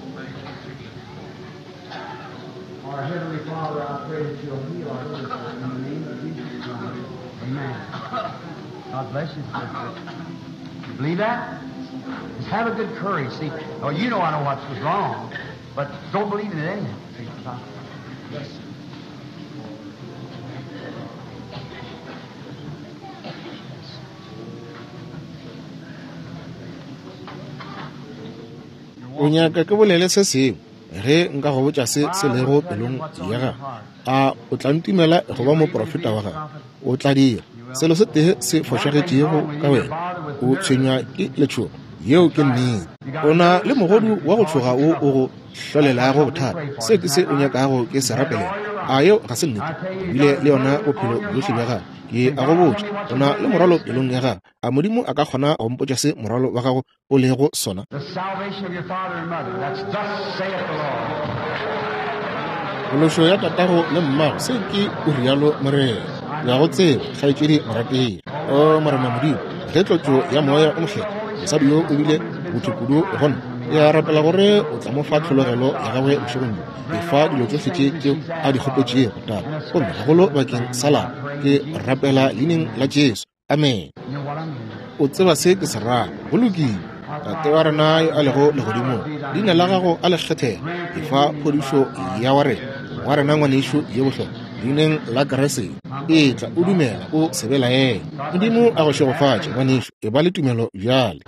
Our Heavenly Father, I pray that you'll heal our sister in the name of Jesus Christ. Amen. God bless you, sister. You believe that? Just have a good courage. See, oh, you know I know what was wrong, but don't believe in it anyhow. See, yes. O nyaka ke bolele se sengwe ge nka go botša se se lego pelong ya gago. A o tla ntumela go ba moprofeta wa gago? O tla dira. Selo se tee se fošagetšego ka wena, o tshwenywa ke letšhogo. Yeo ke nnete. O na le mogodu wa go tšhoga wo o go hlolelago bothata. Se ke se o nyakago ke se rapelela. A yeo ga se nnete? Ebile le yona bophelo bjohle bja gago. Ke a go botša, o na le morwalo pelong ya gago. A Modimo a ka kgona go mpotša se morwalo wa gago o lego sona? Phološo ya tatago le mmago, se ke o rialo Morena. Ke a go tseba, kgaetšedi morategi. O Morena Modimo, ge tlotšo ya moya o mokgethwa, mosadi yo o bile botho kudu go nna. Ke a rapela gore o tla mo fa tlhologelo ya gagwe bošegong bjo. Efa dilo tšohle tše tšeo a di kgopetšego, Tate, gomme gagolo bakeng sa lapa. Ke rapela leineng la Jesu. Amen. O tseba se ke se rago. Go lokile. Tate wa rena yo a lego legodimong, leina la gago a le kgethege. Efa phodišo ya wa rena, wa rena ngwanešu ye bohlokwa, leineng la Kriste. Etla o dumela, o se belaele. Modimo a go šegofatše, ngwanešu. E ba le tumelo bjale.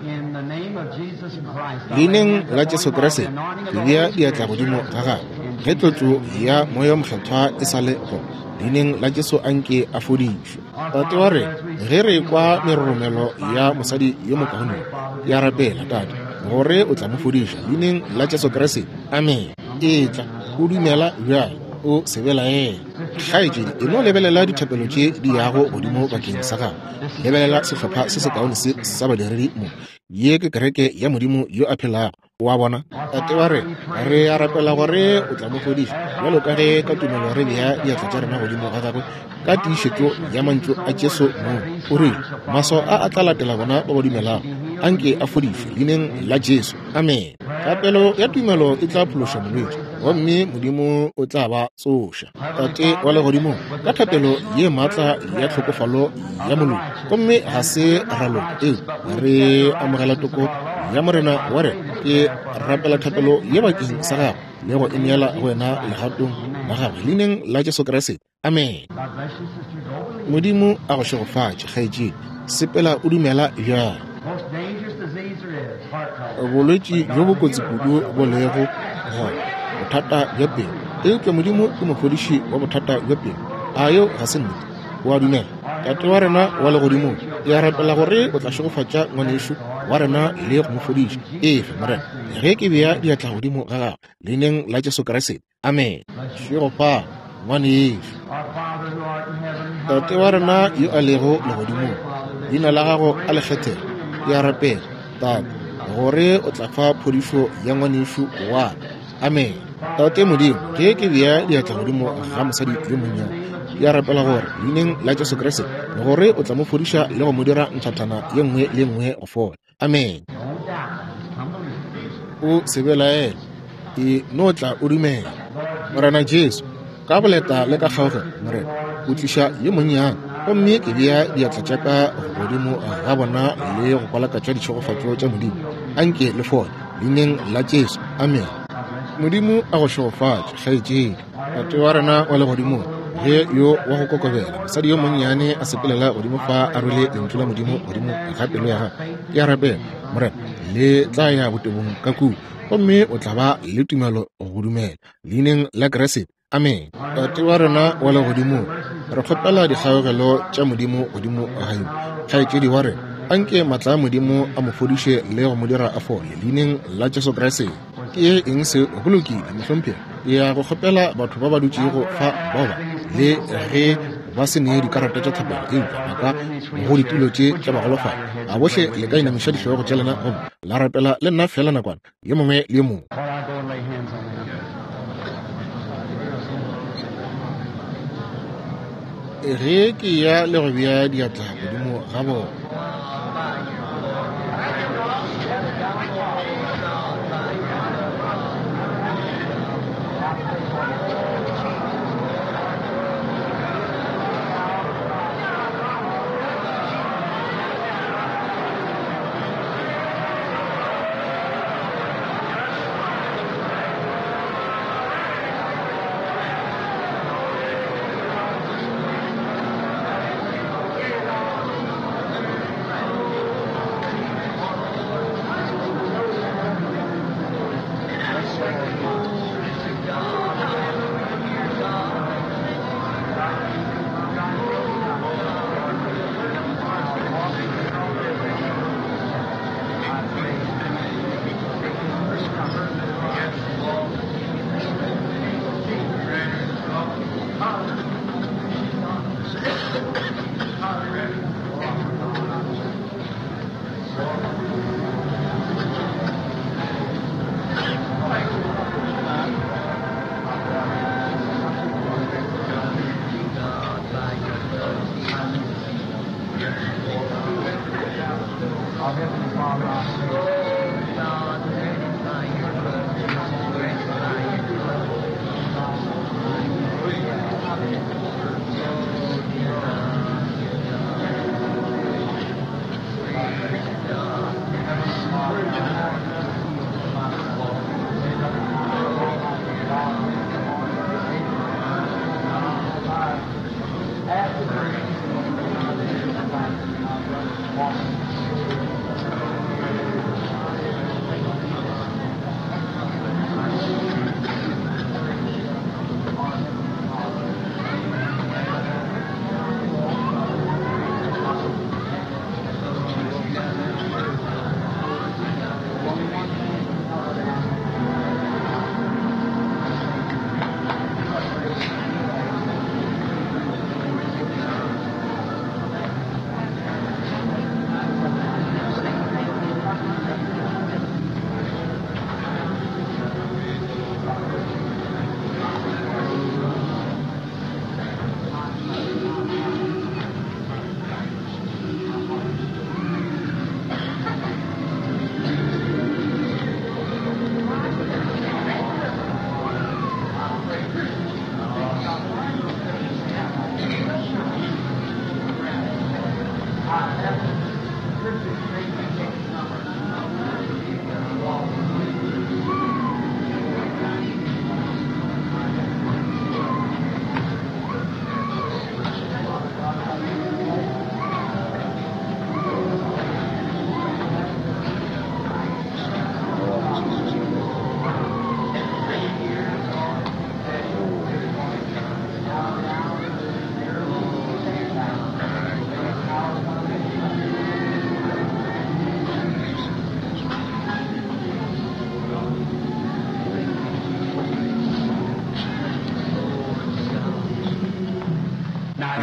Leineng la Jesu Kriste, ke bea diatla godimo ga gagwe. Ge tlotšo ya Moya o Mokgethwa e sa le gona, leineng la Jesu a nke a fodišwe. Tate wa rena, ge re kwa meroromelo ya mosadi yo mokaone, ke a rapela, Tate, gore o tla mo fodiša leineng la Jesu Kriste. Amen. Etla o dumela bjale, o se belaele. Kgaetšedi, e no lebelela dithapelo tše di yago godimo bakeng sa gago. Lebelela sehlopha se sekaone se sa badiredi mo. Ye ke kereke ya Modimo yo a phelago. Wa bona? Tate wa rena, re a rapela gore o tla mo fodiša, bjalo ka ge ka tumelo re bea diatla tša rena godimo ga gagwe ka tiišetšo ya mantšu a Jesu mong. O rile, maswao a a tla latela bona ba ba dumelago. Anke a fodišwe leineng la Jesu. Amen. Thapelo ya tumelo e tla phološa molwetši, gomme Modimo o tla ba tsoša. Tate wa legodimong, ka thapelo ye maatla ya tlhokofalo ya moloki, gomme ga se ra loka, eupša re amogela toko ya Morena wa rena. Ke rapela thapelo ye bakeng sa gagwe le go e neela go wena legatong la gagwe leineng la Jesu Kriste. Amen. Modimo a go šegofatše, kgaetšedi. Sepela o dumela bjalo. Bolwetši bjo bo kotsi kudu bo lego gona, bothata bja pelo. Eupša Modimo ke mofodiši wa bothata bja pelo. A yeo ga se nnete? O a dumela? Tate wa rena wa legodimong, ke a rapela gore o tla šegofatša ngwanešu wa rena le go mo fodiša. Efe, Morena, ge ke bea diatla godimo ga gagwe leineng la Jesu Kriste. Amen. Šegofala, ngwanešu. Tate wa rena yo a lego legodimong, leina la gago a le kgethege. Ke a rapela, Tate, gore o tla fa phodišo ya ngwanešu wa ka. Amen. Tate Modimo, ge ke bea diatla godimo ga mosadi yo monnyane, ke a rapela gore leineng la Jesu Kriste gore o tla mo fodiša le go mo dira nthathana ye nngwe le ye nngwe go fola. Amen. O se belaele, e no tla o dumela. Morena Jesu, ka boleta le ka kgaogelo, Morena, o tliša yo monnyane, gomme ke bea diatla tša ka godimo ga bona le go kwalakatša ditšhegofatšo tša Modimo. Anke le fole leineng la Jesu. Amen. Modimo a go šegofatše, kgaetšedi. Tate wa rena wa legodimong, ge yo wa go kokobela mosadi yo monnyane a sepelela godimo fa a rwele lentšu la Modimo godimo ga pelo ya gagwe, ke a rapela, Morena, le tla ya botebong ka kua, gomme o tla ba le tumelo go dumela leineng la Kriste. Amen. Tate wa rena wa legodimong, re kgopela dikgaogelo tša Modimo godimo ga yo kgaetšedi wa rena. Anke maatla a Modimo a mo fodiše le go mo dira a fole leineng la Jesu Kriste. Ke eng se? Go lokile, mohlomphegi. Ke ya go kgopela batho ba ba dutšego fa bao ba le ge ba se nee dikarata tša thapelo, eupša ba ka go ditulo tše tša bagolofadi. A bohle le ka inamiša dihlogo tša lena gomme la rapela le nna fela nakwana yo mongwe le yo mongwe. Ge ke ya le go bea diatla godimo ga bona.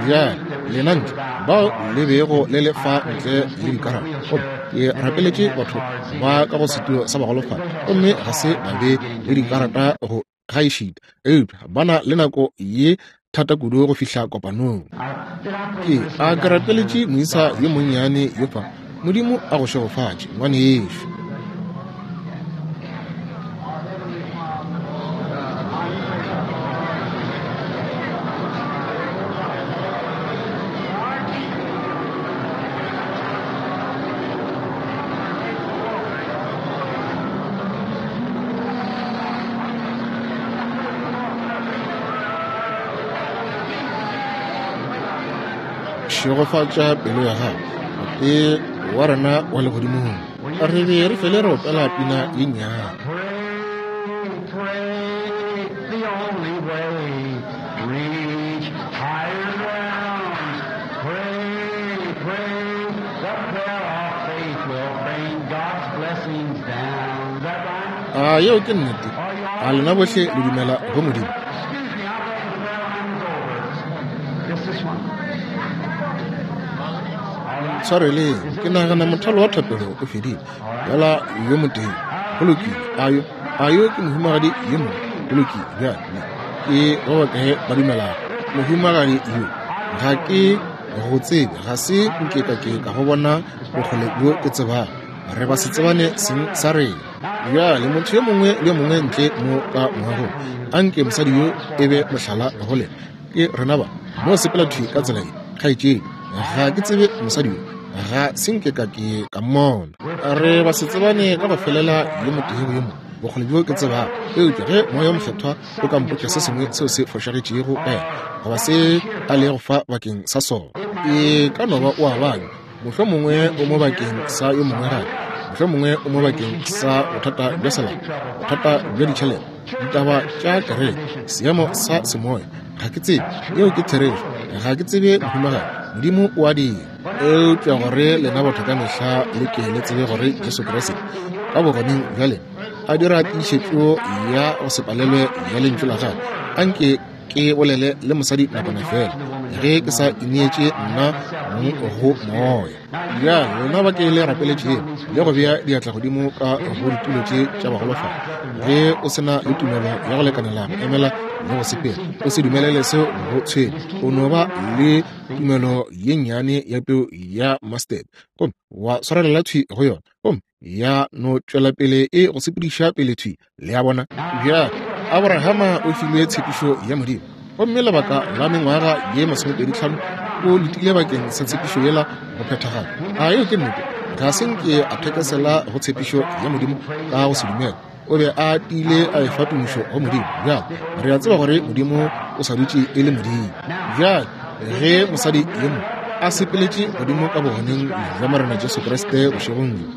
Bjale lena ntle bao le bego le le fa ntle le dikarata, gomme ke rapeletše batho ba ka go setulo sa bagolofadi, gomme ga se ba be le dikarata go gaešita, eupša ba na le nako ye thata kudu go fihla kopanong. Ke a ke rapeletše moisa yo monnyane yo fa. Modimo a go šegofatše, ngwanešu. Šegofatša pelo ya gago, Tate wa rena wa legodimong. Re be re fele re opela pina ye nnyane. Pray, pray, the only way, reach higher ground. Pray, pray, the prayer of faith will bring God's blessings down. Is that right? A yeo ke nnete? A lena bohle le dumela go Modimo? Excuse me, I thought the prayer line was over. Just this one. All right. Tshwareleng, ke nagana mothalo wa thapelo o fedile. Bjala yo motee. Go lokile. Ayo, ayo ke mohumagadi yo mongwe. Go lokile. Bjale ke ba bakae ba dumelago? Mohumagadi yo ga ke go tsebe, ga se nke ka ke ka go bona bokgole bjo ke tsebago. Re ba se tsebane seng sa rena. Bjale motho yo mongwe le yo mongwe ntle mo ka moagong, anke mosadi yo e be mohlala go lena. Ke rena ba mo sepela thwi ka tsela ye, kgaetšedi. Ga ke tsebe mosadi yo, ga se nke ka ke ka mmona. Re ba se tsebane ka go felela yo motee go yo mongwe, bokgole bjo ke tsebago. Eupša ge Moya wo Mokgethwa o ka mpotša se sengwe seo se fošagetšego ka yena, goba se a lego fa bakeng sa sona, e ka no ba o a babja, mohlomongwe o mo bakeng sa yo mongwe gape, mohlomongwe o mo bakeng sa bothata bja selapa, bothata bja ditšhelete, ditaba tša kereke, seemo sa semoya. Ga ke tsebe, yeo ke therešo. Ga ke tsebe mohumagadi, Modimo o a dira. Eupša gore lena batho ka mehla le ke le tsebe gore Jesu Kriste ka bogoneng bja lena a dira tiišetšo ya go se palelwe ya lentšu la gagwe. Anke ke bolele le mosadi nakwana fela, ge ke sa ineetše nna mong go moya. Bjale lena ba ke le rapeletšego le go bea diatla godimo ka go ditulo tše tša bagolofadi, ge o se na le tumelo ya go lekanela go emela le go sepela, o se dumelele seo go tshwenya. O no ba le tumelo ye nnyane ya peu ya mustard, gomme wa swarelela thwi go yona, gomme ya no tšwela pele e go sepediša pele thwi. Le a bona? Bjale Abrahama o filwe tshepišo ya Modimo, gomme lebaka la mengwaga ye masomepedi tlhano o letile bakeng sa tshepišo yela go phethagala. A yeo ke nnete? Ga se nke a thekesela go tshepišo ya Modimo ka go se dumele. O be a tiile a efa tumišo go Modimo. Bjale re a tseba gore Modimo o sa dutše e le Modimo. Bjale ge mosadi yo mongwe a sepeletše godimo ka bogoneng bja Morena Jesu Kriste bošegong bjo,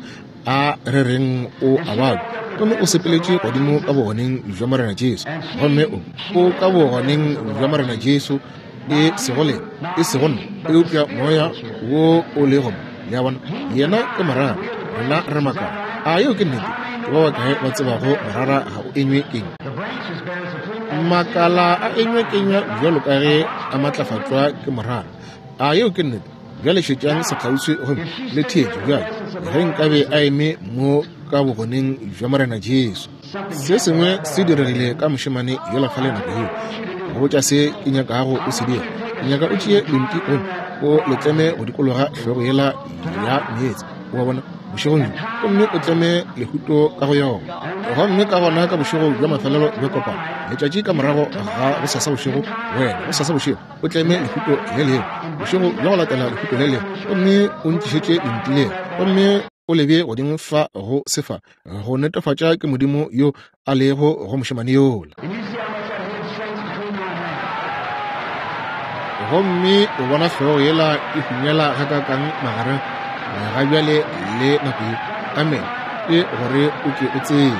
a re reng o a babja, gomme o sepeletše godimo ka bogoneng bja Morena Jesu, gomme o o ka bogoneng bja Morena Jesu, e sego lena, e sego nna, eupša moya wo o lego mo. Le a bona? Yena ke morara, rena re makala. A yeo ke nnete? Ke ba bakae ba tsebago morara ga o enywe kenywa? The branches bears the fruit. Makala a enywe kenywa bjalo ka ge a matlafatšwa ke morara. A yeo ke nnete? Bjale šetšang sekgauswi gomme le theetše bjale. Ge nkabe a eme mo ka bogoneng bja Morena Jesu, se sengwe se diregile ka mošemane yola fale nako yeo. Go botša se ke nyakago o se dira, ke nyaka o tšee lenti gomme o le tleme go dikologa hlogo yela ya meetse, wa bona, bošegong bjo, gomme o tleme lehuto ka go yona. Gomme ka gona ka bošego bja mafelelo bja kopano, letšatši ka morago ga gosasa bošego, wena gosasa bošego o tleme lehuto le lengwe, bošego bja go latela lehuto le lengwe, gomme o ntlišetše lenti lela, gomme o le bee godimo fa go sefa, go netefatša ke Modimo yo a lego go mošemane yola. And you see how much that head shrinks between my hands. Gomme o bona hlogo yela e hunyela gakakang magareng ga bjale le nako ye. Amen. Ke gore o ke o tsebe.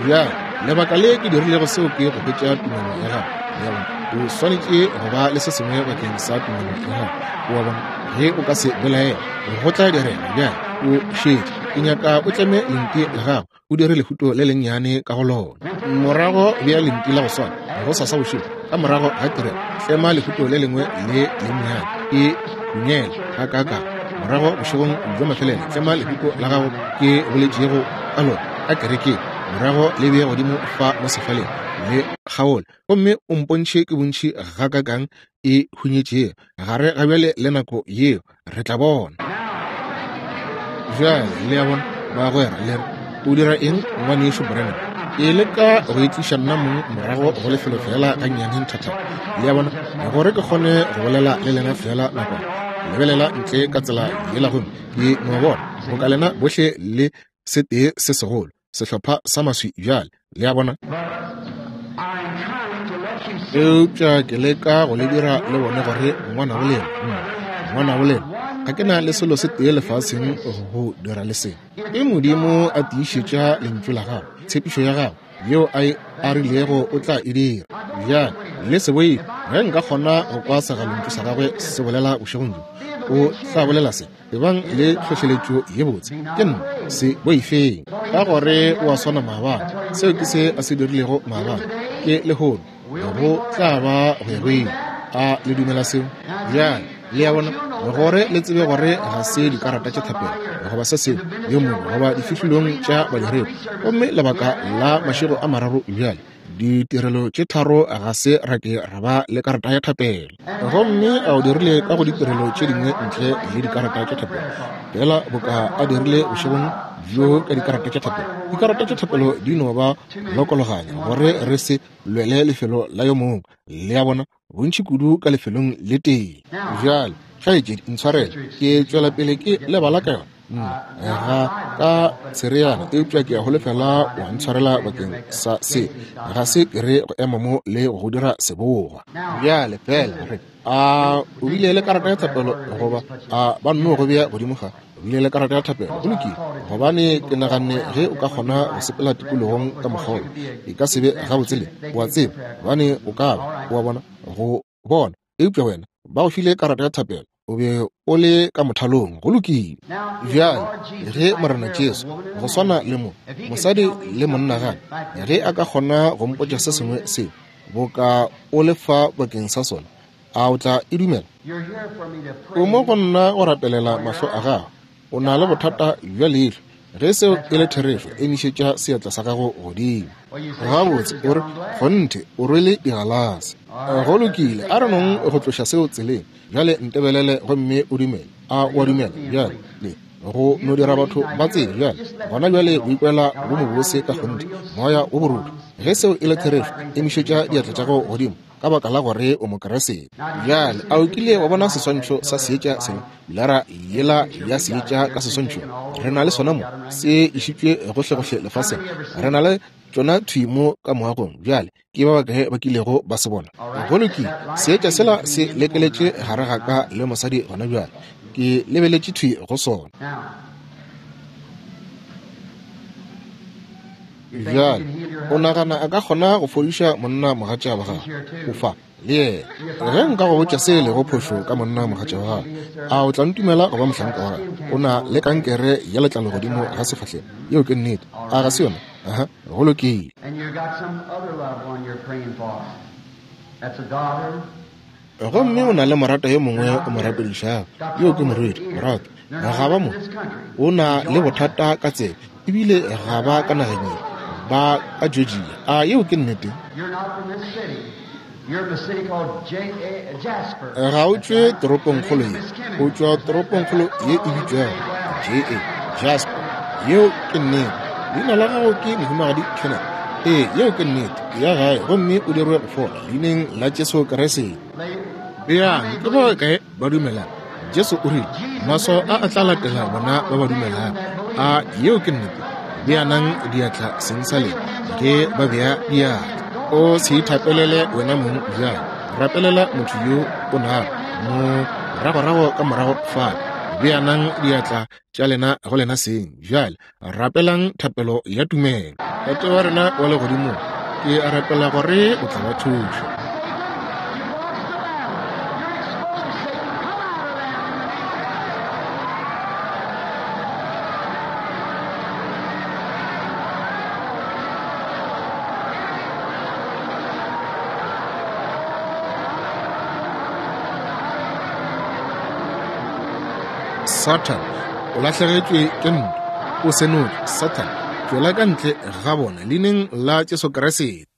Bjale lebaka le ke dirilego seo ke go hwetša tumelo ya gago. Le a bona? O swanetše go ba le se sengwe bakeng sa tumelo ya gago. O a bona? Ge o ka se belaele, go tla direga. Bjale o šetše. Ke nyaka o tleme lenti la gago, o dire lehuto le lennyane ka go lona. Morago bea lenti la go swana gosasa bošego ka morago ga tirelo, tlema lehuto le lengwe le lennyane, e hunyela gakaaka. Morago bošegong bja mafelelo, tlema lehuto la gago ke boletšego ka lona ka kerekeng, morago le bee godimo fa mo sefaleng, le kgaole, gomme o mpontšhe ke bontši gakaakang e hunyetšego gare ga bjale le nako yeo, re tla bona. Bjale le a bona, bagwera, le re, o dira eng, ngwanešu Branham? Ke leka go itliša nna mong morago go lefelo fela gannyane nthathana, le a bona, gore ke kgone go bolela le lena fela nakwana. Lebelela ntle ka tsela yela gomme ke no bona boka lena bohle le setee se segolo, sehlopha sa maswi bjale, le a bona. Eupša ke leka go le dira le bone gore ngwana bo lena, ngwana bo lena, ga ke na le selo se tee lefaseng go dira le se. Ke Modimo a tiišetša lentšu la gago, tshepišo ya gago yeo a e a rilego o tla e dira. Bjale le se boife, ge nka kgona go kwa segalontšu sa gagwe se bolela bošegong bjo, o tla bolela se, ebang le tlhohleletšo ye botse, ke nna, se boifeng, ka gore o a swana maabane. Seo ke se a se dirilego maabane, ke lehono, go tla ba go ya go ile. A le dumela seo? Bjale le a bona, gore le tsebe gore ga se dikarata tša thapelo goba se sengwe yo mongwe goba difihlolong tša badiredi, gomme lebaka la mašego a mararo bjale, ditirelo tše tharo ga se ra ke ra ba le karata ya thapelo. Gomme a o dirile ka go ditirelo tše dingwe ntle le dikarata tša thapelo, fela boka a dirile bošegong bjo ka dikarata tša thapelo. Dikarata tša thapelo di no ba lokologanya gore re se lwele lefelo la yo mongwe, le a bona, bontši kudu ka lefelong le tee. Bjale kgaetšedi, ntshwarele, ke tšwela pele ke lebala ka yona nna ga ka tshereana, eupša ke a holofela wa ntshwarela bakeng sa se. Ga se ke re go ema mo le go dira sebogwa. Bjale fela re a o bile le karata ya thapelo goba a ba nno go bea godimo ga, o bile le karata ya thapelo, go lokile, gobane ke naganne ge o ka kgona go sepela tikologong ka mokgwa wo, e ka se be gabotse le wa tseba, gobane o ka ba wa bona go bona, eupša wena ba go file karata ya thapelo, o be o le ka mothalong, go lokile. Bjale ge Morena Jesu, go swana le mo mosadi le monna gape, ge a ka kgona go mpotša se sengwe seo boka o le fa bakeng sa sona, a o tla e dumela? O mo go nna go rapelela mahlo a gago, o na le bothata bja leihlo. Ge seo e le therešo, emišetša seatla sa gago godimo. Gabotse, o re, kgonthe, o rwele digalase. Go lokile, a re nong go tloša seo tseleng. Bjale ntebelele gomme o dumele. A o a dumela? Bjale le go no dira batho ba tsebe bjale, gona bjale o ikwela bo mobose ka kgonthe, moya o borutho. Ge seo e le therešo, emišetša diatla tša gago godimo, ka baka la gore o Mokriste. Bjale a o kile wa bona seswantšho sa seetša sela, pilara yela ya seetša ka seswantšhong? Re na le sona mo, se išitšwe gohlegohle lefaseng. Re na le tšona thwi mo ka moagong. Bjale ke ba bakae ba kilego ba se bona? Go lokile, seetša sela se lekeletše gare ga ka le mosadi gona bjale, ke lebeletše thwi go sona. Bjale o nagana a ka kgona go fodiša monna mogatša wa gagwe? O fa le yena. Ge nka go botša se e lego phošo ka monna mogatša wa gagwe, a o tla ntumela go ba mohlanka wa gagwe? O na le kankere ya letlalo godimo ga sefahlego. Yeo ke nnete, a ga se yona? Aha, go lokile. Gomme o na le morata yo mongwe o mo rapedišago, yo ke morwedi, morato ga ba mo. O na le bothata ka tsebe, ebile ga ba ka nageng ye, ba ka Georgia. A yeo ke nnete? Ga o tšwe toropongkgolo ye, o tšwa toropongkgolo ye e bitšwago J A, Jasper. Yeo ke nnete. Leina la gago ke Mohumagadi Kenneth. Ee, yeo ke nnete. Ya gae gomme o dirwe go fola leineng la Jesu Kriste. Bjang ke ba kae ba dumelang? Jesu o rile, maswao a a tla latela bona ba ba dumelang. A yeo ke nnete? Beanang diatla seng sa lena ge ba bea diatla. O se ithapelele wena mong bjale, rapelela motho yo o nago mo moragorago ka morago fale. Beanang diatla tša lena go lena seng bjale, rapelang thapelo ya tumelo. Tate wa rena wa legodimong, ke a rapela gore o tla ba thuša. Satan, o lahlegetšwe ke ntwa. O senotše, Satan, tšwela ka ntle ga bona, leineng la Jesu Kriste.